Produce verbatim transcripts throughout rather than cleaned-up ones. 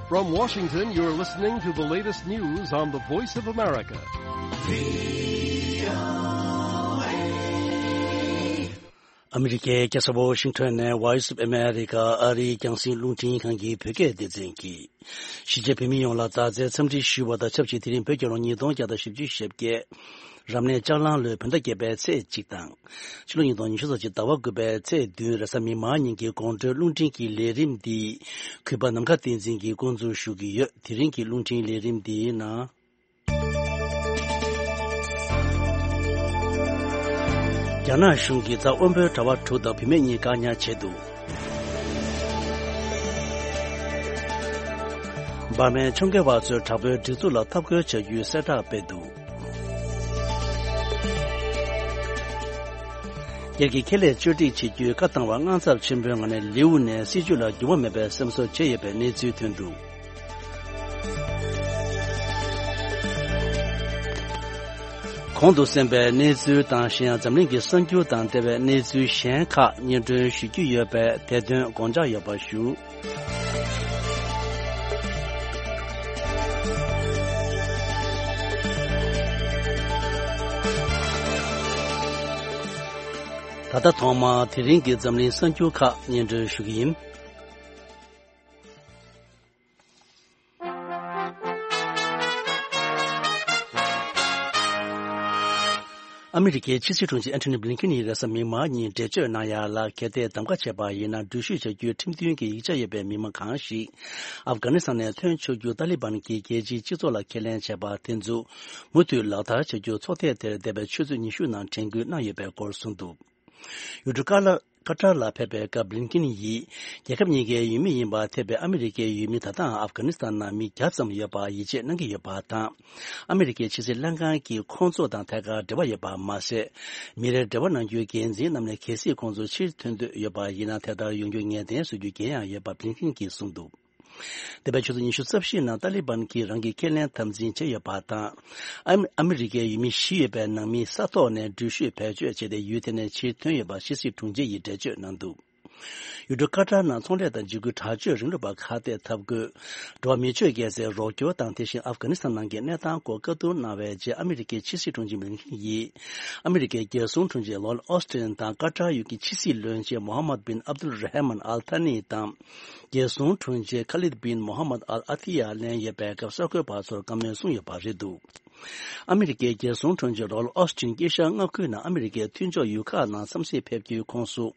From Washington, you're listening to the latest news on the Voice of America. ཨ་མི་རི་ཀའི་རྒྱལ་ས་ཝོ་ཤིང་ཊོན་ནས་Voice of America ཨ་རིའི་རྒྱང་སྲིང་རླུང་འཕྲིན་ཁང་གི་བོད་སྐད་སྡེ་ཚན་གྱིས། གཞིས་བྱེས་བོད་མི་ཡོངས་ལ་མཛའ་བརྩེའི་འཚམས་འདྲི་ཞུ་བ་དང་ཆབས་ཅིག་དེ་རིང་བོད་རྒྱལ་ལོ་ཉིས་སྟོང་བརྒྱ་དང་བཞི་བཅུ་ཞེ་བརྒྱད། རབ་གནས་ལྕགས་གླང་ལོའི་བོད་ཟླ་བརྒྱད་པའི་ཚེས་གཅིག་དང་། ཕྱི་ལོ་ཉིས་སྟོང་ཉི་ཤུ་རྩ་གཅིག་ཟླ་བ་དགུ་པའི་ཚེས་བདུན་རེས་གཟའ་མིག་དམར་ཉིན་གྱི་དགོང་དྲོའི་རླུང་འཕྲིན་གྱི་ལས་རིམ་འདི། གུས་པ་ནམ་མཁའ་བསྟན་འཛིན་གྱིས་འགོ་འཛུགས་ཞུ་གི་ཡོད། དེ་རིང་གི་རླུང་འཕྲིན་ལས་རིམ་འདིའི་ནང་། རྒྱ་ནག་གཞུང་གིས་རྩ་དབོན་པོའི་གྲྭ་པ་དྲུག་དང་བུད་མེད་གཉིས་བཀག་ཉར་བྱས་འདུག་འབར་མའི་ཕྱོགས་འགལ་བ་ཚོས་དྲག་པོའི་སྒྲིག་འཛུགས་ལ་འཐབ་རྒོལ་བྱ་རྒྱུའི་གསལ་བསྒྲགས་སྤེལ་འདུག་སྒེར་གྱི་ཁེ་ལས་བཅོས་སྒྲིག་བྱེད་རྒྱུའི་བཀའ་བཏང་བར་དངངས་འཚབ་ཆེན་པོའི་ངང་ནས་ལེའུ་ནས་སྲིད་བྱུས་ལ་འགྱུར་བ་མེད་པའི་སེམས་གསོ་བྱས་ཡོད་པའི་གནས་ཚུལ་ཐོན་འདུག་གོང་དུ་གསན་པའི་གནས་ཚུལ་དང་གཞན་ཡང་འཛམ་གླིང་གི་གསར་འགྱུར་དང་འབྲེལ་བའི་གནས་ཚུལ་གཞན་ཁག་སྙན་སྒྲོན་ཞུ་རྒྱུ་ཡོད་པས་དེ་དོན་དགོངས་འཇགས་ཡོད་པ་ཞུ། ད་ལྟ་ཐོག་མར་དེ་རིང་གི་འཛམ་གླིང་གསར་འགྱུར་ཁག་སྙན་སྒྲོན་ཞུ་གི་ཡིན། ཨ་མི་རི་ཀའི་ཕྱི་སྲིད་དྲུང་ཆེ་ཨན་ཐོ་ནི་བྷི་ལིན་ཀིན་ཡིས་རེས་གཟའ་མིག་དམར་ཉིན་འགྲེལ་བརྗོད་གནང་ཡ་ལ། གལ་ཏེ་གདམ་ག་བྱས་པ་ཡིན་ན། འགྲུལ་བཞུད་བྱ་རྒྱུའི་ཁྲིམས་མཐུན་གྱི་ཡིག་ཆ་ཡོད་པའི་མི་མང་གང་ཞིག་ཨབ་གྷ་ནི་སི་ཐན་ནས་ཐོན་ཆོག་རྒྱུ་ཏཱ་ལི་བན་གྱིས་རྒྱལ་སྤྱིའི་སྤྱི་ཚོགས་ལ་ཁས་ལེན་བྱས་པ་དེ་ཚོ་མུ་མཐུད་ལག་བསྟར་བྱ་རྒྱུ་ཚོགས་ཐེངས་དེར་འདས་པའི་ཆུ་ཚོད་ཉི་ཤུ་ནང་དྲན་སྐུལ་གནང་ཡོད་པའི་སྐོར་གསུངས་འདུག་ཡུལ་གྲུ་ཀ་ལ། ཀ་ཏར་ལ་ཕེབས་པའི་སྐབས་བྷི་ལིན་ཀིན་ཡིས། རྒྱལ་ཁབ་གཉིས་ཀའི་ཡུལ་མི་ཡིན་པར་ཐེ་བའི་ཨ་མི་རི་ཀའི་ཡུལ་མི་ད་ལྟའང་ཨབ་གྷ་ནི་སི་ཐན་ནང་མི་བརྒྱ་ཙམ་ཡོད་པར་ཡིད་ཆེས་གནང་གི་ཡོད་པ་དང་། ཨ་མི་རི་ཀའི་ཕྱི་སྲིད་ལྷན་ཁང་གིས་ཁོང་ཚོ་དང་ཐད་ཀར་འབྲེལ་བ་ཡོད་པ་མ་ཟད། མི་རེར་འབྲེལ་བ་གནང་རྒྱུའི་འགན་འཛིན་རྣམས་ནས་གལ་སྲིད་ཁོང་ཚོ་ཕྱིར་ཐོན་འདོད་ཡོད་པ་ཡིན་ན། དེ་ལྟར་ཡོང་རྒྱུ་ངེས་གཏན་བཟོ་རྒྱུའི་འགན་ཡང་ཡོད་པ་བྷི་ལིན་ཀིན་གྱིས་གསུངས་འདུག་འདས་པའི་ཆུ་ཚོད་ཉི་ཤུ་རྩ་བཞི་ནང་ཏཱ་ལི་བན་གྱིས་རང་གི་ཁས་ལེན་དམ་འཛིན་བྱས་ཡོད་པ་དང་། ཨ་མི་ཨ་མི་རི་ཀའི་ཡུལ་མི་བཞི་ཡོད་པའི་ནང་མི་ས་ཐོག་ནས་འགྲུལ་བཞུད་བེད་སྤྱོད་བྱས་ཏེ་ཡུལ་དེ་ནས་ཕྱིར་ཐོན་ཡོད་པ་ཕྱི་སྲིད་དྲུང་ཆེ་ཡིས་འགྲེལ་བརྗོད་གནང་འདུག་ཡུལ་གྲུ་ཀ་ཏར་ནང་ཚོང་ལས་དང་འཇིགས་སྐུལ་དྲག་སྤྱོད་རིང་ལུགས་པ་ཁ་གཏད་འཐབ་དགོས། འགྲོ་བ་མི་སྤྱོད་རྒྱལ་སའི་རོགས་སྐྱོར་དང་། དེ་བཞིན་ཨབ་གྷ་ནི་སི་ཐན་ནང་གི་གནས་སྟངས་སྐོར་བཀའ་བསྡུར་གནང་བའི་རྗེས། ཨ་མི་རི་ཀའི་ཕྱི་སྲིད་དྲུང་ཆེ་བྷི་ལིན་ཀིན་ཡིས། ཨ་མི་རི་ཀའི་རྒྱལ་སྲུང་དྲུང་ཆེ་ལོའིཌ་ཨོ་སི་ཊིན་དང་ཀ་ཏར་ཡུལ་གྱི་ཕྱི་སྲིད་བློན་ཆེན་མོ་ཧམ་མད་བིན་ཨབ་དུལ་ར་ཧ་མན་ཨལ་ཐ་ནི་དང་། རྒྱལ་སྲུང་དྲུང་ཆེ་ཁ་ལིད་བིན་མོ་ཧམ་མད་ཨལ་ཨ་ཐི་ཡ་ལེན་ཡོད་པའི་སྐབས། གསར་འགོད་པ་ཚོར་བཀའ་མོལ་གསུངས་ཡོད་པ་རེད་འདུག་ཨ་མི་རི་ཀའི་རྒྱལ་སྲུང་དྲུང་ཆེ་ལོའིཌ་ཨོ་སི་ཊིན་དཀྱིལ་ཤར་མངའ་ཁུལ་ནང་ཨ་མི་རི་ཀའི་མཐུན་ཕྱོགས་ཡུལ་ཁག་ནང་འཚམས་གཟིགས་ཕེབས་རྒྱུའི་ཁོངས་སུ།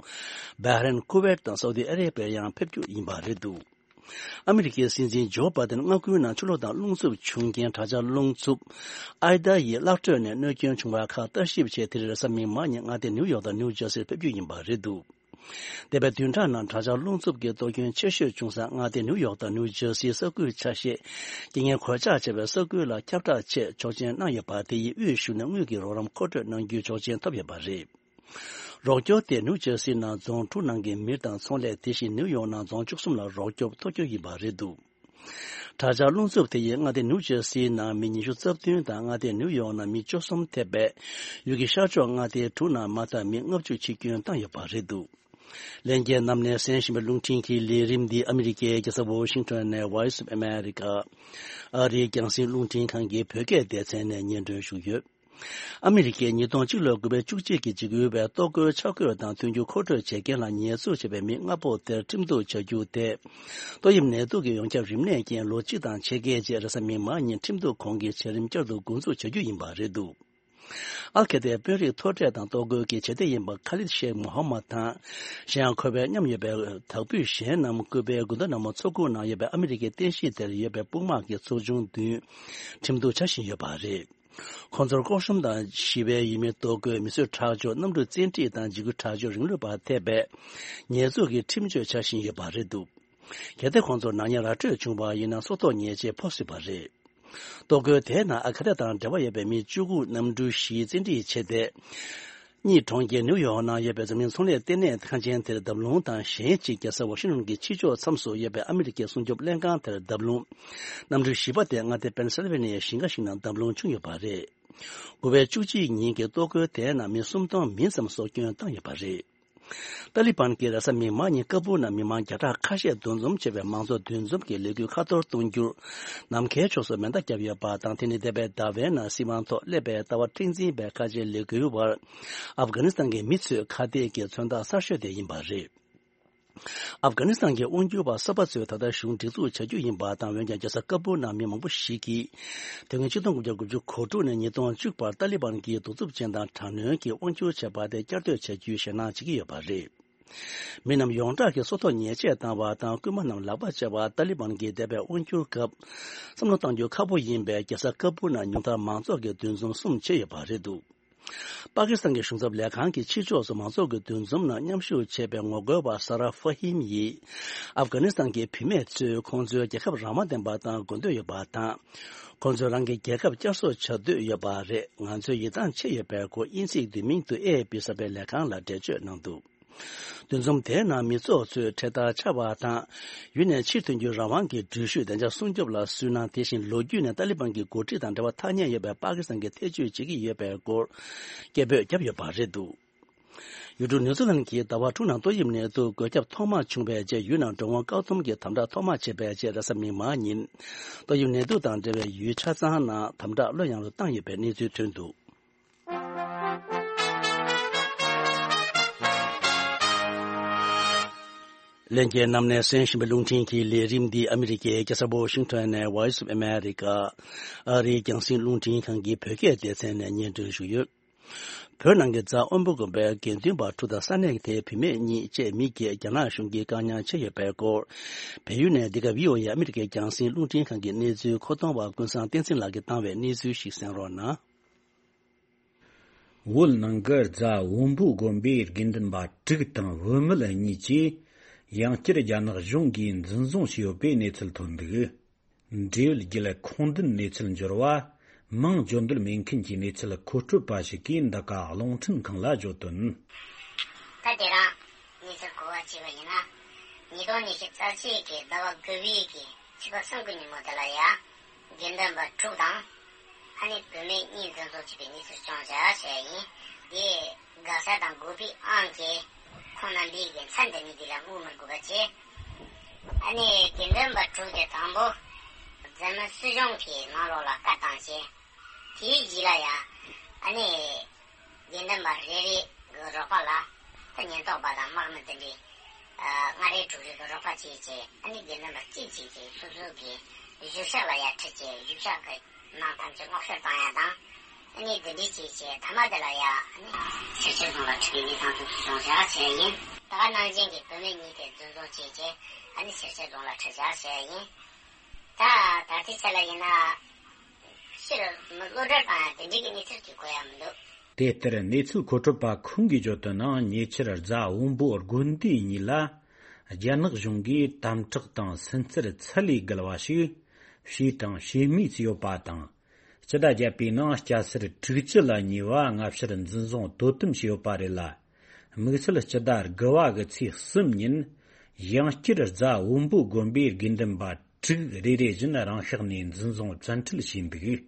བྷ་རེན། ཁུ་ཝེད་དང་སའུ་ཏི་ཨ་རེ་བྷི་ཡ་ཡང་ཕེབས་རྒྱུ་ཡིན་པ་རེད་འདུག་ཨ་མི་རི་ཀའི་སྲིད་འཛིན་ཇོ་བྷ་དན་མངའ་ཁུལ་ནང་ཆུ་ལོག་དང་རླུང་འཚུབ་བྱུང་རྐྱེན། དྲག་ཆར་རླུང་འཚུབ་ཨའི་ད་ཡི་གླག་དྲོད་ནས་གནོད་སྐྱོན་བྱུང་བ་ཁག་ལྟ་ཞིབ་ཆེད། དེ་རིང་རེས་གཟའ་མིག་དམར་ཉིན་མངའ་སྡེ་ནིའུ་ཡོག་དང་ནིའུ་ཇར་སིར་ཕེབས་རྒྱུ་ཡིན་པ་རེད་འདུག་འདས་པའི་བདུན་ཕྲག་ནང་དྲག་ཆར་རླུང་འཚུབ་ཀྱི་གཏོར་སྐྱོན་ཆེ་ཤོས་བྱུང་ས་མངའ་སྡེ་ནིའུ་ཡོག་དང་ནིའུ་ཇར་སིའི་ས་ཁུལ་ཆ་ཤས། རྐྱེན་ངན་གོད་ཆག་ཆེ་བའི་ས་ཁུལ་ལ་ཁྱབ་བསྒྲགས་ཆེད་ཆོག་མཆན་གནང་ཡོད་པ། དེ་ཡིས་དབུས་གཞུང་ནས་དངུལ་གྱི་རོགས་རམ་མཁོ་སྤྲོད་གནང་རྒྱུའི་ཆོག་མཆན་ཐོབ་ཡོད་པ་རེད། རོགས་སྐྱོར་དེ་ནིའུ་ཇར་སི་ནང་རྫོང་དྲུག་ནང་གི་མི་དང་ཚོང་ལས། དེ་བཞིན་ནིའུ་ཡོག་ནང་རྫོང་བཅུ་གསུམ་ལ་རོགས་སྐྱོབ་ཐོབ་རྒྱུ་ཡིན་པ་རེད་འདུག་དྲག་ཆར་རླུང་འཚུབ་དེ་ཡིས་མངའ་སྡེ་ནིའུ་ཇར་སིའི་ནང་མི་ཉི་ཤུ་རྩ་བདུན་དང་། མངའ་སྡེ་ནིའུ་ཡོག་ནང་མི་བཅུ་གསུམ་ཐེ་བའི་ཡུལ་གྱི་ཤར་ཕྱོགས་མངའ་སྡེ་དྲུག་ནང་མ་མཐའ་མི་ལྔ་བཅུ་འཆི་སྐྱོན་བཏང་ཡོད་པ་རེད་འདུག་ལྷན་རྒྱས་རྣམས་ནས་གསན་བཞིན་པའི་རླུང་འཕྲིན་གྱི་ལས་རིམ་འདི་ཨ་མི་རི་ཀའི་རྒྱལ་ས་ཝོ་ཤིང་ཊོན་ནས་Voice of America ཨ་རིའི་རྒྱང་སྲིང་རླུང་འཕྲིན་ཁང་གི་བོད་སྐད་སྡེ་ཚན་ནས་སྙན་སྒྲོན་ཞུས་ཡོད། ཨ་མི་རི་ཀས་ཉིས་སྟོང་གཅིག་ལོའི་དགུ་པའི་བཅུ་གཅིག་གི་འཇིགས་སྐུལ་བའི་ལྟོ་གོས་ཆ་བགོས་དང་མཐུན་འགྱུར་མཁོ་སྤྲོད་བྱེད་མཁན་ལ་ཉེས་འཛུགས་བྱས་པའི་མི་ལྔ་པོ་དེར་ཁྲིམས་གཏུག་བྱ་རྒྱུ་དེ། ཏོག་དབྱིབས་ནད་དུག་གི་ཡོངས་ཁྱབ་རིམས་ནད་རྐྱེན་ལོ་གཅིག་དང་ཕྱེད་ཀའི་རྗེས་རེས་གཟའ་མིག་དམར་ཉིན་ཁྲིམས་གཏུག་ཁང་གིས་བྱ་རིམ་བསྐྱར་དུ་འགོ་འཛུགས་བྱ་རྒྱུ་ཡིན་པ་རེད་འདུག་ཨལ་ཁེ་ཏའི་དཔོན་རིགས་མཐོ་གྲས་དང་ལྟོ་གོས་ཀྱི་བྱེད་གཏེ་ཡིན་པ་ཁ་ལིད་ཤེག་མོ་ཧམ་མད་དང་། གཞན་ཡང་ཁོ་པའི་མཉམ་ཡོད་པའི་དྭགས་པོ་གཞན་རྣམས་ཀུ་པའི་དགུན་ཟླ་ནག་མོ་ཚོགས་ཁུངས་ནང་ཡོད་པའི་ཨ་མི་རི་ཀའི་རྟེན་གཞི་དེར་ཡོད་པའི་དཔུང་དམག་གི་ཚོགས་ཆུང་བདུན་ཁྲིམས་གཏུག་བྱ་བཞིན་ཡོད་པ་རེད། ཁོང་ཚོར་ལྐོག་ཤུམ་དང་ཞི་བའི་ཡུལ་མིའི་ལྟོ་གོས། མི་གསོད་ཁྲག་སྦྱོར། གནམ་གྲུ་བཙན་ཁྲིད་དང་འཇིགས་སྐུལ་དྲག་སྤྱོད་རིང་ལུགས་པར་ཐེ་བའི་ཉེས་འཛུགས་ཀྱི་ཁྲིམས་གཅོད་བྱ་བཞིན་ཡོད་པ་རེད་འདུག་གལ་ཏེ་ཁོང་ཚོར་ནག་ཉེས་ར་སྤྲོད་བྱུང་བ་ཡིན་ན་སྲོག་ཐོག་ཉེས་ཆད་ཕོག་སྲིད་པ་རེད། ལྟོ་གོས་དེའི་ནང་ཨལ་ཁེ་ཏ་དང་འབྲེལ་བ་ཡོད་པའི་མི་བཅུ་དགུ་གནམ་གྲུ་བཞིའི་བཙན་ཁྲིད་བྱས་ཏེ། གཉིས་གྲོང་ཁྱེར་ནིའུ་ཡོག་ནང་ཡོད་པའི་འཛམ་གླིང་ཚོང་ལས་ལྟེ་གནས་ཁང་ཆེན་དེར་བརྡབ་ལྷུང་དང་། གཞན་གཅིག་རྒྱལ་ས་ཝ་ཤིང་ཊོན་གྱི་ཕྱི་ཕྱོགས་མཚམས་སུ་ཡོད་པའི་ཨ་མི་རི་ཀའི་སྲུང་སྐྱོབ་ལྷན་ཁང་དེར་བརྡབ་ལྷུང་། གནམ་གྲུ་བཞི་པ་དེ་མངའ་སྡེ་པེན་སིལ་ཝེ་ནི་ཡའི་ཞིང་ཁ་ཞིག་ནང་བརྡབ་ལྷུང་བྱུང་ཡོད་པ་རེད། དགུ་པའི་བཅུ་གཅིག་ཉིན་གྱི་ལྟོ་གོས་དེའི་ནང་མི་སུམ་སྟོང་མིན་ཙམ་སྲོག་སྐྱོན་བཏང་ཡོད་པ་རེད། ཏཱ་ལི་བན་གྱིས་རེས་གཟའ་མིག་དམར་ཉིན་ཀ་བུར་ནང་མི་མང་བརྒྱ་ཕྲག་ཁ་ཤས་འདུ་འཛོམས་བྱས་པའི་མང་ཚོགས་འདུ་འཛོམས་ཀྱི་ལས་འགུལ་ཁ་ཐོར་གཏོང་རྒྱུར་ནམ་མཁའི་ཕྱོགས་སུ་མེ་མདའ་བརྒྱབ་ཡོད་པ་དང་། དེ་ནི་འདས་པའི་ཟླ་བའི་ནང་སྲིད་དབང་ཐོག་སླེབས་པའི་ལྟ་བ་མཁྲེགས་འཛིན་པའི་ཁ་ཆེའི་ལས་འགུལ་བར་ཨབ་གྷ་ནི་སི་ཐན་གྱི་མི་ཚོས་ཁ་གཏད་ཀྱི་མཚོན་རྟགས་གསར་ཤོས་དེ་ཡིན་པ་རེད། ཨབ་གྷ་ནི་སི་ཐན་གྱི་དབང་སྒྱུར་པ་གསར་པ་ཚོས་ད་ལྟ་གཞུང་སྒྲིག་འཛུགས་བྱ་རྒྱུ་ཡིན་པ་དང་། འོན་ཀྱང་རྒྱལ་ས་ཀ་བུར་ནང་མི་མང་པོ་ཞིག་གིས་དུས་ཡུན་ཆིག་སྟོང་དགུ་བརྒྱ་དགུ་བཅུ་གོ་དྲུག་ནས་ཉིས་སྟོང་བཅུ་བར་ཏཱ་ལི་བན་གྱིས་གདུག་རྩུབ་ཅན་དང་དྲག་གནོན་གྱི་དབང་སྒྱུར་བྱས་པ་དེ་བསྐྱར་ཟློས་བྱ་རྒྱུའི་ཞེད་སྣང་བྱེད་ཀྱི་ཡོད་པ་རེད། མི་རྣམས་ཡོངས་གྲགས་ཀྱིས་སྲོག་ཐོག་ཉེས་ཆད་བཏང་བ་དང་། རྐུན་མ་རྣམས་ལག་པ་བཅག་པ། ཏཱ་ལི་བན་གྱིས་འདས་པའི་དབང་སྒྱུར་སྐབས་བསམ་བློ་གཏང་རྒྱུ་ཁག་པོ་ཡིན་པའི་རྒྱལ་ས་ཀ་བུར་ནང་ཉུང་མཐར་མང་ཚོགས་ཀྱི་འདུ་འཛོམས་གསུམ་བྱས་ཡོད་པ་རེད་འདུག་པ་ཀི་སི་ཐན་གྱི་གཞུང་ཚབ་ལས་ཁང་གི་ཕྱི་ཕྱོགས་སུ་མང་ཚོགས་ཀྱི་འདུ་འཛོམས་ནང་མཉམ་ཞུགས་བྱས་པའི་ངོ་རྒོལ་བ་ས་ར་ཧྥ་ཧིམ་ཡིས། ཨབ་གྷ་ནི་སི་ཐན་གྱི་བུད་མེད་ཚོས་ཁོང་ཚོའི་རྒྱལ་ཁབ་རང་དབང་ལྡན་པ་དང་དགོས་འདོད་ཡོད་པ་དང་། ཁོང་ཚོས་རང་གི་རྒྱལ་ཁབ་བསྐྱར་གསོ་བྱ་འདོད་ཡོད་པ་རེད། ང་ཚོའི་ཡིད་ཐང་ཆད་ཡོད་པའི་སྐོར་དབྱིན་ཚིག་བསྡུས་མིང་དུ་ཨེ་ཨེ་པི་གསར་པའི་ལས་ཁང་ལ་འགྲེལ་བརྗོད་གནང་འདུག་འདུ་འཛོམས་དེའི་ནང་མི་ཚོགས་ཚོས་འཕྲེད་དར་འཕྱར་བ་དང་། ཡུལ་ནས་ཕྱིར་ཐོན་རྒྱུའི་རང་དབང་གི་འགྲུལ་བཞུད་བདེ་འཇགས་སྲུང་སྐྱོབ་ལ་སུན་སྣང་། དེ་བཞིན་ལོ་རྒྱུས་ནས་ཏཱ་ལི་བན་གྱི་འགོ་ཁྲིད་དང་འབྲེལ་བ་ཐག་ཉེ་ཡོད་པའི་པ་ཀི་སི་ཐན་གྱི་ཐེ་བྱུས་བྱེད་ཀྱི་ཡོད་པའི་སྐོར་སྐད་འབོད་བརྒྱབ་ཡོད་པ་རེད་འདུག་ཡུལ་གྲུ་ནིའུ་ཛི་ལན་གྱིས་ཟླ་བ་དྲུག་ནང་ཏོག་དབྱིབས་ནད་དུག་འགོས་ཁྱབ་ཐོག་མ་བྱུང་བའི་རྗེས། ཡུལ་ནང་འགྲོ་འོང་བཀག་སྡོམ་གྱི་དམ་དྲག་ཐོག་མ་བྱས་པའི་རྗེས། རེས་གཟའ་མིག་དམར་ཉིན་ཏོག་དབྱིབས་ནད་དུག་དང་འབྲེལ་བའི་ཡུལ་ཆ་ཚང་ནང་དམ་དྲག་ལྷོད་ཡངས་སུ་བཏང་ཡོད་པའི་གནས་ཚུལ་ཐོན་འདུག་ལྷན་རྒྱས་རྣམས་ནས་གསན་བཞིན་པའི་རླུང་འཕྲིན་གྱི་ལས་རིམ་འདི་ཨ་མི་རི་ཀའི་རྒྱལ་ས་ཝ་ཤིང་ཊོན་ནས་Voice of America ཨ་རིའི་རྒྱང་སྲིང་རླུང་འཕྲིན་ཁང་གི་བོད་སྐད་སྡེ་ཚན་ནས་སྙན་སྒྲོན་ཞུས་ཡོད། བོད་ནང་གི་རྫ་དབོན་པོ་དགོན་པའི་དགེ་འདུན་པ་དྲུག་དང་ས་གནས་དེའི་བུད་མེད་གཉིས་བཅས་མི་བརྒྱད་རྒྱ་ནག་གཞུང་གིས་བཀག་ཉར་བྱས་ཡོད་པའི་སྐོར། བལ་ཡུལ་ནས་འདི་ག་བྷི་ཨོ་ཨེ་ཨ་མི་རི་ཀའི་རྒྱང་སྲིང་རླུང་འཕྲིན་ཁང་གི་གནས་ཚུལ་མཁོ་གཏོང་བ་ཀུན་བཟང་བསྟན་འཛིན་ལགས་ཀྱིས་བཏང་བའི་གནས་ཚུལ་ཞིག་གསན་རོགས་གནང་། བོད་ནང་གི་རྫ་དབོན་པོ་དགོན་པའི་དགེ་འདུན་པ་དྲུག་དང་བུད་མེད་གཉིས་ཀྱིས་ཡང་བསྐྱར་རྒྱ་ནག་གཞུང་གིས་འཛིན་བཟུང་བྱས་ཡོད་པའི་གནས་ཚུལ་ཐོན་འདུག་འབྲེལ་ཡོད་བརྒྱུད་ལམ་ཁུངས་ལྡན་གནས་ཚུལ་འབྱོར་བ། མིང་བརྗོད་འདོད་མེད་མཁན་གྱི་གནས་ཚུལ་མཁོ་སྤྲོད་པ་ཞིག་གིས་འདི་ག་རླུང་འཕྲིན་ཁང་ལ་བརྗོད་དོན། ད་དེ་རིང་གནས་ཚུལ་གོ་བ་བྱས་པ་ཡིན་ན། ཉིས་སྟོང་ཉི་ཤུ་རྩ་གཅིག་གི་ཟླ་བ་དགུ་པའི་གི་ཚེས་པ་གསུམ་གི་ཉིན་མོ་དེ་ལ་ཡ། དགེ་འདུན་པ་དྲུག་དང་། ཨ་ནི་བུད་མེད་གཉིས་འཛིན་བཟུང་བྱས་པའི་གནས་ཚུལ་བྱུང་བཞག་ཞེས་ཡིན། དེ་དགའ་ས་དང་དགོས་པའི་ཨང་ཀི་ཁོང་རྣམ་པའི་གི་མཚན་དེ་ནི་དེ་ལ་དངུལ་མི་དགོས་པ་བྱས། ཨ་ནི་དགེ་འདུན་པ་དྲུག་དེ་དང་པོ་འཛམ་གླིང་སྲིད་གཞུང་གི་ནང་ལོགས་ལ་བཀའ་བཏང་བྱས། དེའི་རྗེས་ལ་ཡང་ཨ་ནི་དགེ་འདུན་པ་རེ་རེ་གི་རོགས་པ་ལ་ད་ཉེན་རྟོག་པ་དང་དམག་མི་དེ་འདྲའི་ལྔ་རེ་དྲུག་རེ་གི་རོགས་པ་བྱས་བྱས། ཨ་ནི་དགེ་འདུན་པ་གཅིག་གཅིག་གིས་སོ་སོ་གི་གཞུང་ཞབས་ལ་ཡར་ཁྲིད་བྱས། གཞུང་ཞབས་ཀྱི་ནང་ཐམས་ཅད་སྔོག་བཤེར་བཏང་ཡ་དང་། ཨ་ནི་འདི་འདྲའི་བྱས་བྱས་མཐའ་མ་དེ་ལ་ཡ་ཨ་ནི་སེར་བྱེས་རྫོང་ལ་ཁྲིད་པའི་གནས་སྟངས་དེ་ཚོ་བྱུང་བཞག་བྱས་ཡིན། ད་ག་ནང་བཞིན་གྱི་བུད་མེད་གཉིས་དེ་འཛིན་བཟུང་བྱས་བྱས་ཨ་ནི་སེར་བྱེས་རྫོང་ལ་ཁྲིད་བཞག་བྱས་ཡིན། ད་ད་ལྟའི་ཆ་ལ་ཡིན་ན་ཕྱིར་གློད་གྲོལ་བཏང་ཡ་དེ་འདྲའི་གི་གནས་ཚུལ་གྱི་གོ་ཡ་མི་འདུག་དེ་ལྟར་གནས་ཚུལ་མཁོ་སྤྲོད་པ་ཁོང་གིས་བརྗོད་དོན་ནང་། ཉེ་ཆར་རྫ་དབོན་པོ་དགོན་སྡེ་གཉིས་ལ་རྒྱ་ནག་གཞུང་གིས་དམ་དྲག་དང་སུན་གཙེར་ཚད་ལས་བརྒལ་བ་ཞིག་བྱས་དང་བྱེད་མུས་སུ་ཡོད་པ་དང་། སྤྱི་ཟླ་བརྒྱད་པའི་ནང་སྐྱ་སེར་དྲུག་ཅུ་ལ་ཉེ་བ་སྔ་ཕྱིར་འཛིན་བཟུང་དོ་དམ་བྱས་ཡོད་པ་རེད་ལ། དམིགས་བསལ་སྤྱི་ཟླ་དགུ་བ་གི་ཚེས་གསུམ་ཉིན་ཡང་བསྐྱར་རྫ་དབོན་པོ་དགོན་པའི་དགེ་འདུན་པ་དྲུག་རེ་རེ་བཞིན་རང་ཤག་ནས་འཛིན་བཟུང་བཙན་ཁྲིད་བྱས་འདུག་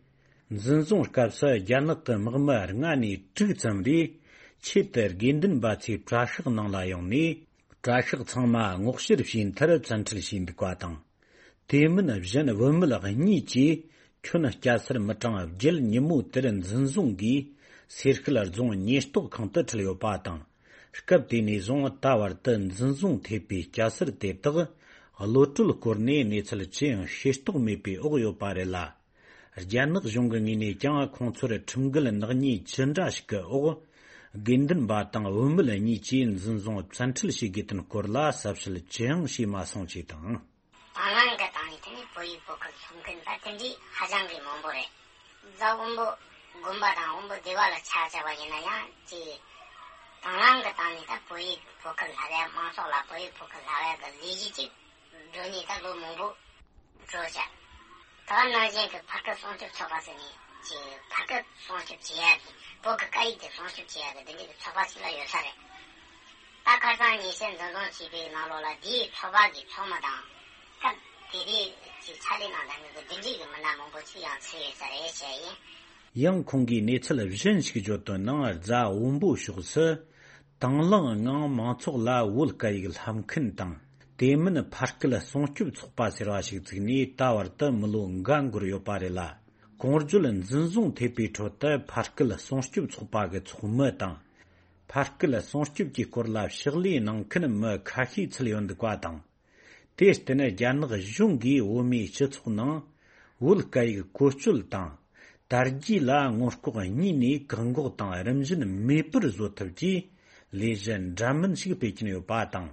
འཛིན་བཟུང་སྐབས་སུ་རྒྱ་ནག་གི་དམག་མི་ལྔ་ནས་དྲུག་ཙམ་རེ་ཆེད་དུ་དགེ་འདུན་པ་ཚོའི་གྲྭ་ཤག་ནང་ལ་ཡོང་ནས། གྲྭ་ཤག་ཚང་མ་སྔོག་བཤེར་བྱས་མཐར་བཙན་ཁྲིད་བྱས་འདུག་པ་དང་། དེ་མིན་གཞན་བུད་མེད་གཉིས་ཀྱིས་ཁྱོན་སྐྱ་སེར་མི་གྲངས་བརྒྱད་ཉིན་མོ་དེར་འཛིན་བཟུང་གིས་སེར་སྐྱ་རྫོང་ཉེན་རྟོག་ཁང་དུ་ཁྲིད་ཡོད་པ་དང་། སྐབས་དེ་ནས་བཟུང་ད་བར་དུ་འཛིན་བཟུང་ཐེབས་པའི་སྐྱ་སེར་དེ་དག་གློད་གྲོལ་སྐོར་ནས་གནས་ཚུལ་ཅི་ཡང་ཤེས་རྟོགས་མེད་པའི་འོག་ཡོད་པ་རེད་ལ། རྒྱ་ནག་གཞུང་གི་ངོས་ནས་ཀྱང་ཁོང་ཚོར་ཁྲིམས་འགལ་ནག་ཉེས་ཅི་འདྲ་ཞིག་གི་འོག་དགེ་འདུན་པ་དང་བུད་མེད་གཉིས་ཀྱིས་འཛིན་བཟུང་བཙན་ཁྲིད་བྱེད་དགོས་དོན་སྐོར་ལ་ཟབ་ཞིབ་ཅི་ཡང་བྱས་མ་སོང་ཅེས་དང་། དང་བླངས་ཀྱི་སྟེང་ནས་དེ་ནི་བོད་ཡིག་བོད་སྐད་སློབ་མཁན་ད་དེ་འདྲའི་ཧ་ཅང་གི་མང་པོ་རེད། རྫ་དབོན་པོ་དགོན་པ་དང་དབོན་པོ་སྡེ་བ་ལ་ཆ་བཞག་པ་ཡིན་ན་ཡང་ཅིག་དང་བླངས་ཀྱི་སྟེང་ནས་ད་བོད་ཡིག་བོད་སྐད་བསླབ་ཡ། མང་ཚོགས་ལ་བོད་ཡིག་བོད་སྐད་བསླབ་ཡ་གི་ལས་གཞི་ཅིག་འགྲོ་ནས་ད་ལོ་མང་པོ་འགྲོ་བཞག་ད་ག་ནང་བཞིན་གྱི་བར་སྐབས་སྲུང་སྐྱོབ་ཚོགས་པ་ཟེར་ནས་ཀྱི་བར་སྐབས་སྲུང་སྐྱོབ་བྱེད་ཡག་གི་བོད་ཀྱི་སྐད་ཡིག་དེ་སྲུང་སྐྱོབ་བྱེད་ཡག་གི་འདི་འདྲའི་གི་ཚོགས་པ་ཞིག་ལ་ཡོད་ས་རེད། ད་ཁ་སང་ཉེ་ཆར་འཛིན་བཟུང་བྱས་པའི་ནང་ལོགས་ལ་དེའི་ཚོགས་པ་གི་ཚོགས་མི་དང་སྐབས་དེ་དུས་ཀྱི་ཕྱག་ལས་གནང་མཁན་གྱི་འདི་འདྲའི་གི་མི་སྣ་མང་པོ་ཅིག་ཡང་ཚུད་ཡོད་ས་རེད་བཤད་ཡིན། ཡང་ཁོང་གིས་གནས་ཚུལ་གཞན་ཞིག་བརྗོད་དོན་ནང་རྫ་དབོན་པོ་ཕྱོགས་སུ། དང་བླངས་ངང་མང་ཚོགས་ལ་བོད་སྐད་ཡིག་བསླབ་མཁན་དང་། དེ་མིན་ཕ་སྐད་སྲུང་སྐྱོབ་ཚོགས་པ་ཟེར་བ་ཞིག་བཙུགས་ནས་ད་བར་དུ་མི་ལོ་འགའ་འགོར་ཡོད་པ་རེད་ལ། གོང་བརྗོད་འཛིན་བཟུང་ཐེབས་པའི་ཁྲོད་དུ་ཕ་སྐད་སྲུང་སྐྱོབ་ཚོགས་པ་གི་ཚོགས་མི་དང་། ཕ་སྐད་སྲུང་སྐྱོབ་ཀྱི་སྐོར་ལ་ཕྱག་ལས་གནང་མཁན་མི་ཁ་ཤས་ཚུད་ཡོད་འདུག་པ་དང་། དེར་བརྟེན་རྒྱ་ནག་གཞུང་གིས་བོད་མིའི་སྤྱི་ཚོགས་ནང་བོད་སྐད་ཡིག་བཀོལ་སྤྱོད་དང་། དར་རྒྱས་ལ་སྔོན་ལྐོག་གཉིས་ནས་བཀག་འགོག་དང་རིམ་བཞིན་མེད་པར་བཟོ་ཐབས་ཀྱི་ལས་གཞི་འདྲ་མིན་ཞིག་སྤེལ་གྱིན་ཡོད་པ་དང་།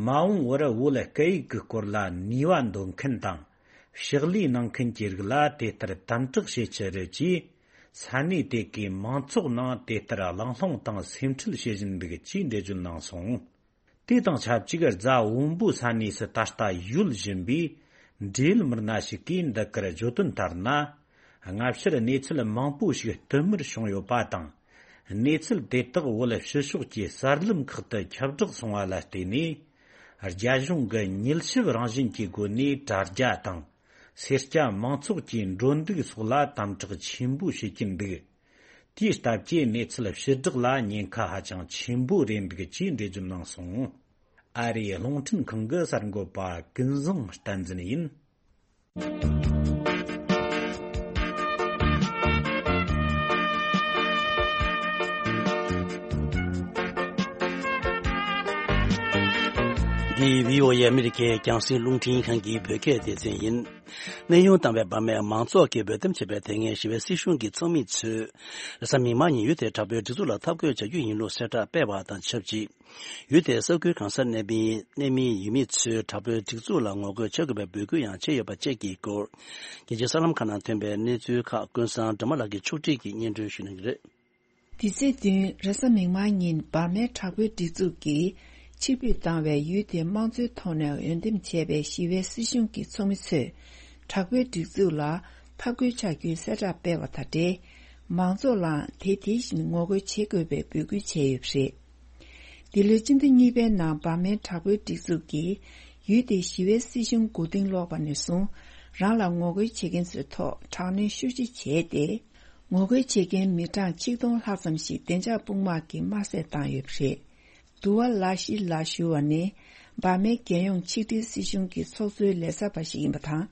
མ་འོངས་པར་བོད་སྐད་ཡིག་གི་སྐོར་ལ་ནུས་པ་འདོན་མཁན་དང་། ཕྱག་ལས་གནང་མཁན་གྱི་རིགས་ལ་དེ་ལྟར་དམ་དྲག་བྱེད་ཕྱིར་ཀྱིས། ས་གནས་དེ་གའི་མང་ཚོགས་ནང་དེ་ལྟར་གླེང་སློང་དང་སེམས་ཁྲལ་བྱེད་བཞིན་འདུག་ཅེས་འགྲེལ་བརྗོད་གནང་སོང་། དེ་དང་ཆབས་ཅིག་རྫ་བོན་པོ་ས་གནས་སུ་ད་ལྟ་ཡོད་བཞིན་པའི་འབྲེལ་ཡོད་མི་སྣ་ཞིག་གིས་འདི་གར་བརྗོད་དོན་ལྟར་ན། སྔ་ཕྱིར་གནས་ཚུལ་མང་པོ་ཞིག་བསྟུད་མར་བྱུང་ཡོད་པ་དང་། གནས་ཚུལ་དེ་དག་བོད་ཕྱི་ཕྱོགས་ཀྱི་གསར་ལམ་ཁག་ཏུ་ཁྱབ་བསྒྲགས་སོང་བ་ལ་བརྟེན་ནས། རྒྱ་གཞུང་གིས་མྱུལ་ཞིབ་རང་བཞིན་གྱི་སྒོ་ནས་དྲ་རྒྱ་དང་། སེར་སྐྱ་མང་ཚོགས་ཀྱི་འགྲོ་འདུག་སོགས་ལ་དམ་དྲག་ཆེན་པོ་བྱེད་ཀྱིན་འདུག་དེའི་སྟབས་ཀྱིས་གནས་ཚུལ་ཕྱིར་བསྒྲགས་ལ་ཉེན་ཁ་ཧ་ཅང་ཆེན་པོ་རེད་འདུག་ཅེས་འགྲེལ་བརྗོད་གནང་སོང་། ཨ་རིའི་རླུང་འཕྲིན་ཁང་གི་གསར་འགོད་པ་ཀུན་བཟང་བསྟན་འཛིན་ཡིན། འདི་བྷི་ཨོ་ཨེ་ཨ་མི་རི་ཀའི་རྒྱང་སྲིང་རླུང་འཕྲིན་ཁང་གི་བོད་སྐད་སྡེ་ཚན་ཡིན། གནས་དབྱུང་བཏང་བའི་བར་མའི་མང་ཚོགས་ཀྱིས་འབོད་སྟོན་བྱས་པའི་དེ་སྔའི་ཞི་བའི་སྲིད་གཞུང་གི་ཚོགས་མི་ཚོས་རེས་གཟའ་མིག་དམར་ཉིན་ཡུལ་དེའི་དྲག་པོའི་སྒྲིག་འཛུགས་ལ་འཐབ་རྒོལ་བྱ་རྒྱུ་ཡིན་ལུགས་གསལ་བསྒྲགས་སྤེལ་བ་དང་ཆབས་ཅིག་ཡུལ་དེའི་ས་ཁུལ་གང་སར་གནས་པའི་གནས་མིའི་ཡུལ་མི་ཚོས་དྲག་པོའི་སྒྲིག་འཛུགས་ལ་ངོ་རྒོལ་བྱེད་དགོས་པའི་འབོད་སྐུལ་ཡང་བྱས་ཡོད་པ་བཅས་ཀྱི་སྐོར། རྒྱལ་སྤྱིའི་གསར་ལམ་ཁག་ནང་ཐོན་པའི་གནས་ཚུལ་ཁག་ཀུན་བཟང་སྒྲོལ་མ་ལགས་ཀྱིས་ཕྱོགས་སྒྲིག་གིས་སྙན་སྒྲོན་ཞུ་གནང་གི་རེད། དེ་ཚེས་བདུན་རེས་གཟའ་མིག་དམར་ཉིན་འབར་མའི་དྲག་པོའི་སྒྲིག་འཛུགས་ཀྱིས་ཕྱིར་འབུད་བཏང་བའི་ཡུལ་དེའི་དམངས་གཙོའི་ཐོག་ནས་འོས་འདེམས་བྱས་པའི་ཞི་བའི་སྲིད་གཞུང་གི་ཚོགས་མི་ཚོས་དྲག་པོའི་སྒྲིག་འཛུགས་ལ་འཐབ་རྒོལ་བྱ་རྒྱུའི་གསལ་བསྒྲགས་སྤེལ་བ་དང་འབྲེལ། མང་ཚོགས་ལའང་དེ་དེ་བཞིན་ངོ་རྒོལ་བྱེད་དགོས་པའི་འབོད་སྐུལ་བྱས་ཡོད་པ་རེད། འདི་ལོའི་སྤྱི་ཟླ་གཉིས་པའི་ནང་འབར་མའི་དྲག་པོའི་སྒྲིག་འཛུགས་ཀྱིས་ཡུལ་དེའི་ཞི་བའི་སྲིད་གཞུང་མགོ་རྟིང་སློག་པ་ནས་བཟུང་རང་ལ་ངོ་རྒོལ་བྱེད་མཁན་ཚོའི་ཐོག་དྲག་གནོན་ཤུགས་ཆེ་བྱས་ཏེ། ངོ་རྒོལ་བྱེད་མཁན་མི་གྲངས་ཆིག་སྟོང་ལྷག་ཙམ་ཞིག་བདེ་འཇགས་དཔུང་དམག་གིས་དམར་གསོད་བཏང་ཡོད་པ་རེད། དུ་བ་ལ་ཤི་ལ་ཞུ་བ་ནི་འབར་མའི་རྒྱལ་ཡོངས་ཆིག་སྒྲིལ་སྲིད་གཞུང་གི་ཚོགས་གཙོའི་ལས་བྱེད་པ་ཞིག་ཡིན་པ་དང་།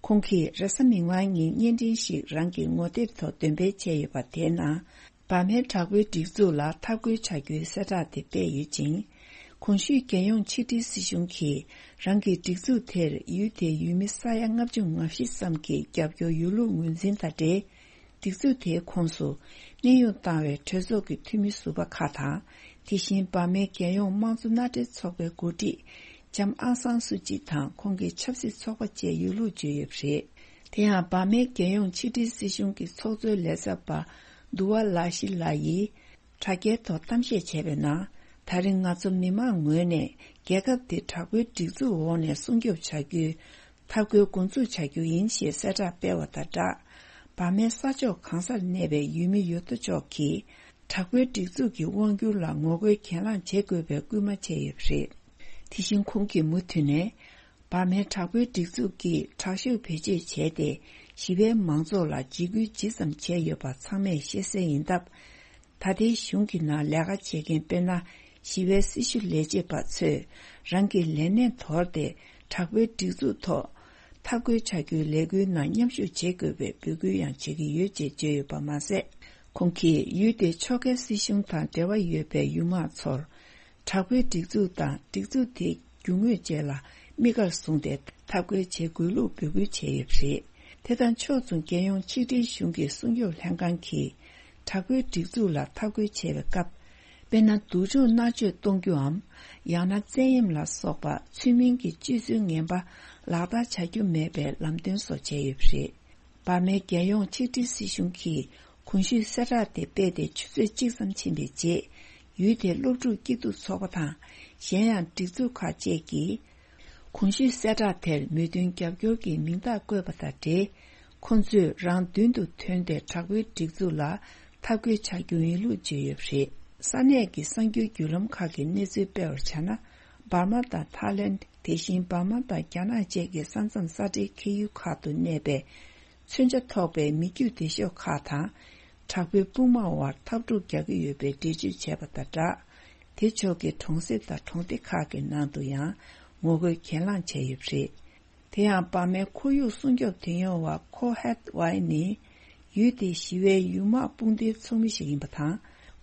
ཁོང་གིས་རེས་གཟའ་མིག་དམར་ཉིན་བརྙན་འཕྲིན་ཞིག་རང་གི་ངོ་དེབ་ཐོག་འདོན་སྤེལ་བྱས་ཡོད་པ་དེའི་ནང་། འབར་མའི་དྲག་པོའི་སྒྲིག་འཛུགས་ལ་འཐབ་རྒོལ་བྱ་རྒྱུའི་གསལ་བསྒྲགས་དེ་སྤེལ་ཡོད་ཅིང་། གོང་ཞུས་རྒྱལ་ཡོངས་ཆིག་སྒྲིལ་སྲིད་གཞུང་གིས་རང་གི་སྒྲིག་འཛུགས་དེར་ཡུལ་དེའི་ཡུལ་མི་ས་ཡ་ལྔ་བཅུ་ང་བཞི་ཙམ་གྱི་རྒྱབ་སྐྱོར་ཡོད་ལུགས་ངོས་འཛིན་དང་འབྲེལ། སྒྲིག་འཛུགས་དེའི་ཁོངས་སུ་གནས་དབྱུང་བཏང་བའི་གྲོས་ཚོགས་ཀྱི་འཐུས་མི་ཟུར་པ་ཁག་དང་། དེ་བཞིན་འབར་མའི་རྒྱལ་ཡོངས་དམངས་གཙོ་མནའ་འབྲེལ་ཚོགས་པའི་འགོ་ཁྲིད་ལྕམ་ཨང་སང་སུ་ཅི་དང་ཁོང་གི་ཆབ་སྲིད་ཚོགས་པ་བཅས་ཡོད་ལུགས་བརྗོད་ཡོད་པ་རེད། དེ་ཡང་འབར་མའི་རྒྱལ་ཡོངས་ཆིག་སྒྲིལ་སྲིད་གཞུང་གི་ཚོགས་གཙོའི་ལས་ཚབ་པ་དུ་བ་ལ་ཤི་ལ་ཡིས་དྲ་རྒྱའི་ཐོག་གཏམ་བཤད་བྱས་པའི་ནང་། ད་རེས་ང་ཚོ་མི་མང་ངོས་ནས་རྒྱལ་ཁབ་འདི་དྲག་པོའི་སྒྲིག་འཛུགས་འོག་ནས་སྲུང་སྐྱོབ་བྱ་རྒྱུའི་འཐབ་རྒོལ་འགོ་འཛུགས་བྱ་རྒྱུ་ཡིན་ཞེས་གསལ་བསྒྲགས་སྤེལ་བ་དང་སྦྲགས། འབར་མའི་ས་ཕྱོགས་གང་སར་གནས་པའི་ཡུལ་མི་ཡོད་དོ་ཅོག་གིས་དྲག་པོའི་སྒྲིག་འཛུགས་ཀྱི་དབང་སྒྱུར་ལ་ངོ་རྒོལ་གྱེན་ལངས་བྱེད་དགོས་པའི་སྐུལ་མ་བྱས་ཡོད་པ་རེད། དེ་བཞིན་ཁོང་གིས་མུ་མཐུད་ནས། འབར་མའི་དྲག་པོའི་སྒྲིག་འཛུགས་ཀྱིས་དྲག་ཤུགས་བེད་སྤྱོད་བྱས་ཏེ། ཞི་བའི་མང་ཚོགས་ལ་འཇིགས་སྐུལ་ཇི་ཙམ་བྱས་ཡོད་པ་ཚང་མས་ཤེས་གསལ་ཡིན་སྟབས། ད་ལྟའི་གཞུང་གི་ནང་ལས་ཀ་བྱེད་མཁན་དཔེར་ན། ཞི་བའི་སྲི་ཞུ་ལས་བྱེད་པ་ཚོས་རང་གི་ལས་གནས་དོར་ཏེ། དྲག་པོའི་སྒྲིག་འཛུགས་ཐོག་འཐབ་རྒོལ་བྱ་རྒྱུའི་ལས་འགུལ་ནང་མཉམ་ཞུགས་བྱེད་དགོས་པའི་འབོད་སྐུལ་ཡང་བྱེད་ཀྱི་ཡོད་ཅེས་བརྗོད་ཡོད་པ་མ་ཟད། ཁོང་གིས་ཡུལ་དེའི་ཕྱོགས་འགལ་སྲིད་གཞུང་དང་འབྲེལ་བ་ཡོད་པའི་ཡུལ་དམངས་ཚོར། དྲག་པོའི་སྒྲིག་འཛུགས་དང་སྒྲིག་འཛུགས་དེའི་རྒྱུ་དངོས་བཅས་ལ་དམིགས་བཀར་བཟུང་སྟེ་འཐབ་རྒོལ་བྱེད་དགོས་ལུགས་འབོད་སྐུལ་བྱས་ཡོད་པ་རེད། དེ་དང་ཕྱོགས་མཚུངས་རྒྱལ་ཡོངས་ཆིག་སྒྲིལ་གཞུང་གི་སྲུང་སྐྱོབ་ལྷན་ཁང་གིས་དྲག་པོའི་སྒྲིག་འཛུགས་ལ་འཐབ་རྒོལ་བྱེད་པའི་སྐབས། དཔེར་ན། སྡུག་སྦྱོང་མནར་གཅོད་གཏོང་རྒྱུའམ། ཡང་ན་བཙན་གཡེམ་ལ་སོགས་པ་ཚུལ་མིན་གྱི་སྤྱོད་ཚུལ་ངན་པ་ལག་བསྟར་བྱ་རྒྱུ་མེད་པའི་ལམ་སྟོན་སོགས་བྱས་ཡོད་པ་རེད། འབར་མའི་རྒྱལ་ཡོངས་ཆིག་སྒྲིལ་སྲིད་གཞུང་གིས་གོང་ཞུས་གསལ་བསྒྲགས་དེ་སྤེལ་ཏེ་ཆུ་ཚོད་གཅིག་ཙམ་ཕྱིན་པའི་རྗེས། ཡུལ་དེའི་སློབ་ཕྲུག་སྐྱིད་སྡུག་ཚོགས་པ་དང་། གཞན་ཡང་སྒྲིག་འཛུགས་ཁག་བཅས་ཀྱིས། གོང་ཞུས་གསལ་བསྒྲགས་དེར་མོས་མཐུན་རྒྱབ་སྐྱོར་གྱི་མིང་རྟགས་བཀོད་པ་དང་འབྲེལ། ཁོ་ཚོས་རང་མདུན་དུ་ཐོན་ཏེ་དྲག་པོའི་སྒྲིག་འཛུགས་ལ་འཐབ་རྒོལ་བྱ་རྒྱུ་ཡིན་ལུགས་བརྗོད་ཡོད་པ་རེད། ས་གནས་ཀྱི་གསར་འགྱུར་བརྒྱུད་ལམ་ཁག་གིས་གནས་ཚུལ་སྤེལ་བར་བྱས་ན། འབར་མ་དང་ཐའི་ལེནྜ། དེ་བཞིན་འབར་མ་དང་རྒྱ་ནག་བཅས་ཀྱི་ས་མཚམས་ས་འབྲེལ་ཁེལ་ཡུལ་ཁག་ཏུ་གནས་པའི་མཚོན་ཆ་ཐོགས་པའི་མི་རྒྱུད་སྡེ་ཤོག་ཁག་དང་། དྲག་པོའི་དཔུང་དམག་དབར་འཐབ་འཁྲུག་རྒྱག་གི་ཡོད་པའི་འགྲེལ་བརྗོད་བྱས་པ་དང་སྦྲགས། དེ་ཕྱོགས་ཀྱི་གྲོང་གསེབ་དང་གྲོང་སྡེ་ཁག་གི་ནང་དུ་ཡང་ངོ་རྒོལ་གྱེན་ལངས་བྱས་ཡོད་པ་རེད། དེ་ཡང་འབར་མའི་ཁོར་ཡུག་སྲུང་སྐྱོབ་དོན་ཡོད་པ་ཁོ་ཧད་ཝའེ་ནི། ཡུལ་དེའི་ཞི་བའི་ཡུལ་དམག་དཔུང་སྡེའི་ཚོགས་མི་ཞིག་ཡིན་པ་དང་།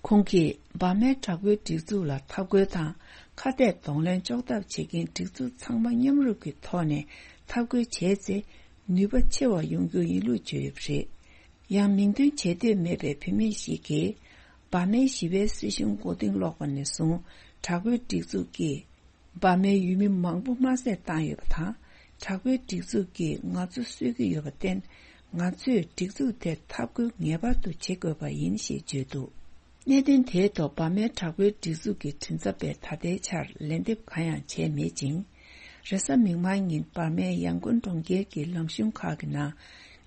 ཁོང་གིས་འབར་མའི་དྲག་པོའི་སྒྲིག་འཛུགས་ལ་འཐབ་རྒོལ་དང་ཁ་གཏད་གདོང་ལེན་གཅོག་ཐབས་བྱེད་མཁན་སྒྲིག་འཛུགས་ཚང་མ་མཉམ་རུབ་ཀྱི་ཐོག་ནས་འཐབ་རྒོལ་བྱས་ཚེ་ནུས་པ་ཆེ་བ་ཡོང་རྒྱུ་ཡིན་ལུགས་བརྗོད་ཡོད་པ་རེད། ཡང་མིང་འདོན་བྱེད་འདོད་མེད་པའི་བུད་མེད་ཞིག་གིས། འབར་མའི་ཞི་བའི་སྲིད་གཞུང་མགོ་རྟིང་སློག་པ་ནས་བཟུང་དྲག་པོའི་སྒྲིག་འཛུགས་ཀྱིས། འབར་མའི་ཡུལ་མི་མང་པོ་དམར་བསད་བཏང་ཡོད་པ་དང་། དྲག་པོའི་སྒྲིག་འཛུགས་ཀྱིས་ང་ཚོ་གསོད་ཀྱི་ཡོད་པར་བརྟེན། ང་ཚོས་སྒྲིག་འཛུགས་དེར་འཐབ་རྒོལ་ངེས་པར་དུ་བྱེད་དགོས་པ་ཡིན་ཞེས་བརྗོད་འདུག་གནད་དོན་དེའི་ཐོག་འབར་མའི་དྲག་པོའི་སྒྲིག་འཛུགས་ཀྱི་མགྲིན་ཚབ་པས་ད་ལྟའི་ཆར་ལན་འདེབས་གང་ཡང་བྱས་མེད་ཅིང་། རེས་གཟའ་མིག་དམར་ཉིན་འབར་མའི་ཡང་ཀོན་གྲོང་ཁྱེར་གྱི་ལམ་གཞུང་ཁག་གི་ནང་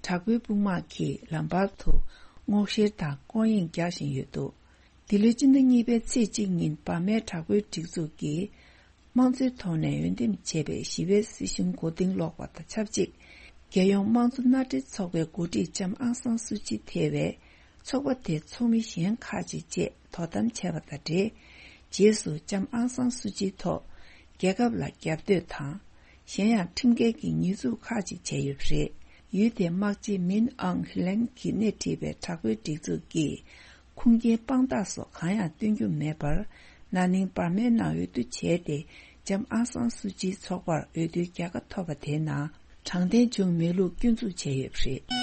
དྲག་པོའི་དཔུང་དམག་གིས་ལམ་བར་དུ་སྔོག་བཤེར་དང་སྐོར་གཡེང་རྒྱག་བཞིན་ཡོད་འདུག་འདི་ལོའི་སྤྱི་ཟླ་གཉིས་པའི་ཚེས་གཅིག་ཉིན་འབར་མའི་དྲག་པོའི་སྒྲིག་འཛུགས་ཀྱིས། དམངས་གཙོའི་ཐོག་ནས་འོས་འདེམས་བྱས་པའི་ཞི་བའི་སྲིད་གཞུང་མགོ་རྟིང་སློག་པ་དང་ཆབས་ཅིག་རྒྱལ་ཡོངས་དམངས་གཙོ་མནའ་འབྲེལ་ཚོགས་པའི་འགོ་ཁྲིད་ལྕམ་ཨང་སང་སུ་ཅི་ཐེ་བའི་ཚོགས་པ་དེའི་ཚོགས་མི་གཞན་ཁག་ཅིག་བཅས་དོ་དམ་བྱས་པ་དང་འབྲེལ། རྗེས་སུ་ལྕམ་ཨང་སང་སུ་ཅིའི་ཐོག་རྒྱལ་ཁབ་ལ་རྒྱབ་གཏོད་དང་། གཞན་ཡང་ཁྲིམས་འགལ་གྱི་ཉེས་འཛུགས་ཁག་ཅིག་བྱས་ཡོད་པ་རེད། ཡུལ་དེའི་དམག་སྤྱི་མིན་ཨང་ཧི་ལན་གྱིས་སྣེ་ཁྲིད་པའི་དྲག་པོའི་སྒྲིག་འཛུགས་ཀྱིས། ཁུངས་སྐྱེལ་དཔང་རྟགས་སོགས་གང་ཡང་སྟོན་རྒྱུ་མེད་པར། ན་ནིང་འབར་མའི་ནང་འོས་བསྡུ་བྱས་ཏེ། ལྕམ་ཨང་སང་སུ་ཅིའི་ཚོགས་པར་འོས་བསྡུའི་རྒྱལ་ཁ་ཐོབ་པ་དེའི་ནང་དྲང་བདེན་བྱུང་མེད་ལུགས་སྐྱོན་འཛུགས་བྱས་ཡོད་པ་རེད།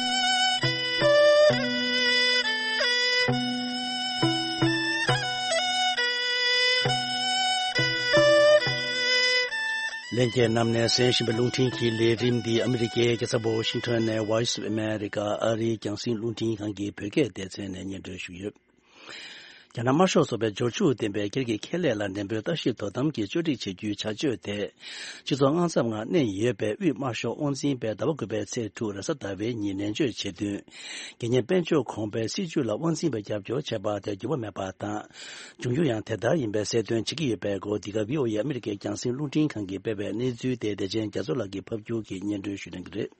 ལྷན་རྒྱས་རྣམས་ནས་གསན་བཞིན་པའི་རླུང་འཕྲིན་གྱི་ལས་རིམ་འདི་ཨ་མི་རི་ཀའི་རྒྱལ་ས་ཝ་ཤིང་ཊོན་ནས་Voice of America ཨ་རིའི་རྒྱང་སྲིང་རླུང་འཕྲིན་ཁང་གི་བོད་སྐད་སྡེ་ཚན་ནས་སྙན་སྒྲོན་ཞུས་ཡོད། རྒྱ་ནག་དམར་ཤོག་ཚོགས་པའི་འབྱོར་ཕྱུག་ལྡན་པའི་སྒེར་གྱི་ཁེ་ལས་ལ་ནན་པོའི་ལྟ་ཞིབ་དོ་དམ་གྱིས་བཅོས་སྒྲིག་བྱེད་རྒྱུའི་བྱ་སྤྱོད་དེ། སྤྱི་ཚོགས་དངངས་འཚབ་ངང་གནས་ཡོད་པའི་དབུས་དམར་ཤོག་དབང་འཛིན་པས་ཟླ་བ་དགུ་པའི་ཚེས་དྲུག་རེས་གཟའ་ཟླ་བའི་ཉིན་ནན་བརྗོད་བྱེད་དོན། དགེ་བསྙེན་དཔལ་འབྱོར་གོང་འཕེལ་སྲིད་ཇུས་ལ་དབང་འཛིན་པས་རྒྱབ་སྐྱོར་བྱས་པ་དེར་འགྱུར་བ་མེད་པ་དང་། འབྱུང་འགྱུར་ཡང་དེ་ལྟར་ཡིན་པའི་གསལ་སྟོན་བྱེད་ཀྱི་ཡོད་པའི་སྐོར། འདི་ག་བྷི་ཨོ་ཨེ་ཨ་མི་རི་ཀའི་རྒྱང་སྲིང་རླུང་འཕྲིན་ཁང་གིས་སྤེལ་བའི་གནས་ཚུལ་དེ་བདེ་ཆེན་རྒྱ་མཚོ་ལགས་ཀྱིས་ཕབ་སྒྱུར་གྱིས་སྙན་སྒྲོན་ཞུ་གནང་གི་རེད།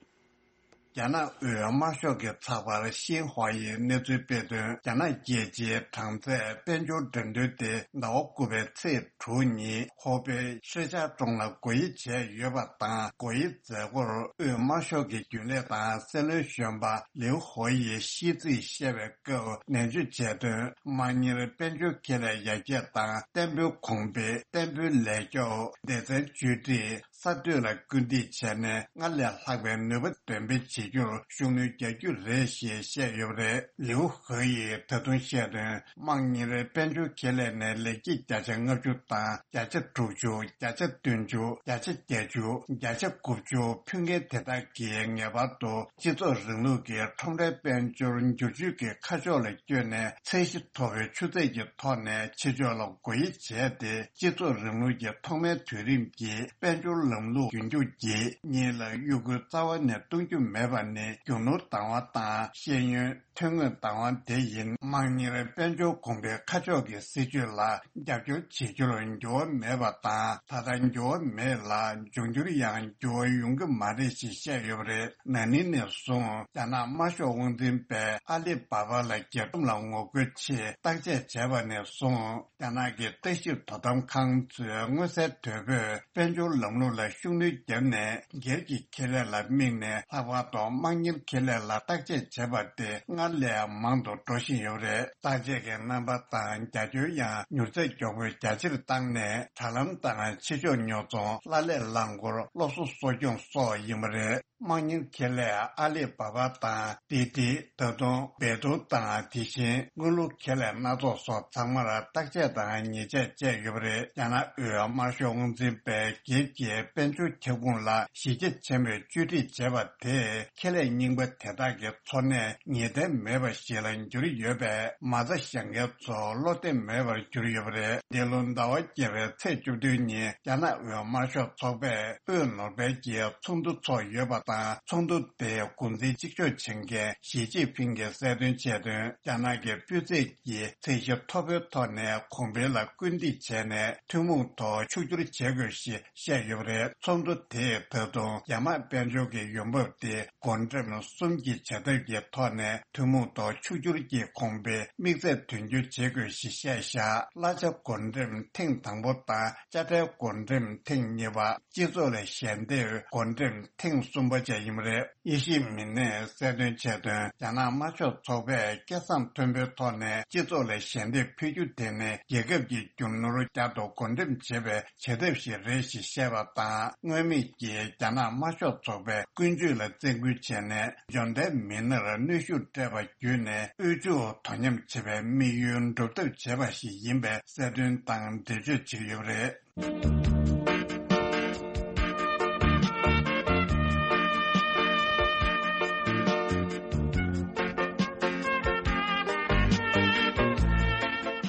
རྒྱ་ནག་དབུས་དམར་ཤོག་གི་ཚགས་པར་ཤིན་ཧྭ་ཡིས་གནས་ཚུལ་སྤེལ་དོན། རྒྱ་ནག་རྒྱལ་སྤྱིའི་གྲངས་ཚད་དཔལ་འབྱོར་འགྲན་བསྡུར་དེ་ཟླ་བ་དགུ་པའི་ཚེས་དྲུག་ཉིན་ཧོ་པེ་ཧྲེ་ཅཱ་ཀྲོང་ལ་སྒོ་དབྱེ་བྱས་ཡོད་པ་དང་། སྒོ་དབྱེ་མཛད་སྒོར་དབུས་དམར་ཤོག་གི་རྒྱུན་ལས་དང་སྲིད་བློན་གཞོན་པ་ལིའུ་ཧོ་ཡིས་ཤིས་ཚིག་བཤད་པའི་སྐབས་ནན་བརྗོད་བྱས་དོན། དམངས་གཉེར་དཔལ་འབྱོར་ཁེ་ལས་ཡར་རྒྱས་དང་། བརྟན་པོའི་གོང་འཕེལ། བརྟན་པོའི་ལས་སྐྱོབ། སྡེ་ཚན་བཅོས་སྒྲིག། གསར་གཏོད་ལ་སྐུལ་འདེད་བྱས་ནས་སྔར་ལས་ལྷག་པའི་ནུས་པ་འདོན་སྤེལ་བྱེད་རྒྱུར་ཤུགས་སྣོན་རྒྱག་རྒྱུ་རེད་ཞེས་བཤད་ཡོད་པ་རེད། ལིའུ་ཧེ་ཡིས་ད་དུང་བཤད་དོན། དམངས་གཉེར་དཔལ་འབྱོར་ཁེ་ལས་ནས་ལེགས་སྐྱེས་བརྒྱ་ཆ་ལྔ་བཅུ་དང་། བརྒྱ་ཆ་དྲུག་ཅུ། བརྒྱ་ཆ་བདུན་ཅུ། བརྒྱ་ཆ་བརྒྱད་ཅུ། བརྒྱ་ཆ་དགུ་བཅུ་ཕུལ་མཁན་དེ་དག་གིས་ངེས་པར་དུ་སྤྱི་ཚོགས་རིང་ལུགས་ཀྱི་ཁྲོམ་རའི་དཔལ་འབྱོར་འགྱུར་བཅོས་ཀྱི་ཁ་ཕྱོགས་ལ་བསྐྱོད་ནས། ཚད་གཞི་མཐོ་བའི་ཆུ་ཚད་ཀྱི་ཐོག་ནས་ཕྱི་ཕྱོགས་ལ་སྒོ་དབྱེ་བྱས་ཏེ། སྤྱི་ཚོགས་རིང་ལུགས་ཀྱི་ཐོག་མའི་དུས་རིམ་གྱི་དཔལ་འབྱོར་ལམ་ལུགས་རྒྱུན་འཁྱོངས་ཀྱིས་གཉིས་ལ་གཡོ་འགུལ་རྩ་བ་ནས་གཏོང་རྒྱུ་མེད་པ་ནི་རྒྱུ་ནོར་བདག་དབང་དང་ཤེས་ཡོན། ཐོན་དངོས་བདག་དབང་དེ་ཡིན། དམངས་གཉེར་དཔལ་འབྱོར་གོང་འཕེལ་ཁ་ཕྱོགས་ཀྱི་སྲིད་ཇུས་ལ་རྒྱབ་སྐྱོར་བྱེད་རྒྱུར་འགྱུར་བ་མེད་པ་དང་། ད་ལྟ་འགྱུར་བ་མེད་ལ། འབྱུང་འགྱུར་ཡང་འགྱུར་བ་ཡོང་གི་མ་རེད་ཅེས་བཤད་ཡོད་པ་རེད། ན་ནིང་ནས་བཟུང་རྒྱ་ནག་དམར་ཤོག་དབང་འཛིན་པས་ཨ་ལི་བ་བ་ལ་རྒྱལ་ཁྲིམས་ལ་ངོ་རྒོལ་ཆེད་བརྟག་དཔྱད་བྱས་པ་ནས་བཟུང་། རྒྱ་ནག་གི་ལྟ་ཞིབ་དོ་དམ་ཁང་ཚོས་མངོན་གསལ་དོད་པོས་དཔལ་འབྱོར་ལམ་ལུགས་ལ་ཤུགས་སྣོན་བརྒྱབ་ནས། སྒེར་གྱི་ཁེ་ལས་ལ་དམིགས་ནས། ལྷག་པར་དུ་དམངས་གཉེར་ཁེ་ལས་ལ་བརྟག་དཔྱད་བྱས་པ་དེ་སྔར་ལས་མང་དུ་འགྲོ་བཞིན་ཡོད་པ་རེད། བརྟག་དཔྱད་ཀྱི་རྣམ་པ་དང་རྒྱ་ཁྱོན་ཡང་མྱུར་ཚད་མགྱོགས་པོས་རྒྱ་ཆེར་བཏང་ནས། དྲ་ལམ་དང་ཕྱི་ཕྱོགས་ཉོ་ཚོང་། གླ་ལས་རླངས་འཁོར། སློབ་གསོ་གསོ་སྐྱོང་སོགས་ཡིན་པ་རེད། དམངས་གཉེར་ཁེ་ལས་ཨ་ལི་བ་བ་དང་ཏི་ཏི། ད་དུང་བེ་ཏུ་དང་། དེ་བཞིན་དངུལ་ལུགས་ཁེ་ལས་སྣ་ཚོགས་སོགས་ཚང་མར་བརྟག་དཔྱད་དང་ཉེས་ཆད་བཅད་ཡོད་པ་རེད། རྒྱ་ནག་དབུས་དམར་ཤོག་དབང་འཛིན་པས་སྒེར་གྱི་དཔལ་འབྱོར་ཁྱབ་ཁོངས་ལ་གཞི་རྒྱ་ཆེན་པོས་བཅོས་སྒྲིག་བྱས་པ་དེས། ཁེ་ལས་རྙིང་པ་དེ་དག་གི་འཚོ་གནས་ངེས་གཏན་མེད་པ་ཞིག་ལ་གྱུར་ཡོད་པས། མ་རྩ་བཞག་མཁན་ཚོ་བློ་བདེ་མེད་པར་གྱུར་ཡོད་པ་རེད། འདི་ལོ་ཟླ་བ་བརྒྱད་པའི་ཚེས་བཅུ་བདུན་ཉིན་རྒྱ་ནག་དབུས་དམར་ཤོག་ཚོགས་པས་དབུས་ནོར་སྦེལ་གྱི་ཚོགས་འདུ་འཚོགས་ཡོད་པ་དང་། ཚོགས་འདུ་དེའི་འགོ་འཛིན་གཅིག་ལྕོགས་བྱེད་མཁན་ཞི་ཅིན་ཕིང་གིས་གསལ་སྟོན་བྱས་དོན། རྒྱ་ནག་གི་སྤུས་ཚད་ཀྱི་ཚད་གཞི་མཐོ་པོའི་ཐོག་ནས་གོང་འཕེལ་ལ་སྐུལ་འདེད་བྱས་ནས། ཐུན་མོང་ཐོག་ཕྱུག་འགྱུར་བྱེད་དགོས་ཞེས་བཤད་ཡོད་པ་རེད། ཚོགས་འདུ་དེས་ད་དུང་རྒྱ་དམར་དཔལ་འབྱོར་གྱི་ཡོང་འབབ་དེ་བགོ་འགྲེམས་གསུམ་གྱི་བྱ་ཐབས་ཀྱི་ཐོག་ནས་ཐུན་མོང་ཐོག་ཕྱུག་འགྱུར་གྱི་གོང་འཕེལ་དམིགས་ཚད་དོན་འཁྱོལ་བྱེད་དགོས་ཞེས་བཤད་བཞག་གླ་ཆ་བགོ་འགྲེམས་ཐེངས་དང་པོ་དང་དཔྱ་ཁྲལ་བགོ་འགྲེམས་ཐེངས་གཉིས་པ། སྤྱི་ཚོགས་ལ་ཞལ་འདེབས་བགོ་འགྲེམས་ཐེངས་གསུམ་པ་བཅས་ཡིན་པ་རེད། དབྱེ་ཞིབ་མི་སྣས་གསལ་སྟོན་བྱས་དོན། རྒྱ་ནག་དམར་ཤོག་ཚོགས་པས་སྐད་གསང་མཐོན་པོའི་ཐོག་ནས་སྤྱི་ཚོགས་ལ་ཞལ་འདེབས་ཕུལ་རྒྱུ་དེ་ནི་རྒྱལ་ཁབ་ཀྱི་རྒྱུ་ནོར་བསྐྱར་དུ་བགོ་འགྲེམས་བྱེད་པའི་བྱ་ཐབས་ཤིག་རེད་ཞེས་བཤད་པ་དང་། མངོན་མེད་ཀྱིས་རྒྱ་ནག་དམར་ཤོག་ཚོགས་པའི་ཀུན་སྤྱོད་ལ་བཙན་སྐུལ་བྱས་ནས། འབྱོར་ལྡན་མི་སྣར་གནོན་ཤུགས་སྤྲད་པ་བརྒྱུད་ནས་དབུལ་ཕྱུག་དོ་མཉམ་བྱེད་པའི་དམིགས་ཡུལ་འགྲུབ་ཐབས་བྱས་པ་ཞིག་ཡིན་པའི་གསལ་སྟོན་དང་འགྲེལ་བརྗོད་བྱེད་ཀྱི་ཡོད་པ་རེད།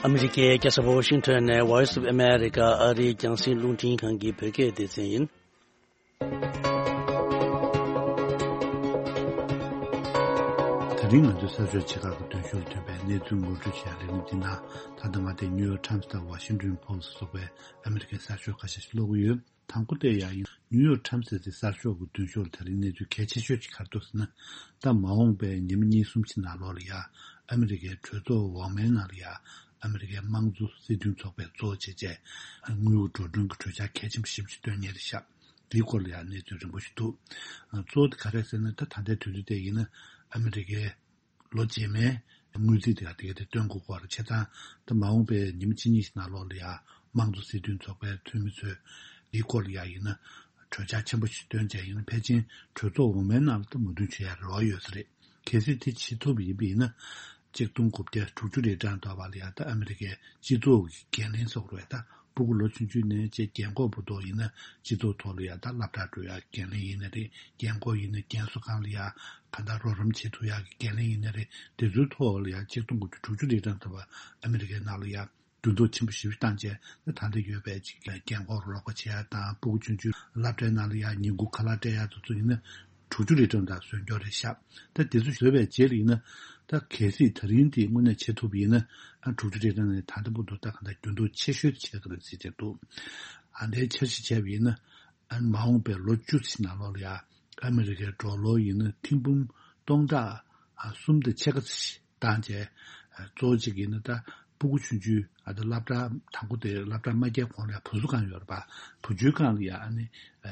ཨ་མི་རི་ཀའི་རྒྱལ་ས་ཝ་ཤིང་ཊོན་ནས་Voice of America ཨ་རིའི་རྒྱང་སྲིང་རླུང་འཕྲིན་ཁང་གི་བོད་སྐད་སྡེ་ཚན་ཡིན། དེ་རིང་ང་ཚོའི་གསར་ཤོག་ཆེ་ཁག་གི་མདུན་ཤོག་ཐོན་པའི་གནས་ཚུལ་ངོ་སྤྲོད་བྱེད་ཡག་ལས་རིམ་འདི་ནང་ད་ལྟ་མ་དེ་ནིའུ་ཡོག་ཊའིམ་སི་དང་ཝ་ཤིང་ཊོན་པོ་སི་ཊི་སོགས་པའི་ཨ་མི་རི་ཀའི་གསར་ཤོག་ཁ་ཤས་ཤིག་ཀློག་གི་ཡོད། དང་པོ་དེ་ཡང་ཡིན། ནིའུ་ཡོག་ཊའིམ་སི་ཟེར་དེ་གསར་ཤོག་གི་མདུན་ཤོག་ལ་དེ་རིང་གནས་ཚུལ་གལ་ཆེ་ཤོས་ཅིག་ག་རེ་འདུག་ཟེར་ན། ད་མ་འོངས་པའི་ཉི་མ་གཉིས་གསུམ་ཕྱི་ནང་ལོགས་ལ་ཡ་ཨ་མི་རི་ཀའི་གྲོས་ཚོགས་འོག་མའི་ནང་ལ་ཡ་ཨ་མི་རི་ཀའི་དམངས་གཙོ་སྲིད་དོན་ཚོགས་པས་གཙོ་བྱས་བྱས་དངུལ་འགྲོ་གྲོན་གྱི་གྲོས་འཆར་གལ་ཆེན་པོ་ཞེ་པོ་ཅིག་བཏོན་མཁན་རེད་ཤག་དེའི་སྐོར་ལ་ཡང་གནས་ཚུལ་རིང་པོ་ཞིག་འདུག་གཙོ་བོ་དེ་ག་རེ་ཟེར་ན། ད་ད་ལྟའི་དུས་ཚོད་དེ་ཡིན་ན་ཨ་མི་རི་ཀའི་ལོ་རྗེས་མའི་དངུལ་རྩིས་དེ་ག་དེ་ག་དེ་སྟོན་དགོས་སྐོར་བྱས་ཙང་། ད་མ་འོངས་པའི་ཉི་མ་གཅིག་གཉིས་ཤིག་ནང་ལོགས་ལ་ཡང་དམངས་གཙོ་སྲིད་དོན་ཚོགས་པའི་འཐུས་མི་ཚོས་འདིའི་སྐོར་ལ་ཡང་ཡིན་ན་གྲོས་འཆར་ཆེན་པོ་ཞིག་བཏོན་བྱས་ཡིན་ན། ཕལ་ཆེར་གྲོས་ཚོགས་འོག་མའི་ནང་ལ་ད་མོས་མཐུན་བྱེད་ཡ་རེ་བ་ཡོད་ས་རེད། གལ་སྲིད་དེ་བྱེད་ཐུབ་པ་ཡིན་པ་ཡིན་ན། གཅིག་སྟོང་དགུ་བརྒྱ་དྲུག་ཅུ་རེ་གྲངས་ཐོབ་པ་ལ་ཡང་ད་ཨ་མི་རི་ཀའི་སྤྱི་ཚོགས་ཀྱི་འགན་ལེན་སོགས་རེད། ད་སྤུ་གུ་ལོ་ཆུང་ཆུང་ནས་བྱས་རྒན་འཁོགས་བར་དུ་ཡིན་ན་སྤྱི་ཚོགས་ཐོག་ལ་ཡང་ད་སློབ་གྲྭར་འགྲོ་ཡག་འགན་ལེན་ཡིན་ན་རེད། རྒན་འཁོགས་ཡིན་ན་རྒན་གསོ་ཁང་ལ་ཡང་གང་ལྟར་རོགས་རམ་བྱེད་ཐུབ་ཡག་གི་འགན་ལེན་ཡིན་ན་རེད། དེ་ཚོའི་ཐོག་ལ་ཡང་གཅིག་སྟོང་དགུ་བརྒྱ་དྲུག་ཅུ་རེ་གྲངས་ཐོབ་པ་ཨ་མི་རི་ཀའི་ནང་ལ་ཡང་འགྱུར་ལྡོག་ཆེན་པོ་ཞེ་པོ་བཏང་བྱས། ད་ད་ལྟ་ཡོད་པའི་ཅིག་རྒན་འཁོགས་རོགས་པ་བྱེད་ཡག་དང་། སྤུ་གུ་ཆུང་ཆུང་སློབ་གྲྭའི་ནང་ལ་ཡང་ཉིན་གུང་ཁ་ལག་སྤྲད་ཡག་དེ་ཚོ་ཡིན་ན་དྲུག་ཅུ་རེ་གྲངས་དང་ཟོན་སྐྱོར་རེད་ཤག་ད་དེ་ཚོ་བཟོས་པའི་རྗེས་ལ་ཡིན་ན། ད་གལ་སྲིད་ད་རིང་དེ་དངོས་གནས་བྱེད་ཐུབ་པ་ཡིན་ན། ཨ་དྲུག་ཅུ་རེ་གྲངས་ནས་ད་ལྟ་བར་དུ་ད་གང་ལྟར་འགྱུར་ལྡོག་ཆེ་ཤོས་བྱེད་ཀྱི་རེད་ཟེར་བྱས་འདུག་ཨ་འདྲའི་འཆར་གཞི་བྱས་པ་ཡིན་ན། ཨ་མ་འོངས་པའི་ལོ་བཅུ་ཙམ་ནང་ལོགས་ལ་ཡང་ཨ་མི་རི་ཀའི་ཌོ་ལར་ཡིན་ན་ཐེར་འབུམ་སྟོང་ཕྲག་ཨ་གསུམ་དང་ཕྱེད་ཀ་ཙམ་བཏང་བྱས། ཨ་གཙོ་བོ་གཅིག་ཡིན་ན་ད་སྤུ་གུ་ཆུང་ཆུང་། ཨ་ད་སློབ་གྲྭ་དང་པོ་དེ་སློབ་གྲྭ་མ་བསྐྱལ་གོང་ལ་ཡང་བུ་གསོ་ཁང་ཡོད་རེད་པ། བུ་བཅོལ་ཁང་ལ་ཡང་ཨ་ནི་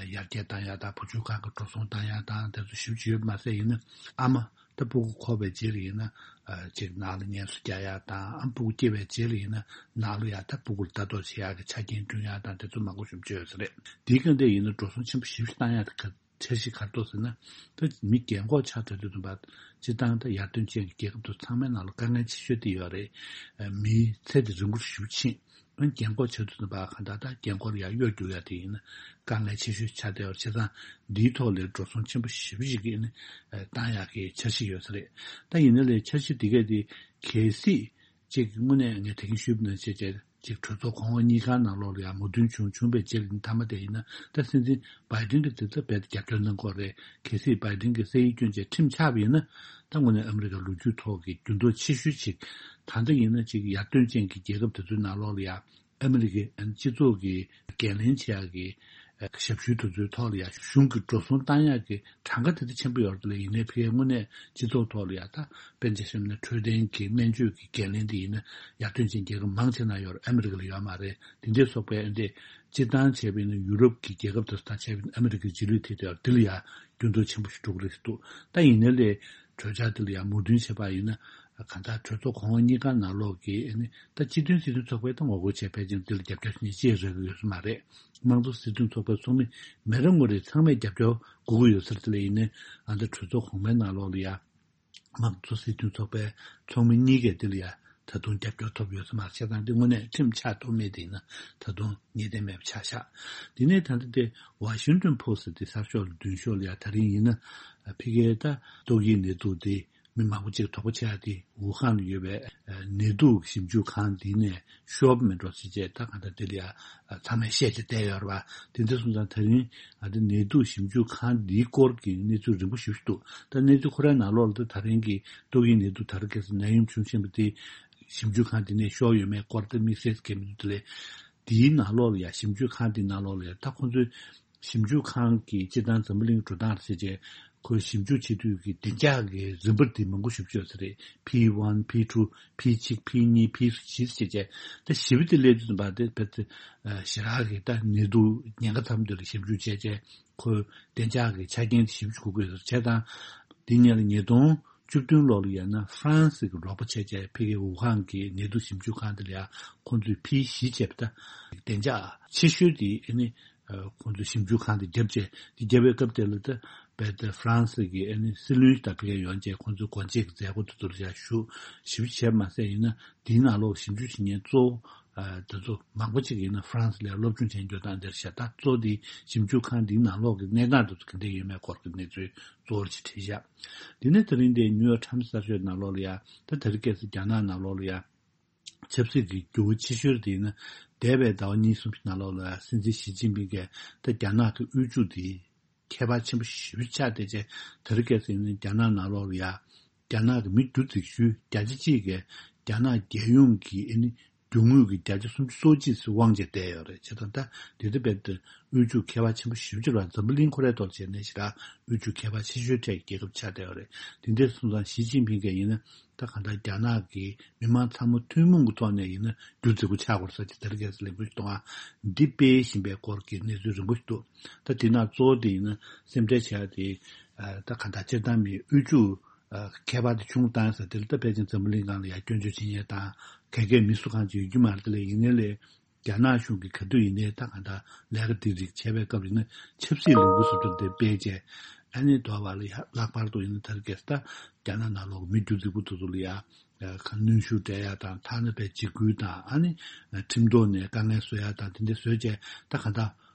ཡར་རྒྱས་བཏང་ཡག་དང་། བུ་བཅོལ་ཁང་གི་འགྲོ་སོང་བཏང་ཡག་དང་དེ་ཚོ་ཞེ་པོ་ཅིག་ཡོད་མ་ཟད། ཡིན་ན་ཨ་མ་ད་སྤུ་གུ་འཁོར་བའི་རྗེས་ལ་ཡིན་ན་ཨ་ཅིག་ནང་ལ་ངལ་གསོ་རྒྱག་ཡག་དང་། ཨ་སྤུ་གུ་སྐྱེས་པའི་རྗེས་ལ་ཡིན་ན་ནང་ལ་ཡང་ད་སྤུ་གུ་ལ་ལྟ་རྟོག་བྱེད་ཡག་གི་ཆ་རྐྱེན་བསྐྲུན་ཡག་དང་དེ་ཚོ་མང་པོ་ཞེ་པོ་ཅིག་ཡོད་ས་རེད། དེའི་སྒང་དེ་ཡིན་ན་འགྲོ་སོང་ཆེན་པོ་ཞེ་པོ་ཅིག་བཏང་ཡག་དེ་ག་འཆར་གཞི་ག་རེ་འདུག་ཟེར་ན། ད་མི་རྒན་འཁོགས་ཆགས་ཚར་དུས་ཙམ་པ། སྤྱིར་བཏང་ད་ཡར་ཐོན་ཅན་གྱི་རྒྱལ་ཁབ་དེ་ཚང་མའི་ནང་ལ་དཀའ་ངལ་ཆེ་ཤོས་དེ་ཡོད་རེད། མིའི་ཚེ་དེ་རིང་པོ་ཞེ་པོ་ཕྱིན། རྒན་འཁོགས་ཆགས་དུས་ཙམ་པ་གང་ལྟར་ད་རྒན་འཁོགས་ལ་ཡར་གཡོལ་རྒྱུག་ཡག་དེ་ཡིན་ན་དཀའ་ངལ་ཆེ་ཤོས་ཆགས་བསྡད་ཡོད་རེད། བྱས་ཙང་འདིའི་ཐོག་ལ་འགྲོ་སོང་ཆེན་པོ་ཞེ་པོ་ཅིག་གི་ནི་བཏང་ཡག་གི་འཆར་གཞི་ཡོད་ས་རེད། ད་ཡིན་ན་ལས་འཆར་གཞི་འདི་གས་དེ་གལ་སྲིད་ཅིག་དངོས་གནས་ངས་ད་གིན་ཞུས་པ་ནང་བཞིན་བྱས། ཅིག་གྲོས་ཚོགས་གོང་འོག་གཉིས་ཀ་ནང་ལོགས་ལ་ཡང་མོས་མཐུན་བྱུང་བྱུང་བའི་རྗེས་ལ་ནི། མཐའ་མ་དེ་ཡིན་ན་ད་སྲིད་འཛིན་བྷའི་ཌེན་གྱིས་དེ་ཚོ་རྦད་དེ་རྒྱབ་སྐྱོར་གནང་གི་ཡོད་རེད། གལ་སྲིད་བྷའི་ཌེན་གྱིས་ས་ཡིག་བསྐྱོན་བྱས་ཁྲིམས་ཆགས་པ་ཡིན་ན། ད་དངོས་གནས་ཨ་མི་རི་ཀའི་ལོ་རྒྱུས་ཐོག་གི་འགྱུར་ལྡོག་ཆེ་ཤོས་ཅིག་ད་ལྟ་ཡིན་ན་ཅིག་ཡར་ཐོན་ཅན་གྱི་རྒྱལ་ཁབ་དེ་ཚོའི་ནང་ལོགས་ལ་ཡང་ཨ་མི་རི་ཀའི་སྤྱི་ཚོགས་ཀྱི་འགན་ལེན་བྱེད་ཡག་གི་ཞབས་ཞུའི་དུས་ཚོད་ཐོག་ལ་ཡང་གཞུང་གི་འགྲོ་སོང་བཏང་ཡག་གི་གྲངས་ཀ་དེ་ལྟར་ཆེན་པོ་ཡོད་རེད། དེ་ལས་ཡིན་ནའི་ཕ་གིའི་དངོས་གནས་སྤྱི་ཚོགས་ཐོག་ལ་ཡང་ད་དཔེར་ན་ཆ་བཞག་ན་འཕྲོད་བསྟེན་གྱི་སྨན་བཅོས་ཀྱི་འགན་ལེན་དེ་ཡིན་ན་ཡར་ཐོན་ཅན་རྒྱལ་ཁབ་མང་ཆེ་ན་ཡོད་རེད། ཨ་མི་རི་ཀ་ལ་ཡོད་མ་རེད། དེ་འདྲའི་སོགས་པའི་འདི་སྤྱིར་བཏང་བྱས་པ་ཡིན་ན་ཡུ་རོབ་ཀྱི་རྒྱལ་ཁབ་དེ་ཚོ་དང་བྱས་པ་ཡིན་ན་ཨ་མི་རི་ཀའི་རྗེས་ལུས་དེ་དེ་ཡང་འདི་ལ་ཡང་འགྱུར་ལྡོག་ཆེན་པོ་ཞིག་འགྲོ་གི་རེད་ཟེར་འདུག་ད་ཡིན་ནའི་ལས་གྲོས་འཆར་འདི་ལ་ཡང་མོས་མཐུན་བྱས་པ་ཡིན་ན། གང་ལྟར་གྲོས་ཚོགས་གོང་འོག་གཉིས་ཀ་ནང་ལོགས་ཀྱི་ཨ་ནི་ད་སྤྱི་མཐུན་སྲིད་དོན་ཚོགས་པས་ད་ངོ་རྒོལ་བྱས། ཕལ་ཆེར་འདི་ལ་རྒྱབ་སྐྱོར་ནི་ཅི་རག་གི་ཡོད་ས་མ་རེད། དམངས་གཙོ་སྲིད་དོན་ཚོགས་པའི་ཚོགས་མི་མི་རེ་ངོ་རེ་ཚང་མས་རྒྱབ་སྐྱོར་དགོས་ཀྱི་ཡོད་ས་རེད། དེ་ལས་ཡིན་ནའི་ཨ་ད་གྲོས་ཚོགས་གོང་མའི་ནང་ལོགས་ལ་ཡ་དམངས་གཙོ་སྲིད་དོན་ཚོགས་པའི་ཚོགས་མི་གཉིས་ཀས་དེ་ལ་ཡ་ད་དུང་རྒྱབ་སྐྱོར་ཐོབ་ཡོད་ས་མ་རེད། བྱས་ཙང་འདི་དངོས་གནས་ཁྲིམས་ཆགས་ཐུབ་མེད་དེ་ཡིན་ན་ད་དུང་ངེས་གཏན་མེད་པ་ཆགས་ཤག་དེ་ནས་ད་ལྟ་དེ་ཝ་ཤིང་ཊོན་པོ་སི་ཊི་དེ་གསར་ཤོག་ལ་མདུན་ཤོག་ལ་ཡ་ད་རིང་ཡིན་ན་ཕ་གིའི་ད་ཏོག་དབྱིབས་ནད་དུག་དེ་མི་མང་པོ་ཅིག་དོགས་པ་བྱེད་ཡ་དེ་ཝུ་ཧན་ལ་ཡོད་པའི་ནད་དུག་ཞིབ་འཇུག་ཁང་འདི་ནས་ཤོར་བ་མེད་འགྲོ་ཟེར་བྱས། ད་གང་ལྟར་དེ་ལ་ཡ་ཚང་མས་བཤད་བྱས་བསྡད་ཡོད་རེད་པ། དེ་འདྲ་སོང་ཙང་ད་རིང་ཨ་དེ་ནད་དུག་ཞིབ་འཇུག་ཁང་འདིའི་སྐོར་གྱི་གནས་ཚུལ་རིང་པོ་ཞེ་པོ་ཅིག་འདུག་ད་གནས་ཚུལ་ཁོ་རའི་ནང་ལོགས་ལ་ད་ད་རིང་གི་ཏོག་དབྱིབས་ནད་དུག་ད་རེས་གལ་སྲིད་ནད་ཡམས་བྱུང་བཞིན་པ་དེ་ཞིབ་འཇུག་ཁང་འདི་ནས་ཤོར་ཡོད་མེད་སྐོར་དེ་དམིགས་བསལ་གང་ཡང་མི་འདུག་དེ་ལས་འདིའི་ནང་ལོགས་ལ་ཡ་ཞིབ་འཇུག་ཁང་འདིའི་ནང་ལོགས་ལ་ཡ་ད་ཁོང་ཚོའི་ ཞིབ་འཇུག་ཁང་གི་སྤྱིར་བཏང་འཛམ་བུ་གླིང་འགྲོ་སྟངས་བྱས་རྗེས་ཁོས་ཞིབ་འཇུག་བྱེད་དུས་ཀྱི་བདེ་འཇགས་ཀྱི་རིམ་པ་འདི་མང་པོ་ཞིག་བཅོས་ས་རེད། P one, P two, P གཅིག P གཉིས P བཞི་བྱས་རྗེས་ད་བཞི་པ་དེ་སླེབས་དུས་ཙམ་པ་དེ་བེད་ཞེ་དྲག་གི་ད་ནད་དུག་ཉེན་ཁ་ཚ་པོ་འདི་ལ་ཞིབ་འཇུག་བྱས་རྗེས་ཁོས་བདེ་འཇགས་ཀྱི་ཆ་རྐྱེན་དེ་ཞིབ་འཇུག་དགོས་ས་རེད། བྱས་ཙང་འདི་ཉིད་ལ་ཉིས་སྟོང་བཅུ་བདུན་ལོ་ལ་ཡང་ན་ཧྥ་རན་སི་གི་རོགས་པ་བྱས་རྗེས་ཕ་གིའི་ཝུ་ཧན་གྱི་ནད་དུག་ཞིབ་འཇུག་ཁང་དེ་ལ་ཡང་ཁོང་ཚོས་P བཞི་བྱས་པ་ད་བདེ་འཇགས་ཆེ་ཤོས་དེ་ཨ་ནི་ཁོང་ཚོས་ཞིབ་འཇུག་ཁང་དེ་བརྒྱབ་བྱས་དེ་བརྒྱབ་པའི་སྐབས་དེ་ལ་ད་བལ་ཏེ་ཧྥ་རན་སི་གི་ཨ་ནི་སྲིད་བློན་དང་ཕ་གིར་ཡོང་རྗེས་ཁོང་ཚོའི་སྒོ་འབྱེད་ཀྱི་མཛད་སྒོ་དེ་ཚོར་ཡང་ཞུ་ཞིབ་བྱས་མ་ཟད་ཡིན་ན་དེའི་ནང་ལོགས་ཞིབ་འཇུག་བྱེད་མཁན་གཙོ་བོ་དེ་ཚོ་མང་པོ་ཅིག་ཡིན་ན་ཧྥ་རན་སི་ལ་སློབ་སྦྱོང་བྱས་འགྱོ་སྟངས་དེར་བཤད་ད་གཙོ་བོ་དེ་ཞིབ་འཇུག་ཁང་འདིའི་ནང་ལོགས་ཀྱི་གནས་སྟངས་དེ་ཚོ་ག་འདྲ་ཡོད་མེད་སྐོར་གྱི་གནས་ཚུལ་གཙོ་བོར་ཅིག་བྲིས་བཞག་དེ་ནས་དེ་རིང་འདིའི་ནིའུ་ཡོག་ཊའིམ་སི་གསར་ཤོག་ནང་ལོགས་ལ་ཡང་ད་དེ་རིང་ཁ་སང་རྒྱ་ནག་ནང་ལོགས་ལ་ཡང་ཆབ་སྲིད་ཀྱི་འགྱུར་བ་ཆེ་ཤོས་དེ་ཡིན་ན་འདས་པའི་ཟླ་བ་གཉིས་གསུམ་ཞིག་ནང་ལོགས་ལ་ཡང་སྲིད་འཛིན་ཞི་ཅིན་ཕིང་གིས་ད་རྒྱ་ནག་གི་དབུལ་ཕྱུག་དེ་ཁྱད་པར་ཆེན་པོ་ཞེ་པོ་ཆགས་བསྡད་རྗེས་དེ་རིང་ཁ་སང་ཡིན་ན་རྒྱ་ནག་ནང་ལོགས་ལ་ཡང་རྒྱ་ནག་གི་མི་སྒྱུ་རྩལ་ཤུགས་བརྒྱ་ཆ་གཅིག་གིས་རྒྱ་ནག་རྒྱལ་ཡོངས་ཀྱི་ཨ་ནི་རྒྱུ་དངོས་ཀྱི་བརྒྱ་ཆ་སུམ་ཅུ་སོ་གཅིག་ཙམ་དབང་བྱས་བསྡད་ཡོད་རེད། བྱས་ཙང་ད་དེ་དུས་རྦད་དེ་དབུལ་ཕྱུག་ཁྱད་པར་ཆེན་པོ་ཞེ་པོ་ཅིག་ལ་འཛམ་བུ་གླིང་ཁོ་རའི་ཐོག་བྱས་ནས་ཞེ་དྲག་དབུལ་ཕྱུག་ཁྱད་པར་ཆེ་ཤོས་གྲས་ཀྱི་རྒྱལ་ཁབ་ཆགས་བསྡད་ཡོད་རེད། དེ་འདྲ་སོང་ཙང་ཞི་ཅིན་ཕིང་གིས་ཡིན་ན་ད་གང་ལྟར་རྒྱ་ནག་གི་མི་མང་ཚང་མ་ཐུན་མོང་གི་ཐོག་ནས་ཡིན་ན་སྒྱུ་རྩལ་པ་ཆགས་དགོས་ཟེར་གྱི་དེ་རིང་ཁ་སང་ལས་འགུལ་ཞིག་གཏོང་བ་འདི་སྤེལ་བཞིན་པའི་སྐོར་གྱི་གནས་ཚུལ་རིང་པོ་ཞིག་འདུག་ད་དེ་ནང་གཙོ་བོ་དེ་ཡིན་ན་སེམས་ཁྲལ་བྱ་ཡ་དེ་ད་གང་ལྟར་སྤྱིར་བཏང་མིའི་དབུལ་ཕྱུག་ཁྱད་པར་དེ་ཆུང་བཏང་ས་དེ་ལ་ད་ཕལ་ཆེར་འཛམ་བུ་གླིང་སྒང་ལ་ཡང་སྐྱོན་བརྗོད་བྱེད་མཁན་དང་ག་གེ་མི་སུ་གང་ཅིག་ཡོད་རྒྱུ་མ་རེད། དེ་ལས་ཡིན་ནའི་ལས་རྒྱ་ནག་གཞུང་གིས་ག་དུས་ཡིན་ནའི་ད་གང་ལྟར་ལས་ཀ་འདི་རིགས་བྱས་པའི་སྐབས་ཡིན་ན་ཆབ་སྲིད་ལས་འགུལ་སོགས་དེ་སྤེལ་བྱས་ཨ་ནི་དོ་བ་ལ་ཡང་ལྷག་པར་དུ་ཡིན་ན་ད་རེས་ད་རྒྱ་ནག་ནང་ལོགས་མི་སྒྱུ་རྩལ་པ་དེ་ཚོ་ལ་ཡང་གནོན་ཤུགས་སྤྲད་ཡ་དང་ཐ་ན་པའི་འཇིགས་སྐུལ་དང་ཨ་ནི་ཁྲིམས་ཐོག་ནས་དཀའ་ངལ་བཟོ་ཡ་དང་དེ་འདྲ་བཟོས་བྱས་ད་གང་ལྟར།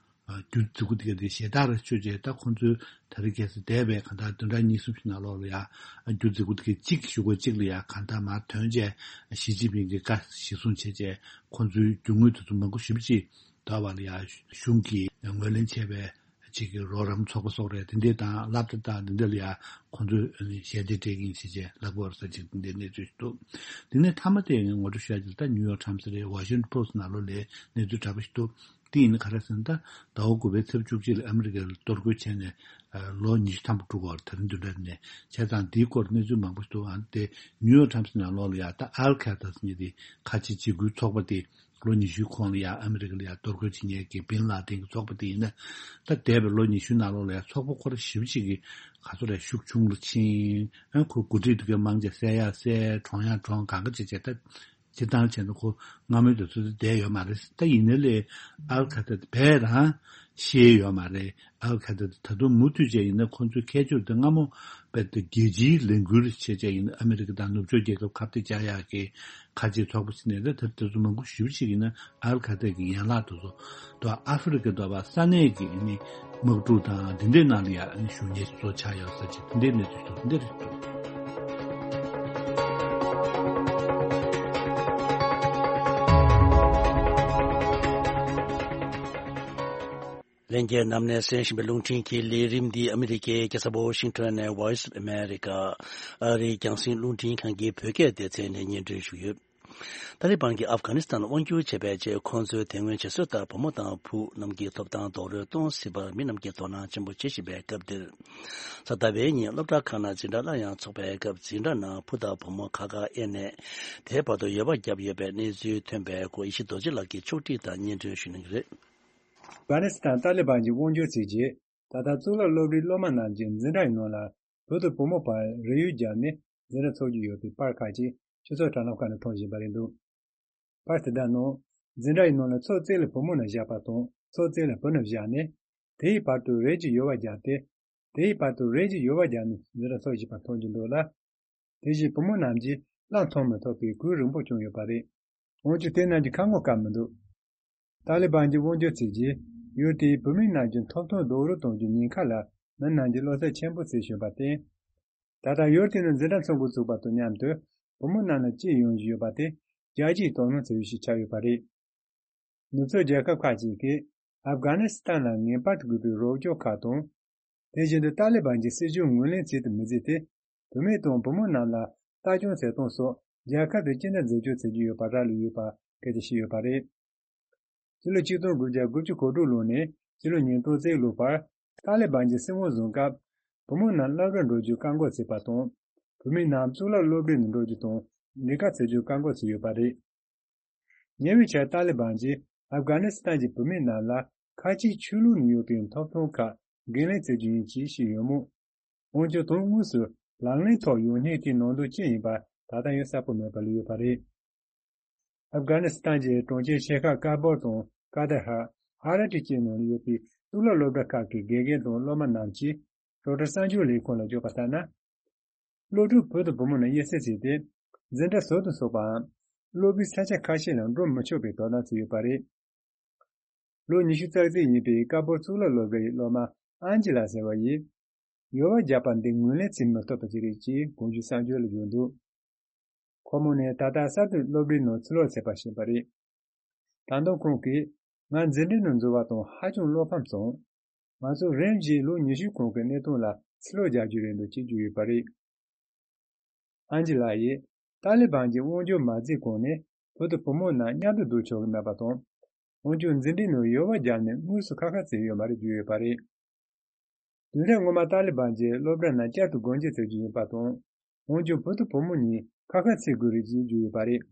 སྒྱུ་རྩལ་པ་དེ་ག་དེ་ཞེ་དྲག་ར་ཆོད་བྱས་ད་ཁོང་ཚོའི་ད་རེས་ཁ་སང་འདས་པའི་གང་ལྟར་བདུན་ཕྲག་གཉིས་གསུམ་ཞིག་ནང་ལོགས་ལ་ཡང་སྒྱུ་རྩལ་པ་དེ་ག་གཅིག་གཞུག་གུ་གཅིག་ལ་ཡང་གང་ལྟར་མར་ཐོན་བྱས་ཞི་ཅིན་ཕིང་གི་བཀའ་གཞི་བཟུང་བྱས་བྱས་ཁོང་ཚོའི་རྒྱུ་དངོས་དེ་ཚོ་མང་པོ་ཞེ་པོ་ཅིག་དོ་བ་ལ་ཡང་གཞུང་གིས་ངོས་ལེན་བྱས་པའི་གཅིག་གི་རོགས་རམ་ཚོགས་པ་སོགས་རེད། དེ་འདྲས་དང་སློབ་གྲྭ་དང་དེ་འདྲ་ལ་ཡང་ཁོང་ཚོས་ཞལ་འདེབས་སྤྲད་ཀྱི་ཡིན་ཞེས་བྱས་ལབ་པ་རེད་ཟེར་ཅིག་དེ་འདྲའི་གནས་ཚུལ་ཞིག་འདུག་དེ་ནས་མཐའ་མ་དེ་ངོ་སྤྲོད་ཞུ་ཡ་ཅིག་ད་ནིའུ་ཡོག་ཊའིམ་སི་རེད། ཝ་ཤིང་ཊོན་པོ་སི་ཊི་ནང་ལོགས་ལ་གནས་ཚུལ་འདྲ་པོ་ཞིག་འདུག་དེ་ཡིན་ན་ག་རེ་ཟེར་ན་ད་ཟླ་བ་དགུ་པའི་ཚེས་བཅུ་གཅིག་ལ་ཨ་མི་རི་ཀས་གཏོར་རྒོལ་བྱས་ནས་ལོ་ཉི་ཤུ་ཐམ་པ་འགྲོ་གི་ཡོད་རེད། ད་རིང་བདུན་ཕྲག་ནས་བྱས་ཙང་འདིའི་སྐོར་གནས་ཚུལ་མང་པོ་ཞིག་འདུག་ཨ་ནི་དེ་ནིའུ་ཡོག་ཊའིམ་སི་ནང་ལོགས་ལ་ཡ་ད་ཨལ་ཁ་ད་ཟེར་མཁན་དེ་ཁ་ཆེ་འཇིགས་སྐུལ་ཚོགས་པ་དེ་ལོ་ཉི་ཤུའི་གོང་ལ་ཡ་ཨ་མི་རི་ཀ་ལ་ཡ་གཏོར་རྒོལ་བྱེད་མཁན་གྱི་བིན་ལ་དིན་གྱི་ཚོགས་པ་དེ་ཡིན་ན་ད་འདས་པའི་ལོ་ཉི་ཤུའི་ནང་ལོགས་ལ་ཡ་ཚོགས་པ་ཁོ་རང་ཞེ་པོ་ཅིག་གི་ག་ཚོད་རེད་ཤུགས་ཆུང་རུ་ཕྱིན། ཨ་ཁོ་འགོ་ཁྲིད་དེ་གའི་མང་ཆེ་བསད་ཡ་བསད། གྲོངས་ཡ་གྲོངས། གང་ག་བྱེད་བྱེད་ད། སྤྱིར་བཏང་བྱས་ན་ཁོ་སྔ་མོའི་དུས་ཚོད་དེ་བསྡད་ཡོད་མ་རེད། ད་ཡིན་ནའི་ལས་ཨལ་ཁ་ད་དེ་བས་རང་ཤེས་ཡོད་མ་རེད། ཨལ་ཁ་ད་དེ་ད་དུང་མུ་མཐུད་བྱས་ཡིན་ན་ཁོང་ཚོའི་ཁྱད་ཆོས་དེ་སྔ་མོ་བས་དེ་རྒྱལ་སྤྱིའི་ལས་འགུལ་བྱས་བྱས་ཡིན་ན་ཨ་མི་རི་ཀ་དང་ནུབ་ཕྱོགས་རྒྱལ་ཁབ་ཁ་གཏད་བཅག་ཡག་གི་ཁ་ཆེའི་ཚོགས་པ་ཞིག་ནས་ད་དེ་དེ་ཚོ་མང་པོ་ཞེ་པོ་ཅིག་ཡིན་ན་ཨལ་ཁ་ད་གི་ཡན་ལག་དེ་ཚོ་དང་ཨ་ཧྥེ་རི་ཁ་དང་ས་གནས་ཀྱི་ཨ་ནི་དམག་འཁྲུག་དང་འདི་འདྲའི་ནང་ལ་ཡང་ཨ་ནི་ཞུགས་མཁན་ཞིག་ཚོ་ཆགས་ཡོད་ས་ཅིག་འདི་འདྲའི་གནས་ཚུལ་ཞིག་འདི་འདྲ་ཞིག་འདུག་ལྷན་རྒྱས་རྣམས་ནས་གསན་བཞིན་པའི་རླུང་འཕྲིན་གྱི་ལས་རིམ་འདི་ཨ་མི་རི་ཀའི་རྒྱལ་ས་ཝོ་ཤིང་ཊོན་ནས་Voice of America ཨ་རིའི་རྒྱང་སྲིང་རླུང་འཕྲིན་ཁང་གི་བོད་སྐད་སྡེ་ཚན་ནས་སྙན་སྒྲོན་ཞུས་ཡོད། ཏཱ་ལི་བན་གྱིས་ཨབ་གྷ་ནི་སི་ཐན་དབང་སྒྱུར་བྱས་པའི་རྗེས་ཁོང་ཚོའི་དེ་སྔོན་བྱེད་སྲོལ་ལྟར་བུ་མོ་དང་བུ་རྣམས་ཀྱི་ཐོབ་ཐང་རྡོག་རོལ་གཏོང་སྲིད་པར་མི་རྣམས་ཀྱིས་དོ་སྣང་ཆེན་པོ་བྱེད་བཞིན་པའི་སྐབས་འདིར། གཟའ་ཟླ་བའི་ཉིན་སློབ་གྲྭ་ཁག་ནང་འཛིན་གྲྭ་སླར་ཡང་འཚོགས་པའི་སྐབས་འཛིན་གྲྭ་ནང་བུ་དང་བུ་མོ་ཁག་ཁག་དབྱེ་ནས་དེའི་བར་དུ་འོས་པ་བརྒྱབ་ཡོད་པའི་གནས་ཚུལ་ཐོན་པའི་སྐོར་ཡེ་ཤེས་རྡོ་རྗེ་ལགས་ཀྱིས་ཕྱོགས་སྒྲིག་དང་སྙན་སྒྲོན་ཞུ་གནང་གི་རེད། ཨབ་གྷ་ནི་སི་ཐན་ཏཱ་ལི་བན་གྱི་དབང་སྒྱུར་བྱས་རྗེས། ད་ལྟ་གཙུག་ལག་སློབ་གྲྭའི་སློབ་མ་རྣམས་ཀྱིས་འཛིན་གྲྭ་ཡི་ནང་ལ་བུ་དང་བུ་མོ་བར་རེ་ཡུལ་བརྒྱབ་ནས་འཛིན་གྲྭ་འཚོགས་ཀྱི་ཡོད་པའི་པར་ཁག་ཅིག་སྤྱི་ཚོགས་དྲ་ལམ་ཁག་ནས་མཐོང་བཞིན་པ་རེད་འདུག་པར་དེ་དག་ནང་འཛིན་གྲྭ་ཡི་ནང་ལ་ཚོགས་རྩིས་ལ་བུ་མོ་རྣམས་བཞག་པ་དང་ཚོགས་རྩིས་ལ་བུ་རྣམས་བཞག་ནས་དེའི་བར་དུ་རེས་ཀྱིས་ཡོལ་བ་བརྒྱབ་སྟེ། དེའི་བར་དུ་རེས་ཀྱིས་ཡོལ་བ་བརྒྱབ་ནས་འཛིན་གྲྭ་འཚོགས་བཞིན་པ་མཐོང་རྒྱུ་འདུག་ལ། དེ་བཞིན་བུ་མོ་རྣམས་ཀྱིས་གླ་མཐོང་མི་ཐུབ་པའི་གུས་རིང་པོ་བྱུང་ཡོད་པ་རེད། འོན་ཀྱང་དེ་རྣམས་ཀྱིས་ཁ་ངོ་བཀབ་མི་འདུག་ཏཱ་ལི་བན་གྱི་དབང་སྒྱུར་བྱས་རྗེས་ཡུལ་དེའི་བུད་མེད་རྣམས་ཀྱི་ཐོབ་ཐང་རྡོག་རོལ་གཏོང་རྒྱུའི་ཉེན་ཁ་ལ་མི་རྣམས་ཀྱིས་བློ་འཚབ་ཆེན་པོ་བྱེད་བཞིན་པར་བརྟེན། ད་ལྟ་ཡུལ་དེ་ནི་འཛིན་གྲྭ་ཚོགས་འགོ་བཙུགས་པ་དང་མཉམ་དུ་བུ་མོ་རྣམས་ལ་གཅེས་ཡོང་བཞིན་ཡོད་པ་དེ་རྒྱལ་སྤྱིའི་དོ་སྣང་བྱེད་ཡུལ་ཞིག་ཆགས་ཡོད་པ་རེད། ནུབ་ཕྱོགས་རྒྱལ་ཁབ་ཁག་ཅིག་གིས་ཨབ་གྷ་ནི་སི་ཐན་ལ་ངེས་པར་དུ་དགོས་པའི་རོགས་སྐྱོར་ཁག་དང་། དེ་བཞིན་དུ་ཏཱ་ལི་བན་གྱི་སྲིད་བྱུས་ངོས་ལེན་བྱེད་དུ་མི་བརྩིས་ཏེ། བུད་མེད་དང་བུ་མོ་རྣམས་ལ་ལྟ་སྐྱོང་བྱེད་སྟངས་སོགས་རྒྱལ་ཁབ་དེ་ཅི་འདྲ་མཛེས་སྐྱོང་བྱེད་ཀྱི་ཡོད་པ་རག་ལས་ཡོད་པ་སྐད་ཆ་བཤད་ཡོད་པ་རེད། ཕྱི་ལོ་ཆིག་སྟོང་དགུ་བརྒྱ་དགུ་བཅུ་གོ་དྲུག་ལོ་ནས་ ཕྱི་ལོ་ཉིས་སྟོང་རྩ་དྲུག་ལོ་བར་ཏཱ་ལི་བན་གྱིས་སྲིད་དབང་བཟུང་སྐབས། བུ་མོ་རྣམས་སློབ་གྲྭར་འགྲོ་རྒྱུར་བཀག་འགོག་བྱས་པ་དང་། བུད་མེད་རྣམས་གཙུག་ལག་སློབ་གྲྭའི་ནང་འགྲོ་རྒྱུ་དང་ལས་ཀ་བྱེད་རྒྱུར་བཀག་འགོག་བྱས་ཡོད་པ་རེད། ཉེ་བའི་ཆར་ཏཱ་ལི་བན་གྱིས་ཨབ་གྷ་ནི་སི་ཐན་གྱི་བུད་མེད་རྣམས་ལ་ཁ་ཆེའི་ཆོས་ལུགས་ནས་ཡོད་པའི་ཐོབ་ཐང་ཁག་འགན་ལེན་བྱེད་རྒྱུ་ཡིན་ཅེས་བཤད་ཡོད་མོད། འོན་ཀྱང་དོན་དངོས་སུ་ལག་ལེན་ཐོག་ཡོང་སྙིང་དེའི་ནང་དོན་ཅི་ཡིན་པ་ད་ལྟ་ཡང་གསལ་པོ་མེད་པར་ལུས་ཡོད་པ་རེད། ཨབ་གྷ་ནི་སི་ཐན་གྱི་གྲོང་ཁྱེར་ཆེ་ཁག་ཀ་བོར་དང་ཀ་དྷ་ཧར། ཧ་ར་ཏི་བཅས་ནང་ཡོད་པའི་གཙུག་ལག་སློབ་གྲྭ་ཁག་གི་དགེ་རྒན་དང་སློབ་མ་རྣམས་ཀྱིས་རོའི་ཊར་གསར་འགྱུར་ལས་ཁུངས་ལ་བརྗོད་པ་ལྟར་ན། སློབ་ཕྲུག་བུ་དང་བུ་མོ་རྣམས་དབྱེ་གསེས་བྱས་ཏེ། འཛིན་གྲྭ་ཟུར་དུ་ཚུད་པའམ། སློབ་གྲྭའི་ས་ཆ་ཁ་ཤས་ནང་འགྲོ་མི་ཆོག་པའི་དོ་སྣང་བྱས་ཡོད་པ་རེད། ལོ་ཉི་ཤུ་རྩ་གཅིག་ཡིན་པའི་ཀ་བོར་གཙུག་ལག་སློབ་གྲྭ་ཡི་སློབ་མ་ཨན་ཇི་ལ་ཟེར་བ་ཡིས། ཡོལ་བ་བརྒྱབ་པ་འདི་ངོས་ལེན་བྱེད་མི་ཐུབ་པ་ཞིག་རེད་ཅེས་གོང་ཞུས་གསར་འགྱུར་ལ་བརྗོད་འདུག་ཁོ་མོ་ནི་ད་ལྟ་གསར་དུ་སློབ་གྲྭའི་ནང་ཕྱིར་ལོག་བྱས་པ་ཞིག་ཡིན་པ་རེད། ད་དུང་ཁོང་གིས། ང་འཛིན་གྲྭའི་ནང་འཛུལ་བ་དང་ཧ་ཅང་བློ་ཕམ་སོང་། ང་ཚོ་རིམ་བཞིན་ལོ་ཉི་ཤུ་གོང་གི་གནས་སྟངས་ལ་ཕྱིར་ལོག་རྒྱག་རྒྱུ་རེད་འདུག་ཅེས་བརྗོད་ཡོད་པ་རེད། ཨན་ཇི་ལགས་ཡིས། ཏཱ་ལི་བན་གྱི་དབང་སྒྱུར་མ་བརྩིས་གོང་ནས་བུ་དང་བུ་མོ་རྣམས་མཉམ་དུ་འདུག་ཆོག་གི་མེད་པ་དང་། འོན་ཀྱང་འཛིན་གྲྭའི་ནང་ཡོལ་བ་བརྒྱབ་ནས་དངོས་སུ་ཁ་ཁ་བརྩིས་ཡོད་མ་རེད་བརྗོད་ཡོད་པ་རེད། དུས་རབས་སྔོན་མ་ཏཱ་ལི་བན་གྱིས་སློབ་གྲྭ་རྣམས་བསྐྱར་དུ་སྒོ་འབྱེད་བྱ་རྒྱུ་ཡིན་པ་དང་། འོན་ཀྱང་བུ་དང་བུ་མོ་གཉིས་ཁ་ཁ་བརྩི་དགོས་རེད་ཅེས་བརྗོད་ཡོད་པ་རེད།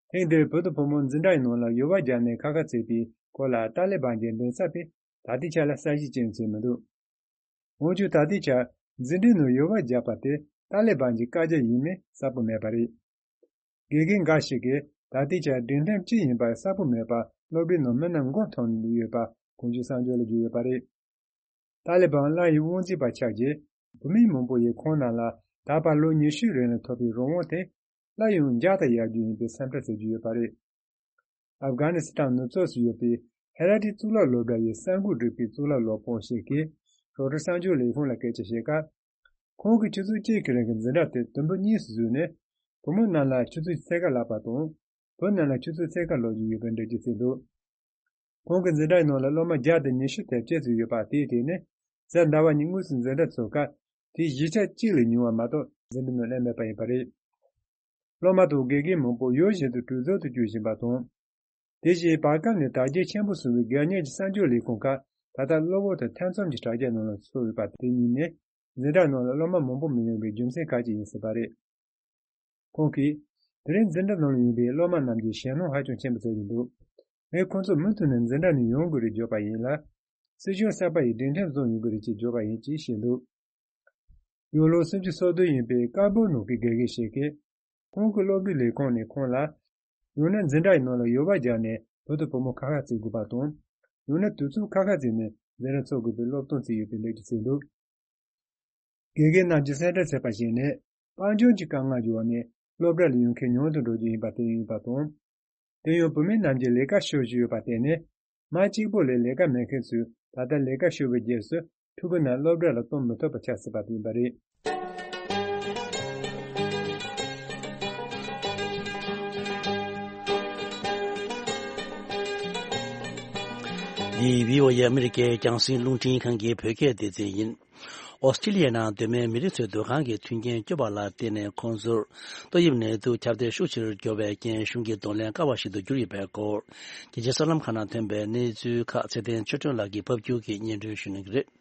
ཐེངས་འདིར་བུ་དང་བུ་མོ་འཛིན་གྲྭའི་ནང་ལ་ཡོལ་བ་བརྒྱབ་ནས་ཁ་ཁ་བརྩིས་པའི་སྐོར་ལ་ཏཱ་ལི་བན་གྱི་མགྲིན་ཚབ་པས་ད་ལྟའི་ཆར་ལ་གསལ་བཤད་ཅི་ཡང་བྱས་མི་འདུག་འོན་ཀྱང་ད་ལྟའི་ཆར་འཛིན་གྲྭའི་ནང་ཡོལ་བ་བརྒྱབ་པ་དེ་ཏཱ་ལི་བན་གྱི་བཀའ་རྒྱ་ཡིན་མིན་གསལ་པོ་མེད་པ་རེད། དགེ་རྒན་འགའ་ཞིག་གིས་ད་ལྟའི་ཆར་སྒྲིག་ཁྲིམས་ཅི་ཡིན་པ་གསལ་པོ་མེད་པར་སློབ་གྲྭའི་ནང་མི་རྣམས་མགོ་འཐོམས་ནས་ཡོད་པ་གོང་ཞུས་གསར་འགྱུར་ལ་བརྗོད་ཡོད་པ་རེད། ཏཱ་ལི་བན་སླར་ཡང་དབང་འཛིན་པ་ཆགས་རྗེས། བུད་མེད་མང་པོ་ཡིས་ཁོང་རྣམས་ལ་ད་བར་ལོ་ཉི་ཤུའི་རིང་ལ་ཐོབ་པའི་རང་དབང་དེ་སླར་ཡང་འཇགས་དང་ཡར་རྒྱས་ཡིན་པའི་སེམས་ཁྲལ་བྱེད་ཀྱི་ཡོད་པ་རེད། ཨབ་གྷ་ནི་སི་ཐན་ནུབ་ཕྱོགས་སུ་ཡོད་པའི་ཧེ་ར་ཏི་གཙུག་ལག་སློབ་གྲྭ་ཡི་གསར་འགོད་སྒྲུབ་པའི་གཙུག་ལག་སློབ་དཔོན་ཞིག་གིས་རོའི་ཊར་གསར་འགྱུར་ལས་ཁུངས་ལ་སྐད་ཆ་བཤད་སྐབས། ཁོང་གིས་ཆུ་ཚོད་གཅིག་གི་རིང་གི་འཛིན་གྲྭ་དེ་དུམ་བུ་གཉིས་སུ་བཟོས་ནས། བུ་མོ་རྣམས་ལ་ཆུ་ཚོད་ཕྱེད་ཀ་བསླབ་པ་དང་། བུ་རྣམས་ལ་ཆུ་ཚོད་ཕྱེད་ཀ་སློབ་རྒྱུ་ཡོད་པའི་འགྲེལ་བརྗོད་བྱས་འདུག་ཁོང་གི་འཛིན་གྲྭའི་ནང་ལ་སློབ་མ་བརྒྱ་དང་ཉི་ཤུ་དེབ་སྐྱེལ་ཚུལ་ཡོད་པ་དེའི་སྟེང་ནས། གཟའ་ཟླ་བ་ཉིན་དངོས་སུ་འཛིན་གྲྭ་ཚུགས་སྐབས་དེའི་བཞི་ཆ་གཅིག་ལས་ཉུང་བ་མ་གཏོགས་འཛིན་གྲྭའི་ནང་སླེབས་མེད་པ་ཡིན་པ་རེད། སློབ་མ་དང་དགེ་རྒན་མང་པོ་ཡུལ་གཞན་དུ་གྲོས་ཚོགས་སུ་བསྐྱོད་བཞིན་པ་དང་། དེ་བཞིན་བར་སྐབས་ནས་དར་རྒྱས་ཆེན་པོ་སོང་བའི་སྒེར་གཉེར་གྱི་གསར་འགྱུར་ལས་ཁུངས་ཁག་ད་ལྟ་གློ་བུར་དུ་ཐེ་ཚོམ་གྱི་དྲ་རྒྱ་ནང་ལ་ཚུད་ཡོད་པ་དེ་གཉིས་ནི། འཛིན་གྲྭ་ནང་ལ་སློབ་མ་མང་པོ་མི་ཡོང་བའི་རྒྱུ་མཚན་ཁག་ཅིག་ཡིན་སྲིད་པ་རེད། ཁོང་གིས། དེ་རིང་འཛིན་གྲྭ་ནང་ལ་ཡོང་བའི་སློབ་མ་རྣམས་ཀྱིས་ཞེད་སྣང་ཧ་ཅང་ཆེན་པོ་བྱེད་བཞིན་འདུག་ངས་ཁོང་ཚོར་མུ་མཐུད་ནས་འཛིན་གྲྭ་ནས་ཡོང་དགོས་རེད་བརྗོད་པ་ཡིན་ལ། སྲིད་གཞུང་གསར་པ་ཡིས་སྒྲིག་ཁྲིམས་བཟོ་ཡོང་གི་རེད་ཅེས་བརྗོད་པ་ཡིན་ཅེས་བཤད་འདུག་ཡང་ལོ་སུམ་ཅུ་སོ་བདུན་ཡིན་པའི་ཀ་བོར་ནང་གི་དགེ་རྒན་ཞིག་གིས། ཁོང་གི་སློབ་གྲྭའི་ལས་ཁུངས་ནས་ཁོང་ལ། ཡང་ན་འཛིན་གྲྭའི་ནང་ལ་ཡོལ་བ་བརྒྱབ་ནས་བུ་དང་བུ་མོ་ཁ་ཁ་བརྩི་དགོས་པ་དང་། ཡང་ན་དུས་ཚོད་ཁ་ཁ་བརྩིས་ནས་འཛིན་གྲྭ་ཚུགས་དགོས་པའི་སློབ་སྟོན་བྱས་ཡོད་པའི་ལས་ཀྱི་བྱས་འདུག་དགེ་རྒན་རྣམས་ཀྱིས་གསལ་བསྒྲགས་བྱས་པ་བཞིན་ནི། དཔལ་འབྱོར་གྱི་དཀའ་ངལ་གྱི་འོག་ནས་སློབ་གྲྭ་ལ་ཡོང་མཁན་ཉུང་དུ་འགྲོ་རྒྱུ་ཡིན་པ་དེ་ཡིན་པ་དང་། དེ་ཡང་བུད་མེད་རྣམས་ཀྱིས་ལས་ཀ་ཤོར་བཞིན་ཡོད་པར་བརྟེན་ནས། མ་གཅིག་པོ་ལས་ལས་ཀ་མེད་མཁན་ཚོས་ད་ལྟ་ལས་ཀ་ཤོར་བའི་རྗེས་སུ་ཕྲུ་གུ་རྣམས་སློབ་གྲྭ་ལ་གཏོང་མི་ཐུབ་པ་ཆགས་སྲིད་པ་དེ་ཡིན་པ་རེད། འདི་བྷི་ཨོ་ཨེ་ཨ་མི་རི་ཀའི་རྒྱང་སྲིང་རླུང་འཕྲིན་ཁང་གི་བོད་སྐད་སྡེ་ཚན་ཡིན། ཨོ་སི་ཀྲི་ལི་ཡའི་ནང་སྡོད་མཁན་མི་རིགས་ཚོའི་སྡོད་ཁང་གི་མཐུན་རྐྱེན་སྐྱོ་བ་ལ་བརྟེན་ནས། ཁོང་ཚོར་ཏོག་དབྱིབས་ནད་དུག་ཁྱབ་གདལ་ཤུགས་ཆེ་རུ་འགྱུར་བའི་རྐྱེན། གཞུང་གིས་གདོང་ལེན་དཀའ་བ་ཞིག་ཏུ་གྱུར་ཡོད་པའི་སྐོར། རྒྱལ་སྤྱིའི་གསར་ལམ་ཁག་ནང་ཐོན་པའི་གནས་ཚུལ་ཁག་ཚེ་བརྟན་ཆོས་སྒྲོན་ལགས་ཀྱིས་ཕབ་སྒྱུར་གྱིས་སྙན་སྒྲོན་ཞུ་གནང་གི་རེད།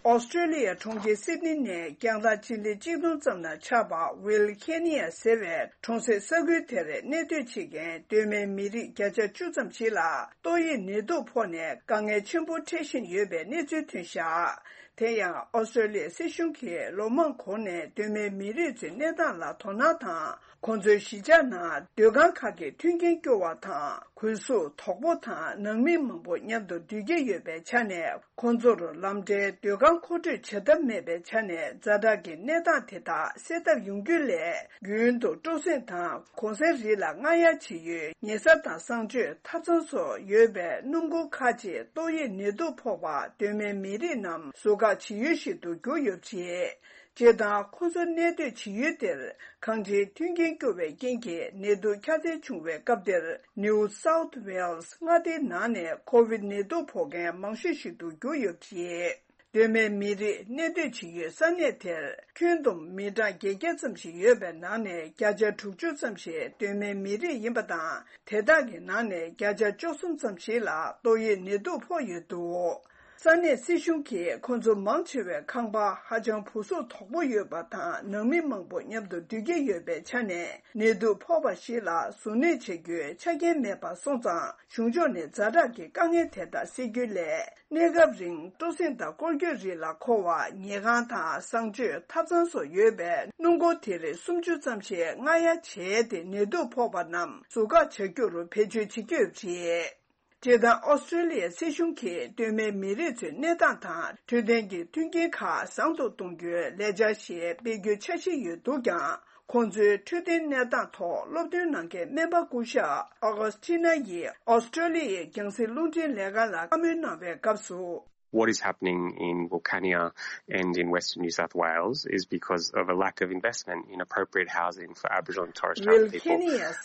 ཨོ་སི་ཀྲི་ལི་ཡའི་གྲོང་ཁྱེར་སིད་ནི་ནས་རྒྱང་ཐག་སྤྱི་ལེ་གཅིག་སྟོང་ཙམ་ན་ཆགས་པ་ཝིལ་ཁེ་ནི་ཡ་ཟེར་བའི་གྲོང་གསེབ་ས་ཁུལ་དེར་གནས་སྡོད་བྱེད་མཁན་གདོད་མའི་མི་རིགས་བརྒྱ་ཆ་བཅུ་ཙམ་ཞིག་ལ་ཏོག་དབྱིབས་ནད་དུག་ཕོག་ནས་དཀའ་ངལ་ཆེན་པོ་འཕྲད་བཞིན་ཡོད་པའི་གནས་ཚུལ་ཐོན་བཞག་དེ་ཡང་ཨོ་སི་ཀྲི་ལི་ཡའི་སྲིད་གཞུང་གིས་ལོ་མང་གོང་ནས་གདོད་མའི་མི་རིགས་ཚོའི་གནས་སྟངས་ལ་དོ་སྣང་དང་། ཁོང་ཚོའི་གཞིས་ཆགས་ནང་སྡོད་ཁང་ཁག་གི་མཐུན་རྐྱེན་སྐྱོ་བ་དང་། གུས་གཟུགས་དོག་པོ་དང་ནང་མི་མང་པོ་མཉམ་དུ་སྡོད་ཀྱི་ཡོད་པའི་ཆ་ནས། ཁོང་ཚོར་ལམ་འབྲས་སྡོད་ཁང་མཁོ་སྤྲོད་བྱ་ཐབས་མེད་པའི་ཆ་ནས། ཛ་དྲག་གི་གནས་སྟངས་དེ་དག་སེལ་ཐབས་ཡོང་རྒྱུ་ལས། རྒྱུན་དུ་སྤྲོ་གསེང་དང་གུང་གསེང་རིགས་ལ་རྔ་ཡབ་བྱེད་ཡུལ་ཉལ་ས་དང་གསང་སྤྱོད་ཐབ་ཚང་སོགས་ཡོད་པའི་སྣུམ་འཁོར་ཁག་ཅིག་ཏོག་དབྱིབས་ནད་དུག་ཕོག་པ་གདོད་མའི་མི་རིགས་རྣམས་ཟུར་བཀག་བྱེད་ཡུལ་ཞིག་ཏུ་གྱུར་ཡོད་པ་རེད། སྤྱིར་བཏང་ཁོང་ཚོ་གནས་སྡོད་བྱེད་ཡུལ་དེར་གང་ཅིའི་མཐུན་རྐྱེན་སྐྱོ་བའི་རྐྱེན་གྱིས་ནད་དུག་ཁྱབ་གདལ་བྱུང་བའི་སྐབས་དེར། New South Wales མངའ་སྡེའི་ནང་ནས་ཁོ་བིད་ནད་དུག་ཕོག་མཁན་མང་ཤོས་ཤིག་ཏུ་གྱུར་ཡོད་པ་རེད། སྟོད་སྨད་མི་རིགས་གནས་སྡོད་བྱེད་ཡུལ་ས་གནས་དེར་ཁྱོན་བསྡོམས་མི་གྲངས་བརྒྱད་བརྒྱ་ཙམ་ཞིག་ཡོད་པའི་ནང་ནས་བརྒྱ་ཆ་དྲུག་ཅུ་ཙམ་ཞིག་སྟོད་སྨད་མི་རིགས་ཡིན་པ་དང་། དེ་དག་གི་ནང་ནས་བརྒྱ་ཆ་བཅུ་གསུམ་ཙམ་ཞིག་ལ་ཏོག་དབྱིབས་ནད་དུག་ཕོག་ཡོད་འདུག་ས་གནས་སྲིད་གཞུང་གིས་ཁོང་ཚོ་མང་ཆེ་བའི་ཁང་པ་ཧ་ཅང་བུ་གཟུགས་དོག་པོ་ཡོད་པ་དང་། ནང་མི་མང་པོ་མཉམ་དུ་སྡོད་ཀྱི་ཡོད་པའི་ཆ་ནས། ནད་དུག་ཕོག་པ་ཞིག་ལ་གཟུར་གནོད་བྱ་རྒྱུའི་ཆ་རྐྱེན་མེད་པ་སོང་ཙང་། གཞུང་ཕྱོགས་ནས་ཛ་དྲག་གི་དཀའ་ངལ་དེ་དག་སེལ་རྒྱུའི་སླད། གནས་སྐབས་རིང་སྤྲོ་གསེང་དང་སྐོར་སྐྱོད་རིགས་ལ་མཁོ་བ་ཉལ་ཁང་དང་གསང་སྤྱོད་ཐབ་ཚང་སོགས་ཡོད་པའི་སྣུམ་འཁོར་དེ་རིགས་སུམ་ཅུ་ཙམ་ཞིག་སྔ་གཡར་བྱས་ཏེ། ནད་དུག་ཕོག་པ་རྣམས་ཟུར་བཀག་བྱ་རྒྱུར་བེད་སྤྱོད་བྱེད་ཀྱི་ཡོད་པ་རེད། སྤྱིར་བཏང་ཨོ་སི་ཀྲོ་ལི་ཡའི་སྲིད་གཞུང་གིས་སྟོད་སྨད་མི་རིགས་ཚོའི་གནས་སྟངས་དང་འཕྲོད་བསྟེན་གྱི་མཐུན་རྐྱེན་ཁག་བཟང་དུ་གཏོང་རྒྱུའི་ལས་འཆར་ཞིག་སྤེལ་རྒྱུའི་འཆར་གཞི་ཡོད་འདུག་ཀྱང་། ཁོང་ཚོའི་འཕྲོད་བསྟེན་གནས་སྟངས་ཐོག་སློབ་སྟོན་གནང་མཁན་སྨན་པ་སྐུ་ཞབས་ཨོ་གྷོ་སི་ཊི་ན་ཡིས་ཨོ་སི་ཀྲོ་ལི་ཡའི་རྒྱང་སྲིང་རླུང་འཕྲིན་ལས་ཁང་ལ་བཀའ་མོལ་གནང་བའི་སྐབས་སུ། What is happening in Wilcannia and in Western New South Wales is because of a lack of investment in appropriate housing for Aboriginal and Torres Strait people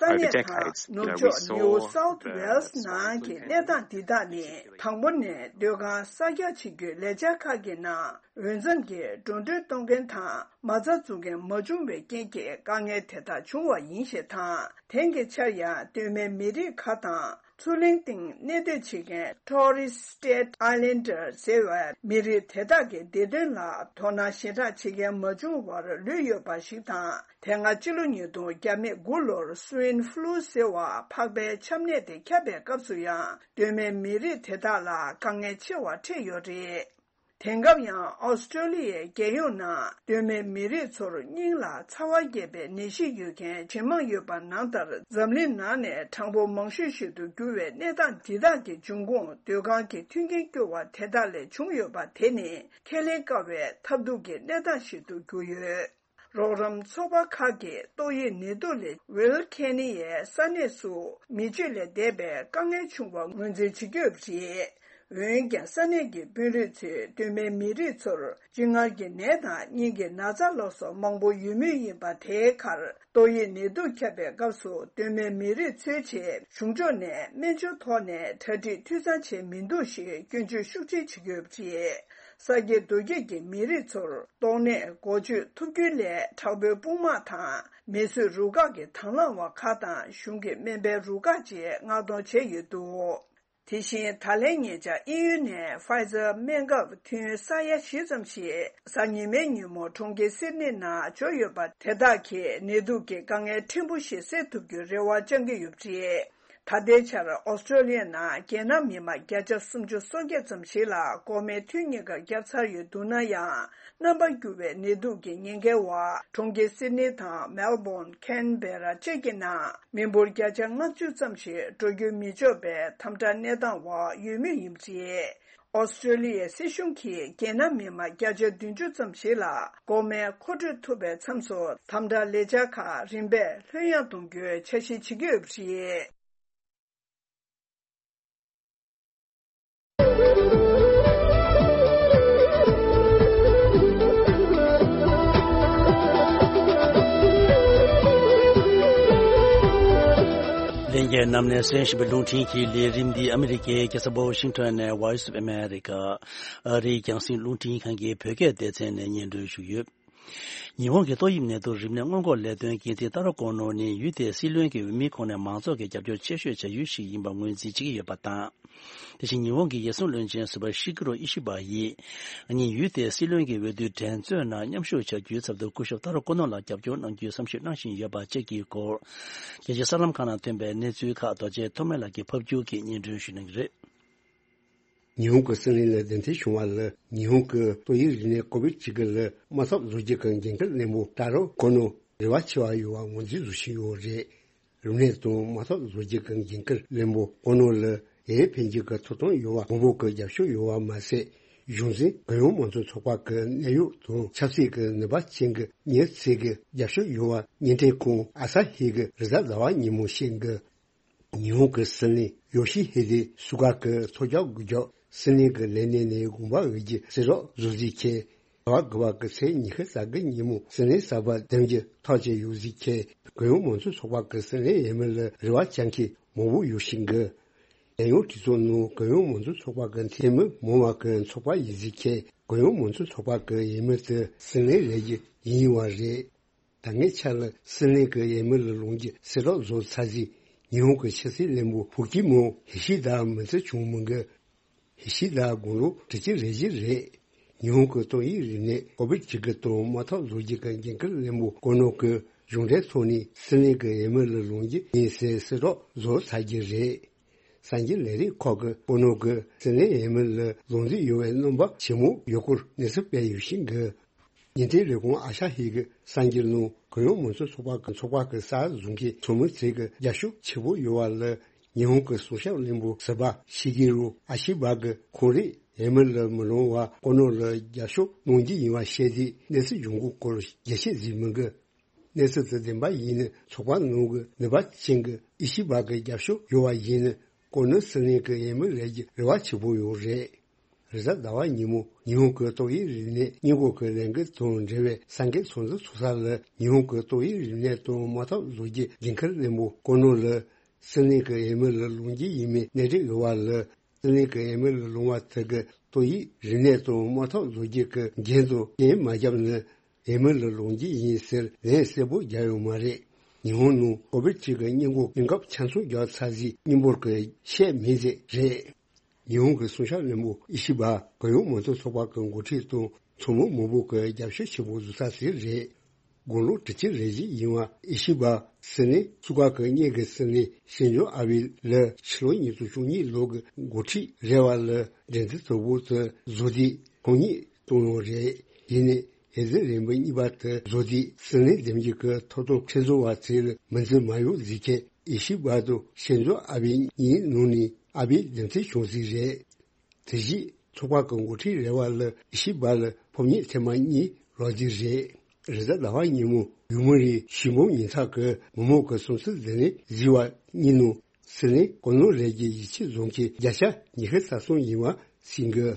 over decades. You know, we saw the Wilcannia ས་གནས་དང་ནུབ་ཕྱོགས་New South Wales ནང་གི་གནས་སྟངས་འདི་དག་ནི། དང་པོ་ནས་སྡོད་ཁང་གསར་རྒྱག་བྱེད་རྒྱུའི་ལས་འཆར་ཁག་གི་ནང་འོས་འཚམ་གྱི་འགྲོ་གྲོན་གཏོང་མཁན་དང་མ་རྩ་འཛུགས་མཁན་མ་བྱུང་བའི་རྐྱེན་གྱིས་དཀའ་ངལ་དེ་དག་བྱུང་བ་ཡིན་ཞེས་དང་། དེང་གི་ཆར་ཡང་སྟོད་སྨད་མི་རིགས་ཁག་དང་མཚོ་གླིང་སྟེང་གནས་སྡོད་བྱེད་མཁན་Torres Strait Islander ཟེར་བའི་མི་རིགས་དེ་དག་གི་བདེ་དོན་ལ་དོ་སྣང་ཞེ་དྲག་བྱེད་མཁན་མ་བྱུང་བར་ལུས་ཡོད་པ་ཞིག་དང་། དེ་སྔ་ཕྱི་ལོ་ཉིས་སྟོང་བརྒྱ་མེད་དགུ་ལོར་Swine Flu ཟེར་བ་ཕག་པའི་ཆམ་ནད་དེ་ཁྱབ་པའི་སྐབས་སུ་ཡང་སྟོད་སྨད་མི་རིགས་དེ་དག་ལ་དཀའ་ངལ་ཆེ་བ་འཕྲད་ཡོད་རེད། དེང་སྐབས་ཡང་ཨོ་སི་ཀྲོ་ལི་ཡའི་རྒྱལ་ཡོངས་ནང་སྟོད་སྨད་མི་རིགས་ཚོར་སྙིང་ལ་ཚ་བ་རྒྱས་པའི་ནད་གཞི་ཡོད་མཁན་ཇེ་མང་ཡོད་པ་ནང་ལྟར། འཛམ་གླིང་ནང་ནས་གྲངས་འབོར་མང་ཤོས་ཤིག་ཏུ་གྱུར་བའི་གནས་སྟངས་འདི་དག་གི་འབྱུང་ཁུངས་སྡོད་ཁང་གི་མཐུན་རྐྱེན་སྐྱོ་བ་དེ་དག་ལས་བྱུང་ཡོད་པ་དེ་ནི་ཁས་ལེན་དཀའ་བའི་ཐབས་སྡུག་གི་གནས་སྟངས་ཤིག་ཏུ་གྱུར་ཡོད། རོགས་རམ་ཚོགས་པ་ཁག་གིས་ཏོག་དབྱིབས་ནད་དུག་ལས་ཝིལ་ཁེ་ནི་ཡའི་ས་གནས་སུ་མི་སྤྱོད་ལས་འདས་པའི་དཀའ་ངལ་བྱུང་བ་ངོས་འཛིན་བྱེད་ཀྱི་ཡོད་པ་རེད། འོན་ཀྱང་ས་གནས་ཀྱི་དཔོན་རིགས་ཚོས་སྟོད་སྨད་མི་རིགས་ཚོར་གཅིན་མངར་གྱི་ནད་དང་སྙིང་གི་ན་ཚ་ལ་སོགས་མང་པོ་ཡོད་མུས་ཡིན་པ་དེའི་ཁར། ཏོག་དབྱིབས་ནད་དུག་ཁྱབ་པའི་སྐབས་སུ་སྟོད་སྨད་མི་རིགས་ཚོའི་ཆེད་གཞུང་ཕྱོགས་ནས་སྨན་བཅོས་ཐོག་ནས་གྲ་སྒྲིག་འཐུས་ཚང་བྱས་མི་འདུག་ཞེས་སྐྱོན་བརྗོད་ཤུགས་ཆེ་བྱེད་ཀྱི་ཡོད་པ་རེད། ས་སྐྱེས་རྡོ་སྐྱེས་ཀྱི་མི་རིགས་ཚོར་ཏོག་ནད་འགོག་བཅོས་ཐུབ་རྒྱུའི་སླད་དྲག་པོའི་དཔུང་དམག་དང་མེ་གསོད་རུ་ཁག་གི་དང་བླངས་པ་ཁག་དང་གཞུང་གི་སྨན་པའི་རུ་ཁག་བཅས་མངགས་གཏོང་བྱས་ཡོད་འདུག་དེ་བཞིན་ད་ལན་ཉེ་ཆར་དབྱིན་ཡུལ་ནས་Pfizer སྨན་ཁབ་ཐུན་ས་ཡ་བཞི་ཙམ་ཞིག་གཟའ་ཉི་མའི་ཉིན་མོ་གྲོང་ཁྱེར་སིད་ནི་ནང་འབྱོར་ཡོད་པ་དེ་དག་གིས་ནད་དུག་གི་དཀའ་ངལ་ཕྲན་བུ་ཞིག་སེལ་ཐུབ་རྒྱུའི་རེ་བ་བཅང་གི་ཡོད་པ་རེད། ད་ལྟའི་ཆར་ཨོ་སི་ཀྲོ་ལི་ཡ་ནང་རྒྱལ་ནང་མི་མང་བརྒྱ་ཆ་སུམ་ཅུ་སོ་བརྒྱད་ཙམ་ཞིག་ལ་འགོག་སྨན་ཐུན་གཉིས་ཀ་བརྒྱབ་ཚར་ཡོད་འདུག་ན་ཡང་། རྣམ་པར་འགྱུར་བའི་ནད་དུག་གི་ཉེན་ཁའི་འོག་གྲོང་ཁྱེར་སིད་ནི་དང་མེལ་བོན། ཁེན་བེ་ར་བཅས་ཀྱི་ནང་མི་འབོར་བརྒྱ་ཆ་ལྔ་བཅུ་ཙམ་ཞིག་འགྲོ་སྐྱོད་མི་ཆོག་པའི་དམ་དྲག་གནས་སྟངས་འོག་ཡོད་མུས་ཡིན་པ་རེད། ཨོ་སི་ཀྲོ་ལི་ཡའི་སྲིད་གཞུང་གིས་རྒྱལ་ནང་མི་མང་བརྒྱ་ཆ་བདུན་ཅུ་ཙམ་ཞིག་ལ་འགོག་སྨན་མཁོ་སྤྲོད་ཐུབ་པའི་མཚམས་སུ་དམ་དྲག་ལས་འཆར་ཁག་རིམ་པས་ལྷོད་ཡངས་གཏོང་རྒྱུའི་འཆར་གཞི་བྱེད་ཀྱི་ཡོད་པ་རེད། ལྷན་རྒྱས་རྣམས་ནས་གསན་བཞིན་པའི་རླུང་འཕྲིན་གྱི་ལས་རིམ་འདི་ཨ་མི་རི་ཀའི་རྒྱལ་ས་ཝ་ཤིང་ཊོན་ནས་Voice of America ཨ་རིའི་རྒྱང་སྲིང་རླུང་འཕྲིན་ཁང་གི་བོད་སྐད་སྡེ་ཚན་ནས་སྙན་སྒྲོན་ཞུས་ཡོད། ཉི་ཧོང་གི་ཏོག་དབྱིབས་ནད་དུག་རིམས་ནད་སྔོན་འགོག་ལས་དོན་འགན་འཛིན་ཏཱ་རོ་ཀོ་ནོ་ནི་ཡུལ་དེའི་སྲིད་བློན་གྱི་འོས་མིའི་ཁོངས་ནས་མང་ཚོགས་ཀྱིས་རྒྱབ་སྐྱོར་ཆེ་ཤོས་བྱ་ཡུལ་ཞིག་ཡིན་པར་ངོས་འཛིན་བྱེད་ཀྱི་ཡོད་པ་དང་། དེ་བཞིན་ཉི་ཧོང་གི་ཡུལ་སྲུང་བློན་ཆེན་ཟུར་པ་ཤི་གི་རོ་ཨི་ཤི་བ་ཡིས། ཉིན་ཡུལ་དེའི་སྲིད་བློན་གྱི་འོས་བསྡུའི་འགྲན་རྩོད་ནང་མཉམ་ཞུགས་བྱ་རྒྱུའི་ཚབ་ཏུ་སྐུ་ཞབས་ཏཱ་རོ་ཀོ་ནོ་ལ་རྒྱབ་སྐྱོར་གནང་རྒྱུའི་བསམ་ཞིབ་གནང་བཞིན་ཡོད་པ་བཅས་ཀྱི་སྐོར། རྒྱལ་སྤྱིའི་གསར་ལམ་ཁག་ནང་ཐོན་པའི་གནས་ཚུལ་ཁག་རྡོ་རྗེ་ཐོགས་མེད་ལགས་ཀྱིས་ཕབ་བསྒྱུར་གྱིས་སྙན་སྒྲོན་ཞུ་གནང་གི་རེད། ཉི་ཧོང་གི་སྲིད་བློན་ལ་གདན་འདྲེན་བྱུང་བ་ལ། ཉི་ཧོང་གི་ཏོག་དབྱིབས་རིམས་ནད་ཀོ་བིད་བཅུ་དགུ་ལ་དམག་འཐབ་བཟོ་རྒྱུ་གི་འགན་འཁུར་བློན་པོ་ཏཱ་རོ་ཀོ་ནོ་རེ་བ་ཆེ་བ་ཡོད་པ་ངོས་འཛིན་བཟོ་བཞིན་ཡོད་རེད། རིམས་ནད་དང་དམག་འཐབ་བཟོ་རྒྱུ་གི་འགན་འཁུར་བློན་པོ་ཀོ་ནོ་ལ་ཡར་ཕན་རྒྱུ་གི་ཐོབ་ཐང་ཡོད་པ་མང་པོ་གི་རྒྱབ་སྐྱོར་ཡོད་པ་མ་ཟད། གཞུང་འཛིན་གུ་ཡངས་མང་གཙོ་ཚོགས་པ་གི་གནད་ཡོད་དང་ཆབ་སྲིད་ཀྱི་ནུས་པ་ཅན་གྱི་མྱི་ཚོས་ཀྱི་རྒྱབ་སྐྱོར་ཡོད་པ་བརྙན་འཕྲིན་ཁང་ཨ་ས་ཧི་གི་རེས་གཟའ་ཟླ་བ་ཉིན་མོ་བཤད་འདུག་ཉི་ཧོང་གི་སྲིད་བློན་ཡོ་ཤི་ཧི་དེ་སུ་ག་གི་ཚོགས་བཅར་དགོས་རྒྱུ། སྲིད་བློན་གྱི་ལས་གནས་ནས་དགོངས་པ་འོས་རྒྱུ་གསལ་བསྒྲགས་བཟོ་རྩིས་ཁེལ། ཟླ་བ་དགུ་པ་གི་ཚེས་ཉི་ཤུ་རྩ་དགུ་ཉིན་མོ་སྲིད་བློན་གསར་པ་འདེམས་རྒྱུ་ཐག་བཅད་ཡོད་རྩིས་ཁེལ། གུ་ཡངས་མང་གཙོ་ཚོགས་པ་གི་སྲིད་བློན་འོས་མི་ལ་རེ་བ་བཅང་མཁན་མང་པོ་ཡོད་བཞིན་གི། རྒྱལ་ཡོངས་གྲོས་ཚོགས་ནང་གུ་ཡངས་མང་གཙོ་ཚོགས་པ་གི་འཐུས་མི་མང་བ་གི་ཚོགས་པ་ཡིན་ཟིག་ཁྱེད་གུ་ཡངས་མང་གཙོ་ཚོགས་པ་གི་འོས་མི་དེ་སྲིད་བློན་རེད་རྒྱུ་ཡིན་བ་རེད། ད་ངའི་ཆ་ལ་སྲིད་བློན་གི་འོས་མི་ལ་ལོངས་རྒྱུ་གསལ་རོགས་བཟོ་ཚར་ཟིག་ཉི་ཧོང་གི་ཕྱི་སྲིད་བློན་པོ་ཕུག་གི་མོ་ཧི་ཤི་ད་མི་ཚེ་བྱུང་མི་འགི། ཧི་ཤི་ད་དགུང་ལོ་དྲུག་ཅུ་རེ་བཞི་རེད། ཉི་ཧོང་གི་ཏོག་དབྱིབས་རིམས་ནད་ཀོ་བིད་བཅུ་དགུ་དང་དམག་འཐབ་བཟོ་རྒྱུ་གི་འགན་འཁུར་བློན་པོ་ཀོ་ནོ་གི་གཞུང་འབྲེལ་ཐོག་ནས་སྲིད་བློན་གི་འོས་མི་ལ་ལོངས་རྒྱུ་ཡིན་ཟེར་གསལ་རོགས་བཟོ་ཚར་རྒྱུ་རེད། གསར་འགྱུར་ལས་རིགས་ཁག་གི་ཀོ་ནོ་གི་སྲིད་བློན་འོས་མི་ལ་ལོངས་རྒྱུ་ཡོད་པའི་རྣམ་པ་ཇེ་མང་ཡོད་སྐོར་གནས་ཚུལ་སྤེལ་ཡོད་ཤིང་གི། ཉིན་དེའི་རེབ་གོང་ཨ་ཤ་ཧི་གི་གསར་འགྱུར་ནང་གུ་ཡངས་མང་གཙོ་ཚོགས་པ་གི་ཚོགས་པ་གི་གསར་བཟོ་མཁན་ཚོགས་མི་ཚོས་གི་རྒྱབ་སྐྱོར་ཆེ་པོ་ཡོད་པ་ལ་ཉི་ཧོང་གི་སྲུང་སྐྱོབ་བློན་པོ་ཟུར་པ་ཤི་གི་རུ་ཨ་ཤི་བ་གི་ཁོང་རང་འོས་མི་ལ་མི་ལོངས་པར་ཀོ་ནོ་ལ་རྒྱབ་སྐྱོར་གནང་རྒྱུ་ཡིན་པ་བཤད་དེ་གནས་ཚུལ་འབྱུང་ཁུངས་སྐོར་རྒྱས་བཤད་བྱས་མི་འདུག་གནས་ཚུལ་དེ་བདེན་པ་ཡིན་ན་ཚོགས་པ་ནང་གི་ནུས་པ་ཅན་གྱི་ཨི་ཤི་བ་གི་རྒྱབ་སྐྱོར་ཡོད་པ་ཡིན་ན་ཀོ་ནོ་སྲིད་བློན་གྱི་འོས་མི་རེད་རྒྱུ་རེ་བ་ཆེ་པོ་ཡོད་རེད། རེས་གཟའ་ཟླ་བ་ཉིན་མོ་ཉི་ཧོང་གི་ཏོག་དབྱིབས་རིམས་ནད་སྔོན་འགོག་གི་ལས་འགུལ་དང་འབྲེལ་བའི་གསར་འགྱུར་ཚོགས་འདུ་ཚོགས་ས་ལ་ཉི་ཧོང་གི་ཏོག་དབྱིབས་རིམས་ནད་དང་དམག་འཐབ་བཟོ་རྒྱུ་འགན་འཁུར་བློན་པོ་ཀོ་ནོ་ལ་སྲིད་བློན་གྱི་འོས་མི་ལ་ལོངས་རྒྱུ་ཡིན་མིན་གནས་འདྲི་ཡོད་པ་ལ། སྲིད་བློན་གྱི་འོས་མི་ལ་ལོངས་པ་དེ་གི་ཏོག་དབྱིབས་རིམས་ནད་དང་དམག་འཐབ་བཟོ་རྒྱུ་གི་འགན་དང་རྐྱེན་མ་བརྒྱབ་ན་འོས་མི་ལ་ལོངས་རྒྱུ་ཡིན་ཟེར་ལན་གསལ་པོ་རྒྱག་ཡོད་མ་རེད། ཉི་ཧོང་ནང་ཀོ་བིད་བཅུ་གི་སྔོན་འགོག་སྔོན་ཁབ་ཆ་ཚང་རྒྱག་ཚར་ཟིག་སྙན་འབུལ་གྱི་བཤད་མིན་ཟིག་རེད། ཉི་ཧོང་གི་སྲུང་སྐྱོབ་བློན་པོ་ཨི་ཤི་བ་གུ་ཡངས་མང་གཙོ་ཚོགས་པ་གི་འགོ་ཁྲིད་དང་ཚོགས་མི་མང་པོ་གི་རྒྱབ་སྐྱོར་ཆེ་པོ་བཟོ་ས་ཟིག་རེད། དགུང་ལོ་དྲུག་ཅུ་རེ་བཞི་ཡིན་པ་ཨི་ཤི་བ་སྲིད་བློན་སུ་ག་གི་སྔོན་གྱི་སྲིད་བློན་ཤིན་ཛོ་ཨ་བྷེ་ལ་ཕྱི་ལོ་ཉིས་སྟོང་བཅུ་གཉིས་ལོ་གི་འགོ་ཁྲིད་རེད་པ་ལ་འགྲན་བསྡུར་དོ་ཕོག་ཏུ་བཟོ་དུས་ཁོང་ཉིད་བཏང་ཡོད་རེད། ཡིན་ནའི་འོས་བསྡུ་རིམ་པ་གཉིས་པ་དེ་བཟོ་དུས་སྲིད་བློན་འདེམས་རྒྱུ་གི་ཐོབ་ཐང་ཁྲིམས་བཟོ་བ་ཚོས་མི་འཛིན་མ་ཡོང་ཟིག་གི་ཨི་ཤི་བ་དང་ཤིན་ཛོ་ཨ་བྷེ་གཉིས་ནང་ནས་ཨ་བྷེ་འདེམས་ཐོན་བྱུང་ཟིག་རེད། དེ་བཞིན་ཚོགས་པ་གི་འགོ་ཁྲིད་རེད་པ་ལ་ཨི་ཤི་བ་ལ་ཕོ་ཉ་ཐེངས་མ་གཉིས་རག་རྒྱུ་རེད། རེས་གཟའ་ཟླ་བ་ཉིན་མོ་ཡུ་མུ་རི་ཞི་མོ་ཉིན་ཐག་གི་མི་མང་གི་སུམ་སི་ཟི་ནི་བཟི་བ་གཉིས་ནང་སྲིད་བློན་གོ་ནོ་རེད་རྒྱུ་ཡིད་ཆེས་བཟུང་གི་བརྒྱ་ཆ་ཉི་ཤུ་རྩ་གསུམ་ཡིན་པ་ཟིན་གི།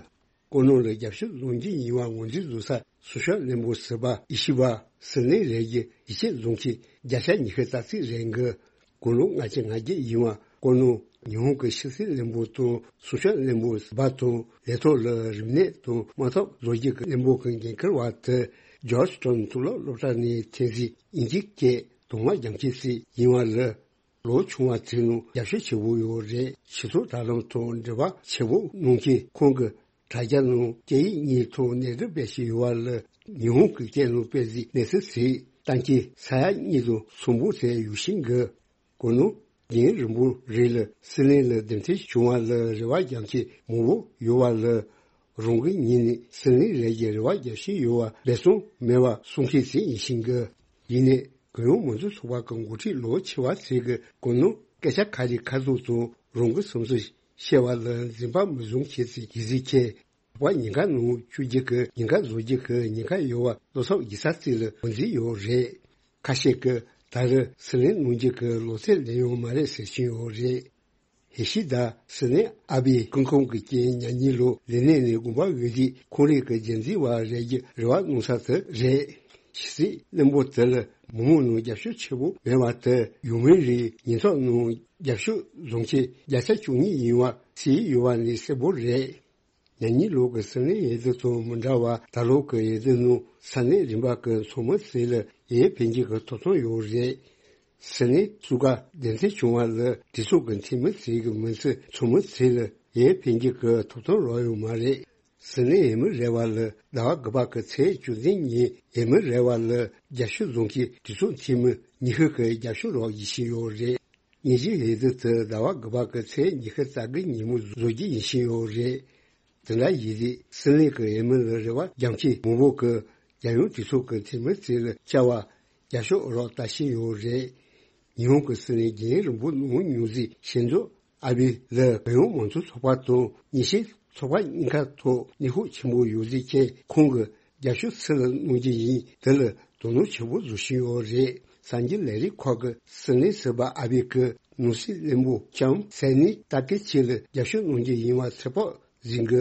གོ་ནོ་ལ་རྒྱབ་སྐྱོར་བཟུང་རྒྱུ་ཡིན་པ་ངོས་འཛིན་བཟོ་ས་སུ་ཤ་བློན་པོ་ཟུར་པ་ཨི་ཤི་བ་སྲིད་བློན་རེད་རྒྱུ་ཡིད་ཆེས་བཟུང་གི་བརྒྱ་ཆ་ཉི་ཤུ་རྩ་གཅིག་རེད་གི། དགུང་ལོ་ལྔ་བཅུ་ང་བརྒྱད་ཡིན་པ་ཀོ་ནོ་ཉི་ཧོང་གི་ཕྱི་སྲིད་བློན་པོ་དང་སྲུང་སྐྱོབ་བློན་པོ་ཟུར་པ་དང་ལས་ཐོག་ལ་རིམས་ནད་དང་དམག་འཐབ་བཟོ་རྒྱུ་གི་བློན་པོ་གི་འགན་འཁུར་བ་དེ་ཇོརྗ་ཊའོན་མཐོ་སློབ་སློབ་གྲྭ་ནས་ཐོན་ཟིག་དབྱིན་ཇིའི་སྐད་གདོང་དམར་རྒྱང་ཁྱེར་ཟིག་ཡིན་པ་ལ། ལོ་ཆུང་བ་ཚོའི་ནང་རྒྱབ་སྐྱོར་ཆེ་བོ་ཡོད་རེད། སྤྱི་ཚོགས་དྲ་ལམ་ཐོག་འབྲེལ་བ་ཆེ་བོ་གནང་མཁན་ཁོང་གི་དྲ་རྒྱ་ནང་སྐད་ཡིག་གཉིས་ཐོག་གནས་སྒྲིག་སྤེལ་བཞིན་ཡོད་པ་ལ་ཉི་ཧོང་གི་སྐད་ནང་སྤེལ་གཟིགས་གནས་ཚུལ་ཟིག་བཏང་གི་ས་ཡ་གཉིས་དང་སུམ་པོ་ཟེར་ཡོད་ཤིང་གི། གོ་ནོ་རྒན་རིན་པོ་རེ་ལ་སྲིད་བློན་ལ་འདེམས་ཐོན་བྱུང་བ་ལ་རེ་བ་རྒྱག་མཁན་མང་བོ་ཡོད་པ་ལ། རང་གི་ཉིད་ནས་སྲིད་བློན་རེད་ཀྱི་རེ་བ་རྒྱག་བཞིན་ཡོད་པ་སྦས་གསང་མེད་པ་གསུང་མཁན་ཞིག་ཡིན་ཤིང་གི། ཡིན་ནའི་གུ་ཡངས་མང་གཙོ་ཚོགས་པ་གི་འགོ་ཁྲིད་ལོ་ཆེ་བ་ཟིག་གི་གོ་ནོ་སྐད་ཆ་ཁ་རི་ཁ་ཐུག་དང་རང་གི་བསམ་ཚུལ་བཤད་པ་ལ་འཛེམ་པ་མི་བཟུང་མཁན་ཞིག་ཡིན་ཟིག་མཁན། བ་ཉིན་ཁ་ནང་བཅུ་བརྒྱད་ཀྱི་ཉིན་ཁ་བཟོ་རྒྱུ་གི་ཉེན་ཁ་ཡོད་པ་བློ་འཚབ་བགྱིས་ས་ཅིག་ལ་ངོས་འཛིན་ཡོད་རེད། ཁ་ཤས་ཀྱིས་ད་རེས་སྲིད་བློན་གནང་རྒྱུ་གི་ལོ་ཚད་ལོན་ཡོད་མ་རེད་ཟེར་བཞིན་ཡོད་རེད། ཧི་ཤི་དཱ་སྲིད་བློན་ཨ་བྷེ་སྐུ་ཁམས་ཀྱི་རྐྱེན་མྱ་ངན་ལོ་ལས་གནས་ནས་དགོངས་པ་འོས་དུས་ཁོང་རང་གི་རྒྱུན་འཛིན་པ་རེད་རྒྱུ་རེ་བ་གནང་ས་དེ་རེད། ཕྱི་སྲིད་བློན་པོ་དེ་ལ་མི་མང་ནང་རྒྱབ་སྐྱོར་ཆེ་བོ་མེད་པ་དེ་ཡུ་མེན་རིའི་ཉིན་ཐོ་ནང་རྒྱབ་སྐྱོར་བཟུང་ཆེད་བརྒྱ་ཆ་བཅུ་གཉིས་ཡིན་པ་གསལ་ཡོད་པ་ནི་གསལ་པོ་རེད། ཉ་ཉིན་ལོ་གི་སྲིད་བློན་འོས་བསྡུ་དང་མི་འདྲ་བར་ད་ལོ་གི་འོས་བསྡུ་ནང་ས་གནས་རིམ་པ་གི་ཚོགས་མི་ཚོ་ལ་འོས་འཕེན་རྒྱུ་གི་ཐོབ་ཐང་ཡོད་རེད། སྲིད་བློན་སུ་ག་འདེམས་ཐོན་བྱུང་བ་ལ་གྲོས་ཚོགས་ཀྱི་འཐུས་མི་ཚོ་གི་མིང་ཚོ་ཚོགས་མི་ཚོ་ལ་འོས་འཕེན་རྒྱུ་གི་ཐོབ་ཐང་རག་ཡོད་མ་རེད། སྲིད་བློན་འོས་མི་རེ་བ་ལ་ཟླ་བ་དགུ་པ་གི་ཚེས་བཅུ་བདུན་ཉིན་འོས་མི་རེ་བ་ལ་རྒྱབ་སྐྱོར་བཟུང་གི་གྲོས་ཚོགས་འཐུས་མི་ཉི་ཤུ་གི་རྒྱབ་སྐྱོར་རག་བཞིན་ཡོད་རེད། ཉིན་གཅིག་འོས་བསྡུ་དེ་ཟླ་བ་དགུ་པ་གི་ཚེས་ཉི་ཤུ་རྩ་དགུ་ཉིན་མོ་བཟོ་རྒྱུ་ཡིན་བཞིན་ཡོད་རེད། དེ་འདྲ་ཡིན་དུས་སྲིད་བློན་གྱི་འོས་མི་ལ་རེ་བ་རྒྱག་མཁན་མང་པོ་གིས་རྒྱལ་ཡོངས་གྲོས་ཚོགས་ཀྱི་འཐུས་མི་ཚོ་ལ་བཅར་བར་རྒྱབ་སྐྱོར་རག་ལྟ་བཞིན་ཡོད་རེད། ཉི་ཧོང་གི་སྲིད་བློན་རྒྱུན་རིང་པོ་གནང་མྱོང་མཛད་ཤིན་ཛོ་ཨ་བྷེ་ལ་གུ་ཡངས་མང་གཙོ་ཚོགས་པ་དང་ཉི་ཤུའི་ཚོགས་པ་གཉིས་ཀ་ཐོག་ནུས་ཤུགས་ཆེན་པོ་ཡོད་ཟེར་མཁན་ཁོང་གི་རྒྱབ་སྐྱོར་སུ་ལ་གནང་རྒྱུ་ཡིན་དེ་ལ་དོ་སྣང་ཆེན་པོ་བཟོ་བཞིན་ཡོད་རེད། གསར་འགྱུར་ལས་རིགས་ཁག་གི་སྲིད་བློན་ཟུར་པ་ཨ་བྷེ་གི་ནང་སྲིད་བློན་པོ་ལྕམ་སེ་ནི་ཏཱ་ཀེ་ཆི་ལ་རྒྱབ་སྐྱོར་གནང་རྒྱུ་ཡིན་པ་ཚོད་དཔག་བཟོས་འདུག་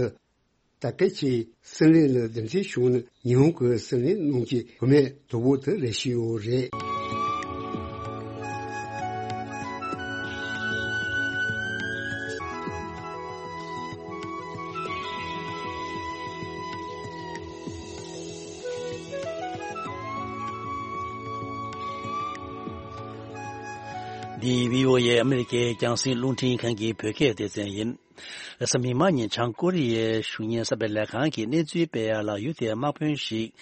ཏཱ་ཀེ་ཆི་སྲིད་བློན་ལ་འདེམས་ཐོན་བྱུང་ན་ཉི་ཧོང་གི་སྲིད་བློན་གནང་རྒྱུའི་བུད་མེད་དོ་པོ་དེ་རེད་བཞིན་ཡོད་རེད། འདི་བྷི་ཨོ་ཨེ་ཨ་མི་རི་ཀའི་རྒྱང་སྲིང་རླུང་འཕྲིན་ཁང་གི་བོད་སྐད་སྡེ་ཚན་ཡིན། རེས་གཟའ་མིག་དམར་ཉིན་བྱང་ཀོ་རི་ཡའི་གཞུང་གཉེར་གསར་སྤེལ་ལས་ཁང་གིས་གནས་ཚུལ་སྤེལ་ཡ་ལ། ཡུལ་དེའི་དམག་དཔོན་ཞིག་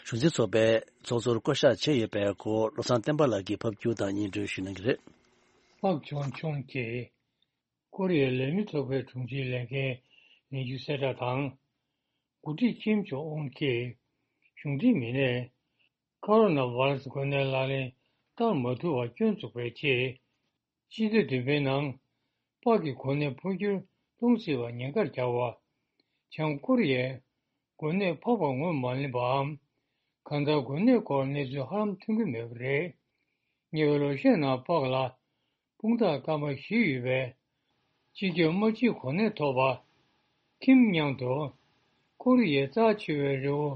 གཞུང་འཛིན་ཚོགས་པའི་ཚོགས་གཙོར་བསྐོ་གཞག་བྱས་ཡོད་པའི་སྐོར། བློ་བཟང་བསྟན་པ་ལགས་ཀྱིས་ཕབ་སྒྱུར་དང་སྙན་སྒྲོན་ཞུ་གནང་གི་རེད། པག་ཆོང་ཆུང་གིས་ཀོ་རི་ཡའི་ལས་མི་ཚོགས་པའི་དྲུང་ཆེའི་ལས་འགན་ལེན་རྒྱུ་གསལ་བསྒྲགས་དང་། འགོ་ཁྲིད་ཀིམ་ཇོང་ཨུན་གྱིས་གཞུང་འབྲེལ་མི་སྣས་ཀོ་རོ་ན་བྷ་ར་སི་འགོས་ནད་ལག་ལེན་བསྟར་མ་ཐུབ་པར་སྐྱོན་བཙུགས་པའི་རྗེས། སྤྱི་ཟླ་བདུན་པའི་ནང་པག་གི་འགོས་ནད་འཕོ་འགྱུར་གཏོང་སྲིད་པ་ཉེན་ཁར་གྱུར་བ། བྱང་ཀོ་རི་ཡས་འགོས་ནད་ཕོག་པ་ངོས་མ་ལེན་པའམ། གང་ལྟར་འགོས་ནད་སྐོར་གནས་ཚུལ་ཧ་ལམ་ཐོན་གྱི་མེད་པ་རེད། ཉེ་བའི་ལོ་ཤས་ནང་པག་ལ་དཔུང་རྟགས་སྐར་མ་བཞི་ཡོད་པའི་སྤྱི་ཁྱབ་དམག་སྤྱིའི་གོ་གནས་ཐོབ་པ། ཁིམ་མཉམ་དུ་ཀོ་རི་ཡའི་རྩ་ཆེ་བའི་རི་བོ་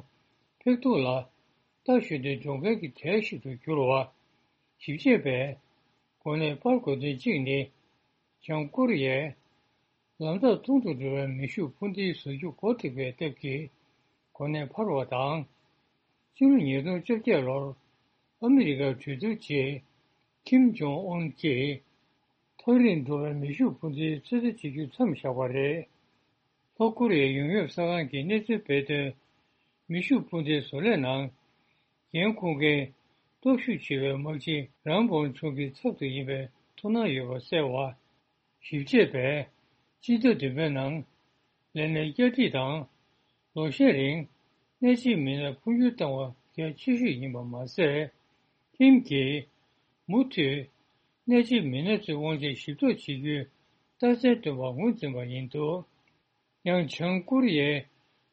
ཕེག་ཏུ་ལ་རྟ་བཞོན་ཏེ་འགྲོ་མཁན་གྱི་གྲས་ཤིག་ཏུ་གྱུར་བ། ཞིབ་དཔྱད་པས་གོ་གནས་སྤར་དགོས་དོན་གཅིག་ནི། བྱང་ཀོ་རི་ཡས་ལམ་ཐག་ཐུང་དུ་འགྲོ་བའི་མེ་ཤུགས་འཕུར་མདེལ་བཟོ་རྒྱུ་འགོ་ཁྲིད་པའི་སྟབས་ཀྱིས་གོ་གནས་འཕར་བ་དང་། ཕྱི་ལོ་ཉིས་སྟོང་བཅོ་བརྒྱད་ལོར་ཨ་མི་རི་ཀར་གྲོས་བསྡུར་རྗེས། ཁིམ་ཇོང་ཨུན་གྱིས་མཐོ་རིས་འགྲོ་བའི་མེ་ཤུགས་འཕུར་མདེལ་ཚོད་ལྟ་བྱེད་རྒྱུ་མཚམས་བཞག་པ་རེད། ལྷོ་ཀོ་རི་ཡའི་ཡོང་འབབ་གསར་ཁང་གིས་གནས་ཚུལ་སྤེལ་དོན། མེ་ཤུགས་འཕུར་མདེལ་བཟོ་ལས་ནང་འགན་འཁུར་མཁན་སྟོབས་ཤུགས་ཆེ་བའི་དམག་སྤྱི་རང་བོན་ཆུང་གི་ཚབ་ཏུ་ཡིན་པའི་ཐུགས་སྣང་ཡོད་པ་གསལ་བ། ཞིབ་དཔྱད་པས་སྤྱི་ཟླ་བདུན་པའི་ནང་ལས་གནས་བསྐྱར་སྒྲིག་དང་། ལོ་ཤས་རིང་གནད་ཆེའི་མི་སྣར་འཕོ་འགྱུར་བཏང་བ་གལ་ཆེ་ཤོས་ཡིན་པ་མ་ཟད། ཁིམ་གྱིས་མུ་མཐུད་གནད་ཆེའི་མི་སྣ་ཚོའི་དབང་ཆ་ཞིབ་གཏོད་བྱེད་རྒྱུའི་རྟགས་མཚན་བཏོན་པར་ངོས་འཛིན་པ་ཡིན་འདུག་ཡང་བྱང་ཀོ་རི་ཡའི་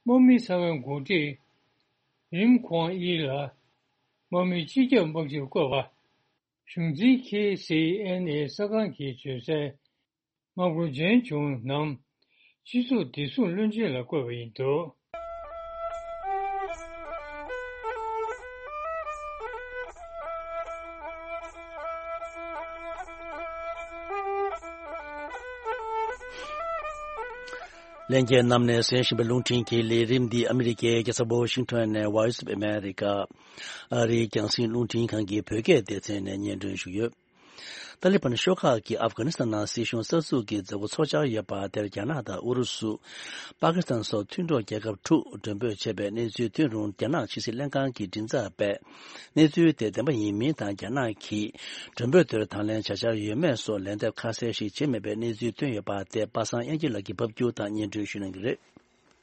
དམག་མི་གསར་བའི་འགོ་ཁྲིད་རིམ་ཁོང་ཨི་ལ་དམག་མིའི་སྤྱི་ཁྱབ་དམག་སྤྱིར་བསྐོས་པ། གཞུང་འཛིན་ཁེ་སི་ཨེན་ཨེ་གསར་ཁང་གིས་བརྗོད་གསལ། དམག་དཔོན་ཇན་ཆུང་ནམ་སྤྱི་ཚོགས་བདེ་སྲུང་བློན་ཆེན་ལ་བསྐོས་པ་ཡིན་འདུག་ལྷན་རྒྱས་རྣམས་ནས་གསན་བཞིན་པའི་རླུང་འཕྲིན་གྱི་ལས་རིམ་འདི་ཨ་མི་རི་ཀའི་རྒྱལ་ས་ཝ་ཤིང་ཊོན་ནས་Voice of America ཨ་རིའི་རྒྱང་སྲིང་རླུང་འཕྲིན་ཁང་གི་བོད་སྐད་སྡེ་ཚན་ནས་སྙན་སྒྲོན་ཞུས་ཡོད། ཏཱ་ལི་བན་ཤོག་ཁག་གིས་ཨབ་གྷ་ནི་སི་ཐན་ནང་སྲིད་གཞུང་གསར་འཛུགས་ཀྱི་མཛད་སྒོ་འཚོགས་འཆར་ཡོད་པ་དེར་རྒྱ་ནག་དང་ཨུ་རུ་སུ། པ་ཀི་སི་ཐན་སོགས་མཐུན་གྲོགས་རྒྱལ་ཁབ་དྲུག་མགྲོན་འབོད་བྱས་པའི་གནས་ཚུལ་ཐོན་རུང་། རྒྱ་ནག་ཕྱི་སྲིད་ལྷན་ཁང་གི་མགྲིན་ཚབ་པས་གནས་ཚུལ་དེ་བདེན་པ་ཡིན་མིན་དང་། རྒྱ་ནག་གིས་མགྲོན་འབོད་དེར་དང་ལེན་བྱ་འཆར་ཡོད་མེད་སོགས་ལན་འདེབས་ཁ་གསལ་ཞིག་བྱས་མེད་པའི་གནས་ཚུལ་ཐོན་ཡོད་པ་དེ་པ་སངས་དབྱངས་སྐྱིད་ལགས་ཀྱིས་ཕབ་སྒྱུར་དང་སྙན་སྒྲོན་ཞུ་གནང་གི་རེད།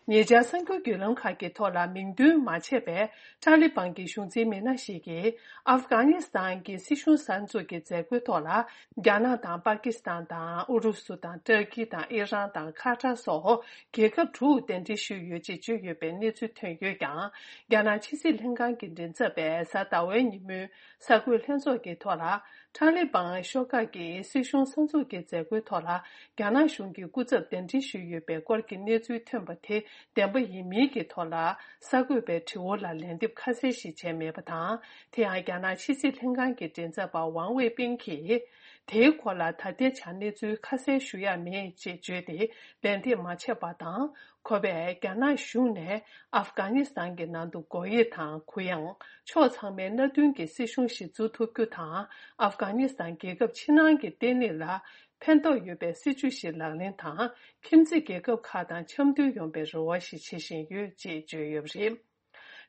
ཉེ་ཆར་གསར་འགྱུར་བརྒྱུད་ལམ་ཁག་གི་ཐོག་ལ་མིང་འདོན་མ་བྱས་པའི་ཊཱ་ལི་བན་གྱི་གཞུང་འཛིན་མི་སྣ་ཞིག་གིས་ཨབ་གྷ་ནི་སི་ཐན་གྱི་སྲིད་གཞུང་གསར་འཛུགས་ཀྱི་མཛད་སྒོའི་ཐོག་ལ་རྒྱ་ནག་དང་པ་ཀི་སི་ཐན་དང་ཨུ་རུ་སུ་དང་ཏུར་ཀི་དང་ཨི་རན་དང་ཁ་ཏར་སོགས་རྒྱལ་ཁབ་དྲུག་གདན་འདྲེན་ཞུས་ཡོད་ཅེས་བརྗོད་ཡོད་པའི་གནས་ཚུལ་ཐོན་ཡོད་ཀྱང་། རྒྱ་ནག་ཕྱི་སྲིད་ལྷན་ཁང་གི་མགྲིན་ཚབ་པས་གཟའ་ཟླ་བའི་ཉིན་མོའི་གསར་འགོད་ལྷན་ཚོགས་ཀྱི་ཐོག་ལ། ཊཱ་ལི་བན་ཤོག་ཁག་གིས་སྲིད་གཞུང་གསར་འཛུགས་ཀྱི་མཛད་སྒོའི་ཐོག་ལ་རྒྱ་ནག་གཞུང་གི་སྐུ་ཚབ་གདན་འདྲེན་ཞུས་ཡོད་པའི་སྐོར་གྱི་གནས་ཚུལ་ཐོན་པ་དེ་བདེན་པ་ཡིན་མིན་གྱི་ཐོག་ལ་གསར་འགོད་པའི་དྲི་བ་ལ་ལན་འདེབས་ཁ་གསལ་ཞིག་བྱས་མེད་པ་དང་། དེ་ཡང་རྒྱ་ནག་ཕྱི་སྲིད་ལྷན་ཁང་གི་མགྲིན་ཚབ་པ་ཝང་ཝེ་པིན་གྱིས། དེའི་སྐོར་ལ་ད་ལྟའི་ཆར་གནས་ཚུལ་ཁ་གསལ་ཞུ་ཡ་མེད་ཅེས་བརྗོད་དེ་ལན་འདེབས་མ་བྱས་པ་དང་། ཁོ་པས་རྒྱ་ནག་གཞུང་ནས་ཨབ་གྷ་ནི་སི་ཐན་གྱི་ནང་དུ་སྒོ་དབྱེ་དང་གུ་ཡངས། ཕྱོགས་ཚང་མའི་མནའ་མཐུན་གྱི་སྲིད་གཞུང་ཞིག་འཛུགས་ཐུབ་རྒྱུ་དང་། ཨབ་གྷ་ནི་སི་ཐན་རྒྱལ་ཁབ་ཕྱི་ནང་གི་བརྟན་ལྷིང་ལ་ཕན་ཐོགས་ཡོད་པའི་སྲིད་ཇུས་ཤིག་ལག་ལེན་དང་། ཁྱིམ་མཚེས་རྒྱལ་ཁབ་ཁག་དང་འཆམ་མཐུན་ཡོང་པའི་རེ་བ་ཞིག་བྱེད་བཞིན་ཡོད་ཅེས་བརྗོད་ཡོད་པ་རེད།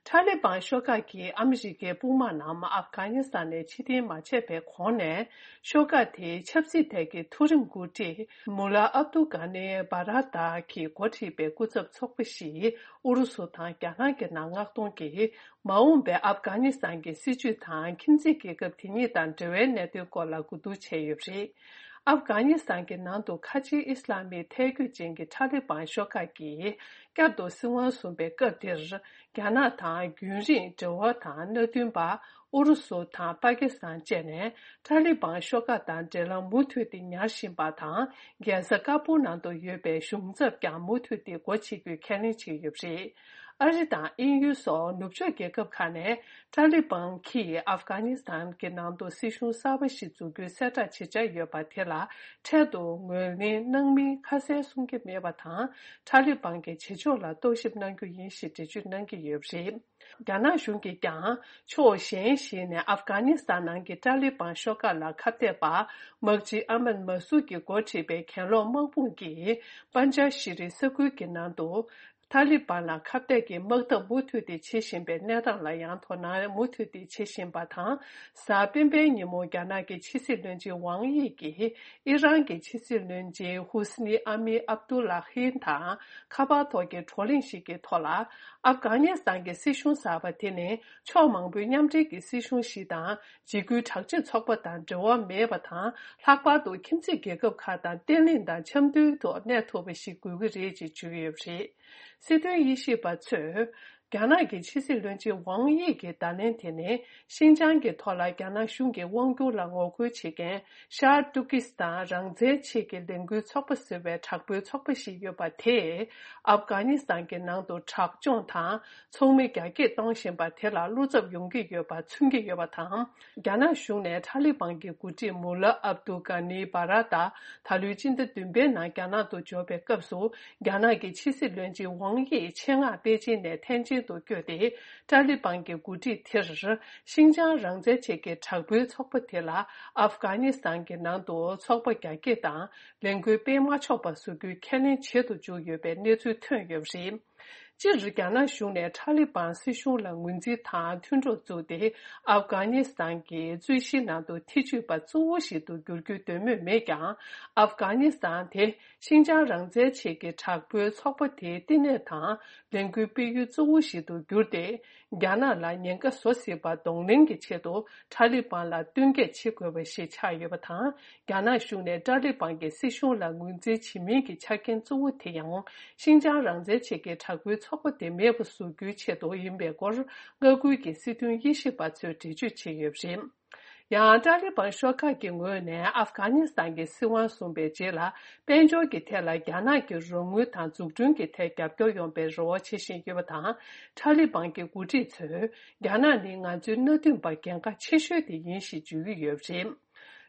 ཊཱ་ལི་བན་ཤོག་ཁག་གིས་ཨ་མི་རི་ཀའི་དཔུང་དམག་རྣམས་ཨབ་གྷ་ནི་སི་ཐན་ནས་ཕྱིར་འཐེན་མ་བྱས་པའི་གོང་ནས། ཤོག་ཁག་དེའི་ཆབ་སྲིད་ཐད་ཀྱི་མཐོ་རིམ་འགོ་ཁྲིད་མུ་ལ་ཨབ་ཏུ་གྷ་ནི་བྷ་ར་ཏཱ་གིས་འགོ་ཁྲིད་པའི་སྐུ་ཚབ་ཚོགས་པ་ཞིག་ཨུ་རུ་སུ་དང་རྒྱ་ནག་གི་ནང་མངགས་གཏོང་གིས། མ་འོངས་པའི་ཨབ་གྷ་ནི་སི་ཐན་གྱི་སྲིད་བྱུས་དང་། ཁྱིམ་མཚེས་རྒྱལ་ཁབ་དེ་གཉིས་དང་འབྲེལ་བའི་གནད་དོན་སྐོར་ལ་གོ་བསྡུར་བྱས་ཡོད་པ་རེད། ཨབ་གྷ་ནི་སི་ཐན་གྱི་ནང་དུ་ཁ་ཆེའི་ཨི་སི་ལམ་མི་ཐལ་འགྱུར་ཅན་གྱི་ཊཱ་ལི་བན་ཤོག་ཁག་གིས་བསྐྱར་དུ་སྲིད་དབང་བཟུང་པའི་སྐབས་དེར། རྒྱ་ནག་དང་རྒྱུན་རིང་འབྲེལ་བ་དང་མནའ་མཐུན་པ་ཨུ་རུ་སུ་དང་པ་ཀི་སི་ཐན་བཅས་ནས་ཊཱ་ལི་བན་ཤོག་ཁག་དང་འབྲེལ་ལམ་མུ་མཐུད་དེ་ཉར་བཞིན་པ་དང་། རྒྱལ་ས་ཀ་པུལ་ནང་དུ་ཡོད་པའི་གཞུང་ཚབ་ཀྱང་མུ་མཐུད་དེ་སྒོ་ཕྱེ་རྒྱུའི་ཁས་ལེན་བྱས་ཡོད་པ་རེད། ཨ་རི་དང་དབྱིན་ཡུལ་སོགས་ནུབ་ཕྱོགས་རྒྱལ་ཁབ་ཁག་ནས་ཏཱ་ལི་བན་གྱིས་ཨབ་གྷ་ནི་སི་ཐན་གྱི་ནང་དུ་སྲིད་གཞུང་གསར་པ་ཞིག་འཛུགས་རྒྱུའི་གསལ་བསྒྲགས་བྱེད་འཆར་ཡོད་པ་དེ་ལ་འཕྲལ་དུ་ངོས་ལེན་གནང་མིན་ཁ་གསལ་གསུང་གི་མེད་པ་དང་། ཏཱ་ལི་བན་གྱི་བྱེད་ཕྱོགས་ལ་རྟོག་ཞིབ་གནང་རྒྱུ་ཡིན་ཞེས་འགྲེལ་བརྗོད་གནང་གི་ཡོད་པ་རེད། རྒྱ་ནག་གཞུང་གིས་ཀྱང་ཕྱོགས་གཞན་ཞིག་ནས་ཨབ་གྷ་ནི་སི་ཐན་ནང་གི་ཏཱ་ལི་བན་ཤོག་ཁག་ལ་ཁ་གཏད་པ་མག་ཅི་ཨ་མན་མ་སུ་གིས་འགོ་ཁྲིད་པའི་གྱེན་ལོག་དམག་དཔུང་གིས་པན་ཇ་ཤི་རི་ས་ཁུལ་གྱི་ནང་དུ་ཏཱ་ལི་བན་ལ་ཁ་གཏད་ཀྱི་དམག་འཐབ་མུ་མཐུད་དེ་བྱེད་བཞིན་པའི་གནས་སྟངས་ལ་ཡང་དོ་སྣང་མུ་མཐུད་དེ་བྱེད་བཞིན་པ་དང་། གཟའ་སྤེན་པའི་ཉིན་མོ་རྒྱ་ནག་གི་ཕྱི་སྲིད་བློན་ཆེན་ཝང་དབྱི་གིས་ཨི་རན་གྱི་ཕྱི་སྲིད་བློན་ཆེན་ཧུ་སི་ནི་ཨ་མི་ཨབ་ཏུ་ལ་ཧིན་དང་ཁ་པར་ཐོག་གི་བགྲོ་གླེང་ཞིག་གི་ཐོག་ལ། ཨབ་གྷ་ནི་སི་ཐན་གྱི་སྲིད་གཞུང་གསར་པ་དེ་ནི་ཕྱོགས་མང་པོའི་མཉམ་འབྲེལ་གྱི་སྲིད་གཞུང་ཞིག་དང་། འཇིགས་སྐུལ་དྲག་སྤྱོད་ཚོགས་པ་དང་འབྲེལ་བ་མེད་པ་དང་། ལྷག་པར་དུ་ཁྱིམ་མཚེས་རྒྱལ་ཁབ་ཁག་དང་བརྟན་ལྷིང་དང་འཆམ་མཐུན་ཐོག་གནས་ཐུབ་པ་ཞིག་དགོས་ཀྱི་རེད་ཅེས་བརྗོད་ཡོད་པ་རེད། སྲིད་དོན་དབྱེ་ཞིབ་པ་ཚོས། རྒྱ་ནག་གི་ཕྱི་སྲིད་བློན་ཆེན་ཝང་དབྱི་གི་བརྡ་ལན་དེ་ནི། ཤིན་ཅང་གི་ཐོག་ལ་རྒྱ་ནག་གཞུང་གི་དབང་བསྒྱུར་ལ་ངོ་རྒོལ་བྱེད་མཁན་ཤར་ཏུར་ཀི་སི་ཐན་རང་བཙན་ཆེད་ཀྱི་ལས་འགུལ་ཚོགས་པ་ཟེར་བའི་དྲག་པོའི་ཚོགས་པ་ཞིག་ཡོད་པ་དེས། ཨབ་གྷ་ནི་སི་ཐན་གྱི་ནང་དུ་དྲག་སྦྱོང་དང་། ཚོགས་མི་རྒྱ་སྐྱེད་གཏོང་བཞིན་པ་དེ་ལ་བློ་འཚབ་ཡོང་གི་ཡོད་པ་མཚོན་གྱི་ཡོད་པ་དང་། རྒྱ་ནག་གཞུང་ནས་ཏཱ་ལི་བན་གྱི་འགོ་ཁྲིད་མུ་ལ་ཨབ་དུ་གྷ་ནི་བྷ་ར་ཏཱ་ད་ལོའི་སྤྱི་ཟླ་བདུན་པའི་ནང་རྒྱ་ནག་ཏུ་འབྱོར་བའི་སྐབས་སུ། རྒྱ་ནག་གི་ཕྱི་སྲིད་བློན་ཆེན་ཝང་དབྱིས་ཆེད་མངགས་པེ་ཅིན་ནས་ཐེན་ཅིན་དུ་བསྐྱོད་དེ། ཏཱ་ལི་བན་གྱི་འགོ་ཁྲིད་དེར། ཤིན་ཅང་རང་བཙན་ཆེད་ཀྱི་དྲག་པོའི་ཚོགས་པ་དེ་ལ་ཨབ་གྷ་ནི་སི་ཐན་གྱི་ནང་དུ་ཚོགས་པ་རྒྱ་སྐྱེད་དང་ལས་འགུལ་སྤེལ་མ་ཆོག་པ་བཟོ་རྒྱུའི་ཁས་ལེན་བྱེད་དུ་འཇུག་ཡོད་པའི་གནས་ཚུལ་ཐོན་ཡོད་པ་རེད། སྤྱིར་རྒྱ་ནག་གཞུང་ནས་ཏཱ་ལི་བན་སྲིད་གཞུང་ལ་ངོས་འཛིན་དང་མཐུན་གྲོགས་བཙུགས་ཏེ། ཨབ་གྷ་ནི་སི་ཐན་གྱི་རྩོད་གཞིའི་ནང་དུ་ཐེ་ཇུས་པ་གཙོ་བོ་ཞིག་ཏུ་འགྱུར་རྒྱུའི་འདོད་མོས་མེད་ཀྱང་། ཨབ་གྷ་ནི་སི་ཐན་དེ་ཤིན་ཅང་རང་བཙན་ཆེད་ཀྱི་དྲག་པོའི་ཚོགས་པ་དེའི་བསྟི་གནས་དང་ལས་འགུལ་སྤེལ་ཡུལ་གཙོ་བོ་ཞིག་ཏུ་གྱུར་ཏེ། རྒྱ་ནག་ལ་ཉེན་ཁ་བཟོ་སྲིད་པ་གདོང་ལེན་གྱི་ཆེད་དུ་ཏཱ་ལི་བན་ལ་བསྟུན་མཁས་བྱེད་དགོས་པ་ཞིག་ཆགས་ཡོད་པ་དང་། རྒྱ་ནག་གཞུང་ནས་ཏཱ་ལི་བན་གྱི་སྲིད་གཞུང་ལ་ངོས་འཛིན་བྱེད་མིན་གྱི་ཆ་རྐྱེན་གཙོ་བོ་དེ་ཡང་། ཤིན་ཅང་རང་བཙན་ཆེད་ཀྱི་དྲག་པོའི་ཚོགས་པ་དེ་མེད་པ་བཟོ་རྒྱུའི་ཆེད་དུ་ཡིན་པའི་སྐོར། མངའ་ཁུལ་གྱི་སྲིད་དོན་དབྱེ་ཞིབ་པ་ཚོས་འགྲེལ་བརྗོད་བྱས་ཡོད་པ་རེད། ཡང་ཏཱ་ལི་བན་ཤོག་ཁག་གི་ངོས་ནས་ཨབ་གྷ་ནི་སི་ཐན་གྱི་སྲིད་དབང་བཟུང་པའི་རྗེས་ལ། དཔལ་འབྱོར་གྱི་ཐད་ལ་རྒྱ་ནག་གི་རོགས་དངུལ་དང་འཛུགས་སྐྲུན་གྱི་ཐད་རྒྱབ་སྐྱོར་ཡོང་བའི་རེ་བ་བྱེད་བཞིན་ཡོད་པ་དང་། ཏཱ་ལི་བན་གྱི་འགོ་ཁྲིད་ཚོས། རྒྱ་ནག་ནི་ང་ཚོའི་མནའ་མཐུན་པ་གལ་འགངས་ཆེ་ཤོས་དེ་ཡིན་ཞེས་བརྗོད་ཀྱི་ཡོད་པ་རེད།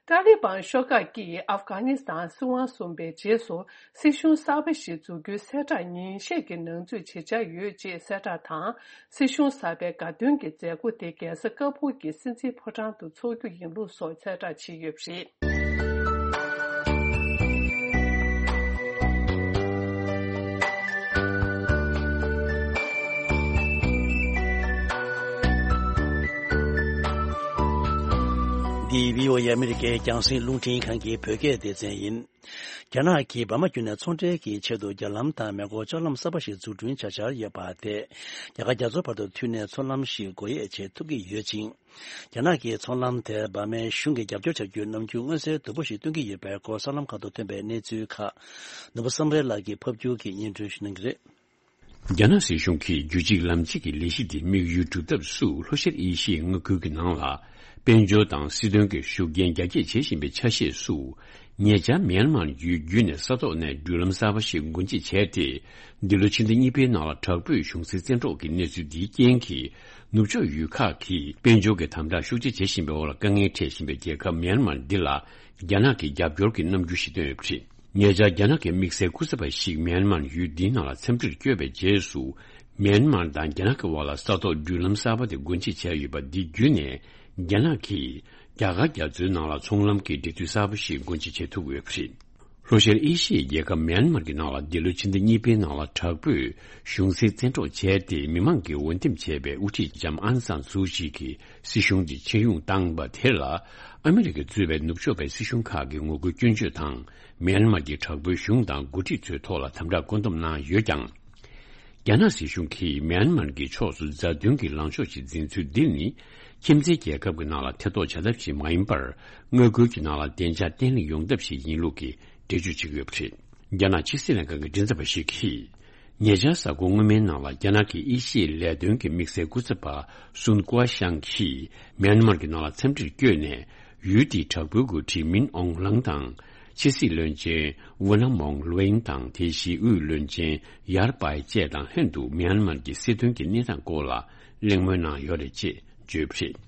ཏཱ་ལི་བན་ཤོག་ཁག་གིས་ཨབ་གྷ་ནི་སི་ཐན་སྲིད་དབང་བཟུང་པའི་རྗེས་སུ། སྲིད་གཞུང་གསར་པ་ཞིག་འཛུགས་རྒྱུའི་གསལ་བསྒྲགས་ཉིན་ཤས་ཀྱི་ནང་ཚུད་བྱེད་འཆར་ཡོད་ཅེས་གསལ་བསྒྲགས་དང་། སྲིད་གཞུང་གསར་པའི་དགའ་སྟོན་གྱི་མཛད་སྒོ་དེ་རྒྱལ་ས་ཀ་སྦུག་གི་སྲིད་འཛིན་ཕོ་བྲང་དུ་འཚོགས་རྒྱུ་ཡིན་ལུགས་སོགས་གསལ་བསྒྲགས་བྱས་ཡོད་པ་རེད། འདི་བྷི་ཨོ་ཨེ་ཨ་མི་རི་ཀའི་རྒྱང་སྲིང་རླུང་འཕྲིན་ཁང་གི་བོད་སྐད་སྡེ་ཚན་ཡིན། རྒྱ་ནག་གིས་འབར་མ་བརྒྱུད་ནས་ཚོང་འབྲེལ་གྱི་ཆེད་དུ་རྒྱ་ལམ་དང་མེ་འཁོར་ལྕགས་ལམ་གསར་པ་ཞིག་འཛུགས་སྐྲུན་བྱ་འཆར་ཡོད་པ་དེས། རྒྱ་གར་རྒྱ་མཚོ་བར་དུ་མཐུད་ནས་མཚོ་ལམ་ཞིག་སྒོ་དབྱེ་བྱེད་ཐུབ་ཀྱི་ཡོད་ཅིང་། རྒྱ་ནག་གིས་མཚོ་ལམ་དེར་འབར་མའི་གཞུང་གིས་རྒྱབ་སྐྱོར་བྱ་རྒྱུའི་རྣམ་འགྱུར་མངོན་གསལ་དོད་པོ་ཞིག་སྟོན་གྱི་ཡོད་པའི་སྐོར་གསར་ལམ་ཁག་ཏུ་ཐོན་པའི་གནས་ཚུལ་ཁག་ནོར་བུ་བསམ་འཕེལ་ལགས་ཀྱིས་ཕབ་སྒྱུར་གྱིས་སྙན་སྒྲོན་ཞུ་གནང་གི་རེད། རྒྱ་ནག་སྲིད་གཞུང་གིས་རྒྱུད་གཅིག་ལམ་གཅིག་གི་ལས་གཞི་དེ་དམིགས་ཡུལ་སྒྲུབ་ཐབས་སུ་ལྷོ་ཤར་ཨེ་ཤི་ཡའི་མངའ་ཁུལ་གྱི་ནང་ལ། དཔལ་འབྱོར་དང་སྲིད་དོན་གྱི་ཤུགས་རྐྱེན་རྒྱ་སྐྱེད་བྱེད་བཞིན་པའི་ཆ་ཤས་སུ། ཉེ་ཆར་མེན་མར་ཡུལ་བརྒྱུད་ནས་ས་ཐོག་ནས་འགྲུལ་ལམ་གསར་པ་ཞིག་སྒོ་འབྱེད་བྱས་ཏེ། འདི་ལོ་ཕྱི་ཟླ་གཉིས་པའི་ནང་ལ་དྲག་པོས་གཞུང་སྲིད་བཙན་འཕྲོག་གི་གནས་ཚུལ་འདིའི་རྐྱེན་གྱིས། ནུབ་ཕྱོགས་ཡུལ་ཁག་གིས་དཔལ་འབྱོར་གྱི་དམ་དྲག་ཤུགས་ཆེ་བྱེད་བཞིན་པའི་འོག་ལ་དཀའ་ངལ་འཕྲད་བཞིན་པའི་རྒྱལ་ཁབ་མེན་མར་འདི་ལ། རྒྱ་ནག་གི་རྒྱབ་སྐྱོར་གྱི་རྣམ་འགྱུར་ཞིག་བསྟན་ཡོད་པ་རེད། ཉེ་ཆར་རྒྱ་ནག་གི་དམིགས་བསལ་སྐུ་ཚབ་པ་ཞིག་མེན་མར་ཡུལ་འདིའི་ནང་ལ་འཚམས་འདྲིར་བསྐྱོད་པའི་རྗེས་སུ། མེན་མར་དང་རྒྱ་ནག་གི་དབར་ལ་ས་ཐོག་འགྲུལ་ལམ་གསར་པ་དེ་སྒོ་འབྱེད་བྱས་ཡོད་པ་འདི་བརྒྱུད་ནས། རྒྱ་ནག་གིས་རྒྱ་གར་རྒྱ་མཚོའི་ནང་ལ་ཚོང་ལམ་གྱི་འབྲེལ་མཐུད་གསར་པ་ཞིག་སྒོ་འབྱེད་བྱེད་ཐུབ་ཡོད་པ་རེད། ལྷོ་ཤར་ཨེ་ཤི་ཡའི་རྒྱལ་ཁབ་མེན་མར་གྱི་ནང་ལ་འདི་ལོའི་ཕྱི་ཟླ་གཉིས་པའི་ནང་ལ་དྲག་པོས་གཞུང་སྲིད་བཙན་འཕྲོག་བྱས་ཏེ། མི་མང་གིས་འོས་འདེམས་བྱས་པའི་དབུ་ཁྲིད་ལྕམ་ཨང་སན་སུའུ་ཅི་གི་སྲིད་གཞུང་དེ་ཕྱིར་ཡོང་བཏང་བ་དེ་ལ། ཨ་མི་རི་ཀས་གཙོས་པའི་ནུབ་ཕྱོགས་པའི་སྲིད་གཞུང་ཁག་གིས་ངོ་རྒོལ་སྐྱོན་བརྗོད་དང་། མེན་མར་གྱི་དྲག་པོའི་གཞུང་དང་འགོ་ཁྲིད་ཚོའི་ཐོག་ལ་དམ་དྲག་བཀོད་འདོམས་གནང་ཡོད་ཀྱང་། རྒྱ་ནག་སྲིད་གཞུང་གིས་མེན་མར་གྱི་ཕྱོགས་སུ་མཛའ་མཐུན་གྱི་ལངས་ཕྱོགས་ཤིག་འཛིན་ཚུལ་འདི་ནི། ཁྱིམ་མཚེས་རྒྱལ་ཁབ་ཀྱི་ནང་ལ་ཐེ་གཏོགས་བྱ་ཐབས་ཤིག་མ་ཡིན་པར། མངའ་ཁུལ་གྱི་ནང་ལ་བདེ་འཇགས་བརྟན་ལྷིང་ཡོང་ཐབས་ཤིག་ཡིན་ལུགས་ཀྱི་འགྲེལ་བརྗོད་བྱེད་ཀྱི་ཡོད་པ་རེད། རྒྱ་ནག་ཕྱི་སྲིད་ལྷན་ཁང་གི་མགྲིན་ཚབ་པ་ཞིག་གིས། ཉེ་ཆར་གཟའ་འཁོར་སྔོན་མའི་ནང་ལ་རྒྱ་ནག་གི་ཨེ་ཤི་ཡའི་ལས་དོན་གྱི་དམིགས་བསལ་སྐུ་ཚབ་པ་སུན་ཀུའ་ཤང་གིས་མེན་མར་གྱི་ནང་ལ་འཚམས་འདྲིར་བསྐྱོད་ནས། ཡུལ་དེའི་དྲག་པོའི་འགོ་ཁྲིད་མིན་ཨོང་ལང་དང་། ཕྱི་སྲིད་བློན་ཆེན་ཝུ་ནམ་མོང་ལུའེང་དང་དེ་བཞིན་དབུས་བློན་ཆེན་ཡར་པའེ་བཅས་དང་ལྷན་དུ་མྱན་མར་གྱི་སྲིད་དོན་གྱི་གནས་སྟངས་སྐོར་ལ་གླེང་མོལ་གནང་ཡོད་རེད་ཅེས་བརྗོད་པ་རེད།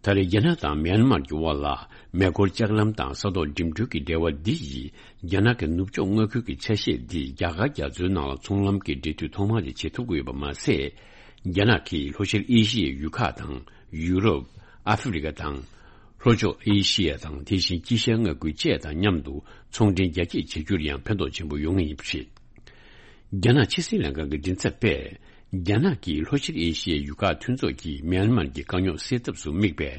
ད་རེས་རྒྱ་ནག་དང་མྱན་མར་གྱི་དབར་ལ་མེ་འཁོར་ལྕགས་ལམ་དང་ས་ཐོག་འགྲིམ་འགྲུལ་གྱི་འབྲེལ་བ་འདི་ཡིས་རྒྱ་ནག་གི་ནུབ་ཕྱོགས་མངའ་ཁུལ་གྱི་ཆ་ཤས་འདི་རྒྱ་གར་རྒྱ་མཚོའི་ནང་ལ་ཚོང་ལམ་གྱི་འབྲེལ་མཐུད་ཐོག་མ་དེ་བྱེད་ཐུབ་ཀྱི་ཡོད་པ་མ་ཟད། རྒྱ་ནག་གིས་ལྷོ་ཤར་ཨེ་ཤི་ཡའི་ཡུལ་ཁག་དང་ཡུ་རོབ། ཨ་ཧྥེ་རི་ཁ་དང་། ལྷོ་ཕྱོགས་ཨེ་ཤི་ཡ་དང་དེ་བཞིན་དཀྱིལ་ཤར་མངའ་ཁུལ་བཅས་དང་མཉམ་དུ་ཚོང་འབྲེལ་རྒྱ་སྐྱེད་བྱེད་རྒྱུར་ཡང་ཕན་ཐོགས་ཆེན་པོ་ཡོང་ངེས་ཡིན་པ་རེད། རྒྱ་ནག་ཕྱི་སྲིད་ལྷན་ཁང་གི་མགྲིན་ཚབ་པས། རྒྱ་ནག་གིས་ལྷོ་ཤར་ཨེ་ཤི་ཡའི་ཡུལ་ཁག་མཐུན་ཚོགས་ཀྱིས་མྱན་མར་གྱི་དཀའ་རྙོག་སེལ་ཐབས་སུ་དམིགས་པའི་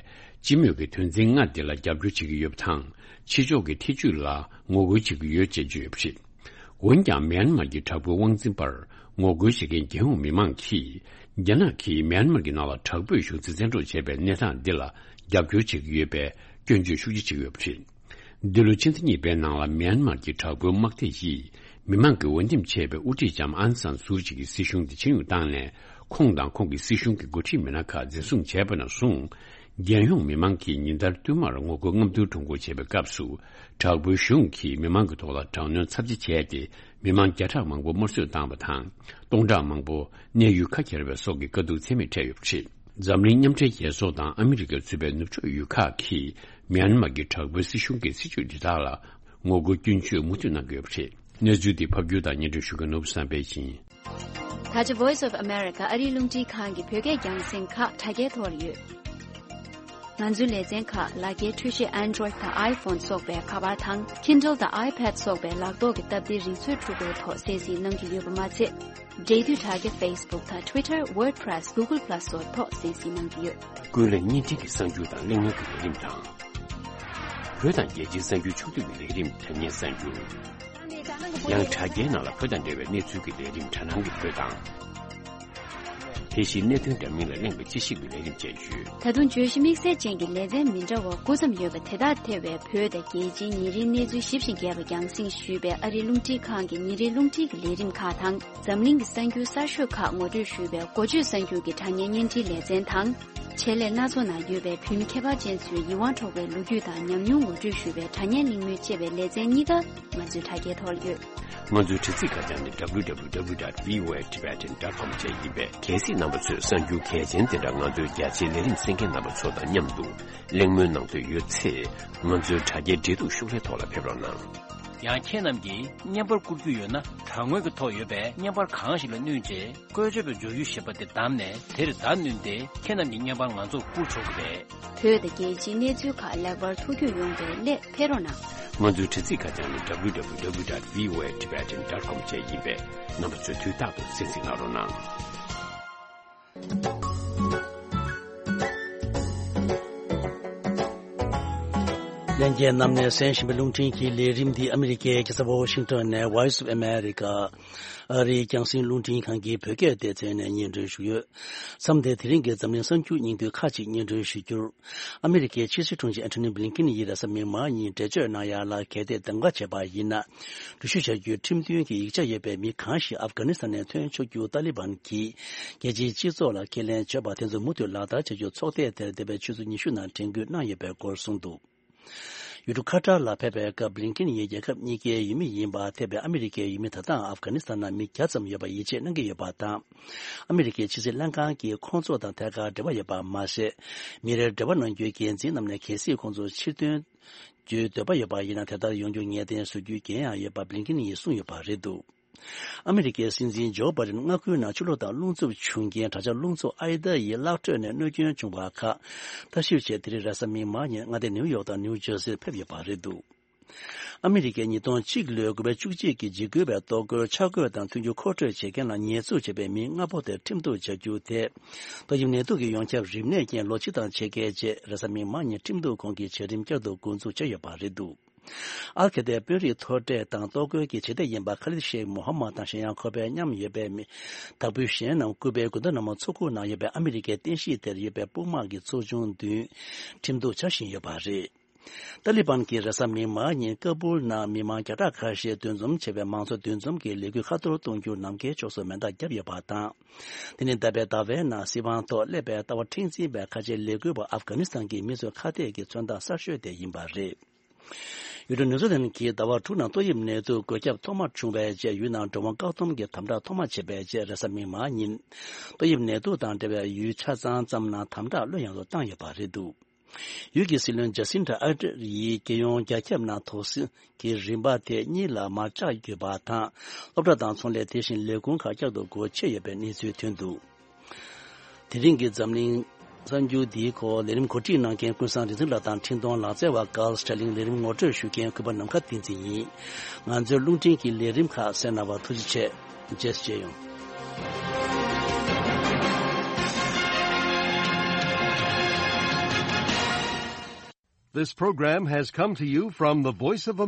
སྤྱི་མོས་ཀྱི་དོན་ཚན་ལྔ་དེ་ལ་རྒྱབ་སྐྱོར་བྱེད་ཀྱི་ཡོད་པ་དང་། ཕྱི་ཕྱོགས་ཀྱི་ཐེ་ཇུས་ལ་ངོ་རྒོལ་བྱེད་ཀྱི་ཡོད་ཅེས་བརྗོད་ཡོད་པ་རེད། འོན་ཀྱང་མྱན་མར་གྱི་དྲག་པོའི་དབང་འཛིན་པར་ངོ་རྒོལ་བྱེད་མཁན་རྒྱལ་ཡོངས་མི་མང་གིས། རྒྱ་ནག་གིས་མྱན་མར་གྱི་ནང་ལ་དྲག་པོས་གཞུང་འཛིན་བཙན་འཕྲོག་བྱས་པའི་གནས་སྟངས་འདི་ལ་རྒྱབ་སྐྱོར་བྱེད་ཀྱི་ཡོད་པའི་སྐྱོན་བརྗོད་ཤུགས་ཆེ་བྱེད་ཀྱི་ཡོད་པ་རེད། འདི་ལོའི་ཕྱི་ཟླ་གཉིས་པའི་ནང་ལ་མྱན་མར་གྱི་དྲག་པོའི་དམག་སྡེ་ཡིས་མི་མང་གི་འོས་འདེམས་བྱས་པའི་དབུ་ཁྲིད་ལྕམ་ཨང་སན་སུའུ་ཅི་གི་སྲིད་གཞུང་དེ་ཕྱིར་འབྱུང་བཏང་ནས། ཁོང་དང་ཁོང་གི་སྲིད་གཞུང་གི་འགོ་ཁྲིད་མི་སྣ་ཁག་འཛིན་བཟུང་བྱས་པ་ནས་བཟུང་། རྒྱལ་ཡོངས་མི་མང་གིས་ཉིན་ལྟར་བསྟུད་མར་ངོ་རྒོལ་རྔམ་སྟོན་ཁྲོམ་སྐོར་བྱེད་པའི་སྐབས་སུ། དྲག་པོའི་གཞུང་གིས་མི་མང་གི་ཐོག་ལ་དྲག་གནོན་ཚབས་ཆེ་བྱས་ཏེ། མི་མང་བརྒྱ་ཕྲག་མང་པོ་དམར་གསོད་བཏང་བ་དང་། སྟོང་ཕྲག་མང་པོ་གནས་ཡུལ་ཁ་གྱེས་པའི་སོགས་ཀྱི་དཀའ་སྡུག་ཚད་མེད་འཕྲད་ཡོད་པ་རེད། འཛམ་གླིང་མཉམ་འབྲེལ་རྒྱལ་ཚོགས་དང་ཨ་མི་རི་ཀས་གཙོས་པའི་ནུབ་ཕྱོགས་ཡུལ་ཁག་གིས་མྱན་མར་གྱི་དྲག་པོའི་སྲིད་གཞུང་གི་སྲིད་བྱུས་འདི་དག་ལ་ངོ་རྒོལ་སྐྱོན་བརྗོད་མུ་མཐུད་གནང་གི་ཡོད་པ་རེད། གནས་ཚུལ་འདི་ཕབ་སྒྱུར་དང་སྙན་སྒྲོན་ཞུ་མཁན་ནོར་བུ་བསམ་འཕེལ་ཡིན། ད་ཆ་Voice of America ཨ་རིའི་རླུང་འཕྲིན་ཁང་གི་བོད་སྐད་རྒྱང་སྲིང་ཁག་དྲ་རྒྱའི་ཐོག་ལ་ཡོད། ང་ཚོའི་ལེ་ཚན་ཁག་ལག་འཁྱེར་འཕྲུལ་ཆས་Android་དང་iPhone་སོགས་པའི་ཁ་པར་དང་Kindle་དང་iPad་སོགས་པའི་ལག་ཐོག་གི་སྟབས་བདེའི་རིག་མཛོད་འཕྲུལ་འཁོར་ཐོག་གསན་གཟིགས་གནང་རྒྱུ་ཡོད་པ་མ་ཚད། འབྲེལ་མཐུད་དྲ་རྒྱ་Facebook་དང་Twitter WordPress Google Plus སོགས་ཐོག་གསན་གཟིགས་གནང་རྒྱུ་ཡོད། ཀུན་གླེང་བརྙན་འཕྲིན་གྱི་གསར་འགྱུར་དང་གླེང་མོལ་གྱི་ལས་རིམ་དང་། བོད་དང་རྒྱལ་སྤྱིའི་གསར་འགྱུར་ཕྱོགས་བསྡུས་ཀྱི་ལས་རིམ་དྲ་བརྙན་གསར་འགྱུར། ཡང་དྲ་རྒྱའི་ནང་ལ་བོད་དང་འབྲེལ་བའི་གནས་ཚུལ་གྱི་ལས་རིམ་དྲ་སྣང་གི་བོད་དང་། དེ་བཞིན་གནད་དོན་འདྲ་མིན་ལ་གླེང་བའི་དཔྱད་ཞིབ་ཀྱི་ལས་རིམ་བཅས་ཡོད། ད་དུང་བརྗོད་གཞི་དམིགས་བསལ་ཅན་གྱི་ལེ་ཚན་མི་འདྲ་བ་དགུ་ཙམ་ཡོད་པ་དེ་དག་ཐེ་བའི་བོད་དང་རྒྱལ་སྤྱིའི་ཉིན་རེའི་གནས་ཚུལ་ཞིབ་ཅིང་རྒྱས་པ་རྒྱང་སྲིང་ཞུས་པའི་ཨ་རིའི་རླུང་འཕྲིན་ཁང་གི་ཉིན་རེའི་རླུང་འཕྲིན་གྱི་ལས་རིམ་ཁག་དང་། འཛམ་གླིང་གི་གསར་འགྱུར་གསར་ཤོས་ཁག་ངོ་སྤྲོད་ཞུས་པའི་འགོ་བརྗོད་གསར་འགྱུར་གྱི་དྲ་བརྙན་བརྙན་འཕྲིན་ལེ་ཚན་དང་། ཆེད་ལས་སྣ་ཚོགས་ནང་ཡོད་པའི་བོད་མི་ཁྱད་པར་ཅན་ཚོའི་ཡིད་དབང་འཕྲོག་པའི་ལོ་རྒྱུས་དང་ཉམས་མྱོང་ངོ་སྤྲོད་ཞུས་པའི་དྲ་བརྙན་གླེང་མོལ་བཅས་པའི་ལེ་ཚན་གཉིས་ཀ་ང་ཚོའི་དྲ་རྒྱའི་ཐོག་ལ་ཡོད། ང་ཚོའི་དྲ་ཚིགས་ཁ་བྱང་ནི་W W W dot V O A Tibetan dot com བཅས་ཡིན་པས། གལ་སྲིད་རྣམ་པ་ཚོས་གསར་འགྱུར་གལ་ཆེན་དེ་འདྲ་ང་ཚོའི་རྒྱ་ཆེའི་ལས་རིམ་གསན་མཁན་རྣམ་པ་ཚོ་དང་མཉམ་དུ་གླེང་མོལ་གནང་འདོད་ཡོད་ཚེ། ང་ཚོའི་དྲ་རྒྱའི་འབྲེལ་གཏུག་ཤོག་ལྷེ་ཐོག་ལ་ཕེབས་རོགས་གནང་། ཡང་ཁྱེད་རྣམས་ཀྱིས་བརྙན་པར་བསྐུར་རྒྱུ་ཡོད་ན། དྲ་ངོས་ཀྱི་ཐོག་ཡོད་པའི་བརྙན་པར་གང་ཞིག་ལ་བསྣུན་རྗེས། བཀོལ་སྤྱོད་པའི་འབྱོར་ཡུལ་ཞེས་པ་དེ་བདམས་ནས། དེར་བརྡ་བསྣུན་ཏེ། ཁྱེད་རྣམས་ཀྱི་བརྙན་པར་ང་ཚོར་བསྐུར་ཆོག་གི་རེད། བོད་དང་རྒྱལ་སྤྱིའི་གནས་ཚུལ་ཁག་ལེགས་པར་ཐུགས་རྒྱུས་ཡོང་བའི་སླད་ཕེབས་རོགས་གནང་། ང་ཚོའི་དྲ་ཚིགས་ཁ་བྱང་ནི་W W W dot V O A Tibetan dot com བཅས་ཡིན་པས། རྣམ་པ་ཚོས་དུས་རྟག་ཏུ་གསན་གཟིགས་གནང་རོགས་གནང་། ལྷན་རྒྱས་རྣམས་ནས་གསན་བཞིན་པའི་རླུང་འཕྲིན་གྱི་ལས་རིམ་འདི་ཨ་མི་རི་ཀའི་རྒྱལ་ས་ཝ་ཤིང་ཏོན་ནས་Voice of America ཨ་རིའི་རྒྱང་སྲིང་རླུང་འཕྲིན་ཁང་གི་བོད་སྐད་སྡེ་ཚན་ནས་སྙན་སྒྲོན་ཞུས་ཡོད། མཚམས་འདིར་དེ་རིང་གི་འཛམ་གླིང་གསར་འགྱུར་སྙིང་བསྡུས་ཁག་ཅིག་སྙན་སྒྲོན་ཞུ་རྒྱུར། ཨ་མི་རི་ཀའི་ཕྱི་སྲིད་དྲུང་ཆེ་ཨན་ཐོ་ནི་བྷི་ལིན་ཀིན་ཡིས་རེས་གཟའ་མིག་དམར་ཉིན་འགྲེལ་བརྗོད་གནང་ཡ་ལ་གལ་ཏེ་གདམ་ག་བྱས་པ་ཡིན་ན། འགྲུལ་བཞུད་བྱ་རྒྱུའི་ཁྲིམས་མཐུན་གྱི་ཡིག་ཆ་ཡོད་པའི་མི་གང་ཞིག་ཨབ་གྷ་ནི་སི་ཐན་ནས་ཐོན་ཆོག་རྒྱུ་ཏཱ་ལི་བན་གྱིས་རྒྱལ་སྤྱིའི་སྤྱི་ཚོགས་ལ་ཁས་ལེན་བྱས་པ་དེ་ཚོ་མུ་མཐུད་ལག་བསྟར་བྱ་རྒྱུ་ཚོགས་སྡེ་དེར་འདས་པའི་ཆུ་ཚོད་ཉི་ཤུ་ནང་དྲན་སྐུལ་གནང་ཡོད་པའི་སྐོར་གསུངས་འདུག། ཡུལ་གྲུ་ཁ་ཏར་ལ་ཕེབས་པའི་སྐབས་བྷི་ལིན་ཀིན་ཡིས་རྒྱལ་ཁབ་གཉིས་ཀའི་ཡུལ་མི་ཡིན་པ་ཐེ་བའི་ཨ་མི་རི་ཀའི་ཡུལ་མི་ད་ལྟའང་ཨབ་གྷ་ནི་སི་ཐན་ནང་མི་བརྒྱ་ཙམ་ཡོད་པར་ཡིད་ཆེས་གནང་གི་ཡོད་པ་དང་། ཨ་མི་རི་ཀའི་ཕྱི་སྲིད་ལྷན་ཁང་གིས་ཁོང་ཚོ་དང་ཐད་ཀར་འབྲེལ་བ་ཡོད་པ་མ་ཟད། མི་རེར་འབྲེལ་བ་གནང་རྒྱུའི་འགན་འཛིན་རྣམས་ནས་གལ་སྲིད་ཁོང་ཚོ་ཕྱིར་ཐོན་རྒྱུའི་འདོད་པ་ཡོད་པ་ཡིན་ན་དེ་ལྟར་ཡོང་རྒྱུ་ངེས་གཏན་བཟོ་རྒྱུའི་འགན་ཡང་ཡོད་པ་བྷི་ལིན་ཀིན་ཡིས་གསུངས་ཡོད་པ་རེད་འདུག། ཨ་མི་རི་ཀའི་སྲིད་འཛིན་ཇོ་བྷའི་ཌེན་མངའ་ཁུལ་ནང་ཆུ་ལོག་དང་རླུང་འཚུབ་བྱུང་རྐྱེན་དྲག་ཆར་རླུང་འཚུབ་ཨའི་ད་ཡི་གླག་ཁྲོད་ནས་གནོད་སྐྱོན་བྱུང་བ་ཁག་ལྟ་ཞིབ་ཆེད་དེ་རིང་རེས་གཟའ་མིག་དམར་ཉིན་མངའ་སྡེ་ནིའུ་ཡོག་དང་ནིའུ་ཇར་སིར་ཕེབས་ཡོད་པ་རེད་འདུག། ཨ་མི་རི་ཀས་ཉིས་སྟོང་གཅིག་ལོའི་དགུ་པའི་བཅུ་གཅིག་གི་འཇིགས་སྐུལ་བའི་གཏོར་རྒོལ་འཆར་འགོད་དང་མཐུན་འགྱུར་མཁོ་སྤྲོད་བྱེད་མཁན་ལ་ཉེས་འཛུགས་བྱས་པའི་མི་ལྔ་པོ་དེ་ཁྲིམས་གཏུག་བྱ་རྒྱུ་དེ། ཏོག་དབྱིབས་ནད་དུག་གི་ཡོངས་ཁྱབ་རིམས་ནད་རྐྱེན་ལོ་གཅིག་དང་ཕྱེད་ཀའི་རྗེས་རེས་གཟའ་མིག་དམར་ཉིན་ཁྲིམས་གཏུག་ཁང་གིས་བྱ་རིམ་བསྐྱར་དུ་འགོ་འཛུགས་བྱས་ཡོད་པ་རེད་འདུག། ཨལ་ཁེ་ཏའི་དཔོན་རིགས་མཐོ་གྲས་དང་གཏོར་རྒོལ་གྱི་བྱེད་གཏེ་ཡིན་པ་ཁ་ལིད་ཤེག་མོ་ཧམ་མད་དང་གཞན་ཡང་ཁོ་པའི་མཉམ་ཡོད་པའི་མི་བདག་པོའི་གཞན་རྣམས་ཀུ་པའི་གུན་ཏ་ན་མོ་མཚོ་ཁུག་ནང་ཡོད་པའི་ཨ་མི་རི་ཀའི་རྟེན་གཞི་དེར་ཡོད་པའི་དཔུང་དམག་གི་ཚོགས་ཆུང་བདུན་ཁྲིམས་གཏུག་བྱ་བཞིན་ཡོད་པ་རེད། ཏཱ་ལི་བན་གྱིས་རེས་གཟའ་མིག་དམར་ཉིན་ཀ་སྦུལ་ནང་མི་མང་བརྒྱ་ཕྲག་ཁ་ཤས་འདུ་འཛོམས་བྱས་པའི་མང་གཙོ་འདུ་འཛོམས་ཀྱི་ལས་འགུལ་ཁ་གཏོར་གཏོང་རྒྱུར་ནམ་མཁའི་ཕྱོགས་སུ་མེ་མདའ་བརྒྱབ་ཡོད་པ་དང་། དེ་ནི་འདས་པའི་ཟླ་བའི་ནང་སྲིད་དབང་ཐོག་སླེབས་པའི་ལྟ་བ་མཁྲེགས་འཛིན་པའི་ཁ་ཆེའི་ལས་འགུལ་བ་ཨབ་གྷ་ནི་སི་ཐན་གྱི་མི་ཚོའི་ཁ་གཏད་ཀྱི་མཚོན་རྟགས་གསར་ཤོས་དེ་ཡིན་པ་རེད། ཡུལ་གྲུ་ནེ་ཐར་ལན་གྱིས་ཟླ་བ་དྲུག་ནང་ཏོག་དབྱིབས་ནད་དུག་འགོས་ཁྱབ་ཐོག་མ་བྱུང་བའི་རྗེས་ཡུལ་ནང་འགྲོ་འོང་བཀག་སྡོམ་གྱི་དམ་དྲག་ཐོག་མ་བྱས་པའི་རྗེས་རེས་གཟའ་མིག་དམར་ཉིན། ཏོག་དབྱིབས་ནད་དུག་དང་འབྲེལ་བའི་ཡུལ་ཆ་ཚང་ཙམ་ནང་དམ་དྲག་ལྷོད་ཡངས་སུ་བཏང་ཡོད་པ་རེད་འདུག་ཡུལ་གྱི་སྲིད་བློན་ཇ་སིན་ཌ་ཨར་ཌེན་ཡིས་རྒྱལ་ཡོངས་རྒྱ་ཁྱབ་ནང་དོགས་ཟོན་གྱི་རིམ་པ་དེ་གཉིས་ལ་མར་བཅག་ཡོད་པ་དང་། སློབ་གྲྭ་དང་ཚོང་ལས་དེ་བཞིན་ལས་ཁུངས་ཁག་བསྐྱར་དུ་སྒོ་ཕྱེ་ཡོད་པའི་གནས་ཚུལ་ཐོན་འདུག་དེ་རིང་གི་འཛམ་གླིང་གསར་འགྱུར་འདིའི་སྐོར་ལས་རིམ་གོ་སྒྲིག་གནང་མཁན་ཀུན་བཟང་རིག་འཛིན་ལགས་དང་འཕྲིན་གཏོང་ལག་རྩལ་བ་ཀཱལ་སྟྲ་ལིང་། ལས་རིམ་ངོ་སྤྲོད་ཞུ་མཁན་གུས་པ་ནམ་མཁའ་བསྟན་འཛིན་ཡིན། ང་ཚོའི་རླུང་འཕྲིན་གྱི་ལས་རིམ་ཁག་གསན་གནང་བར་ཐུགས་རྗེ་ཆེ། རྗེས་སུ་མཇལ་ཡོང་། This program has come to you from the Voice of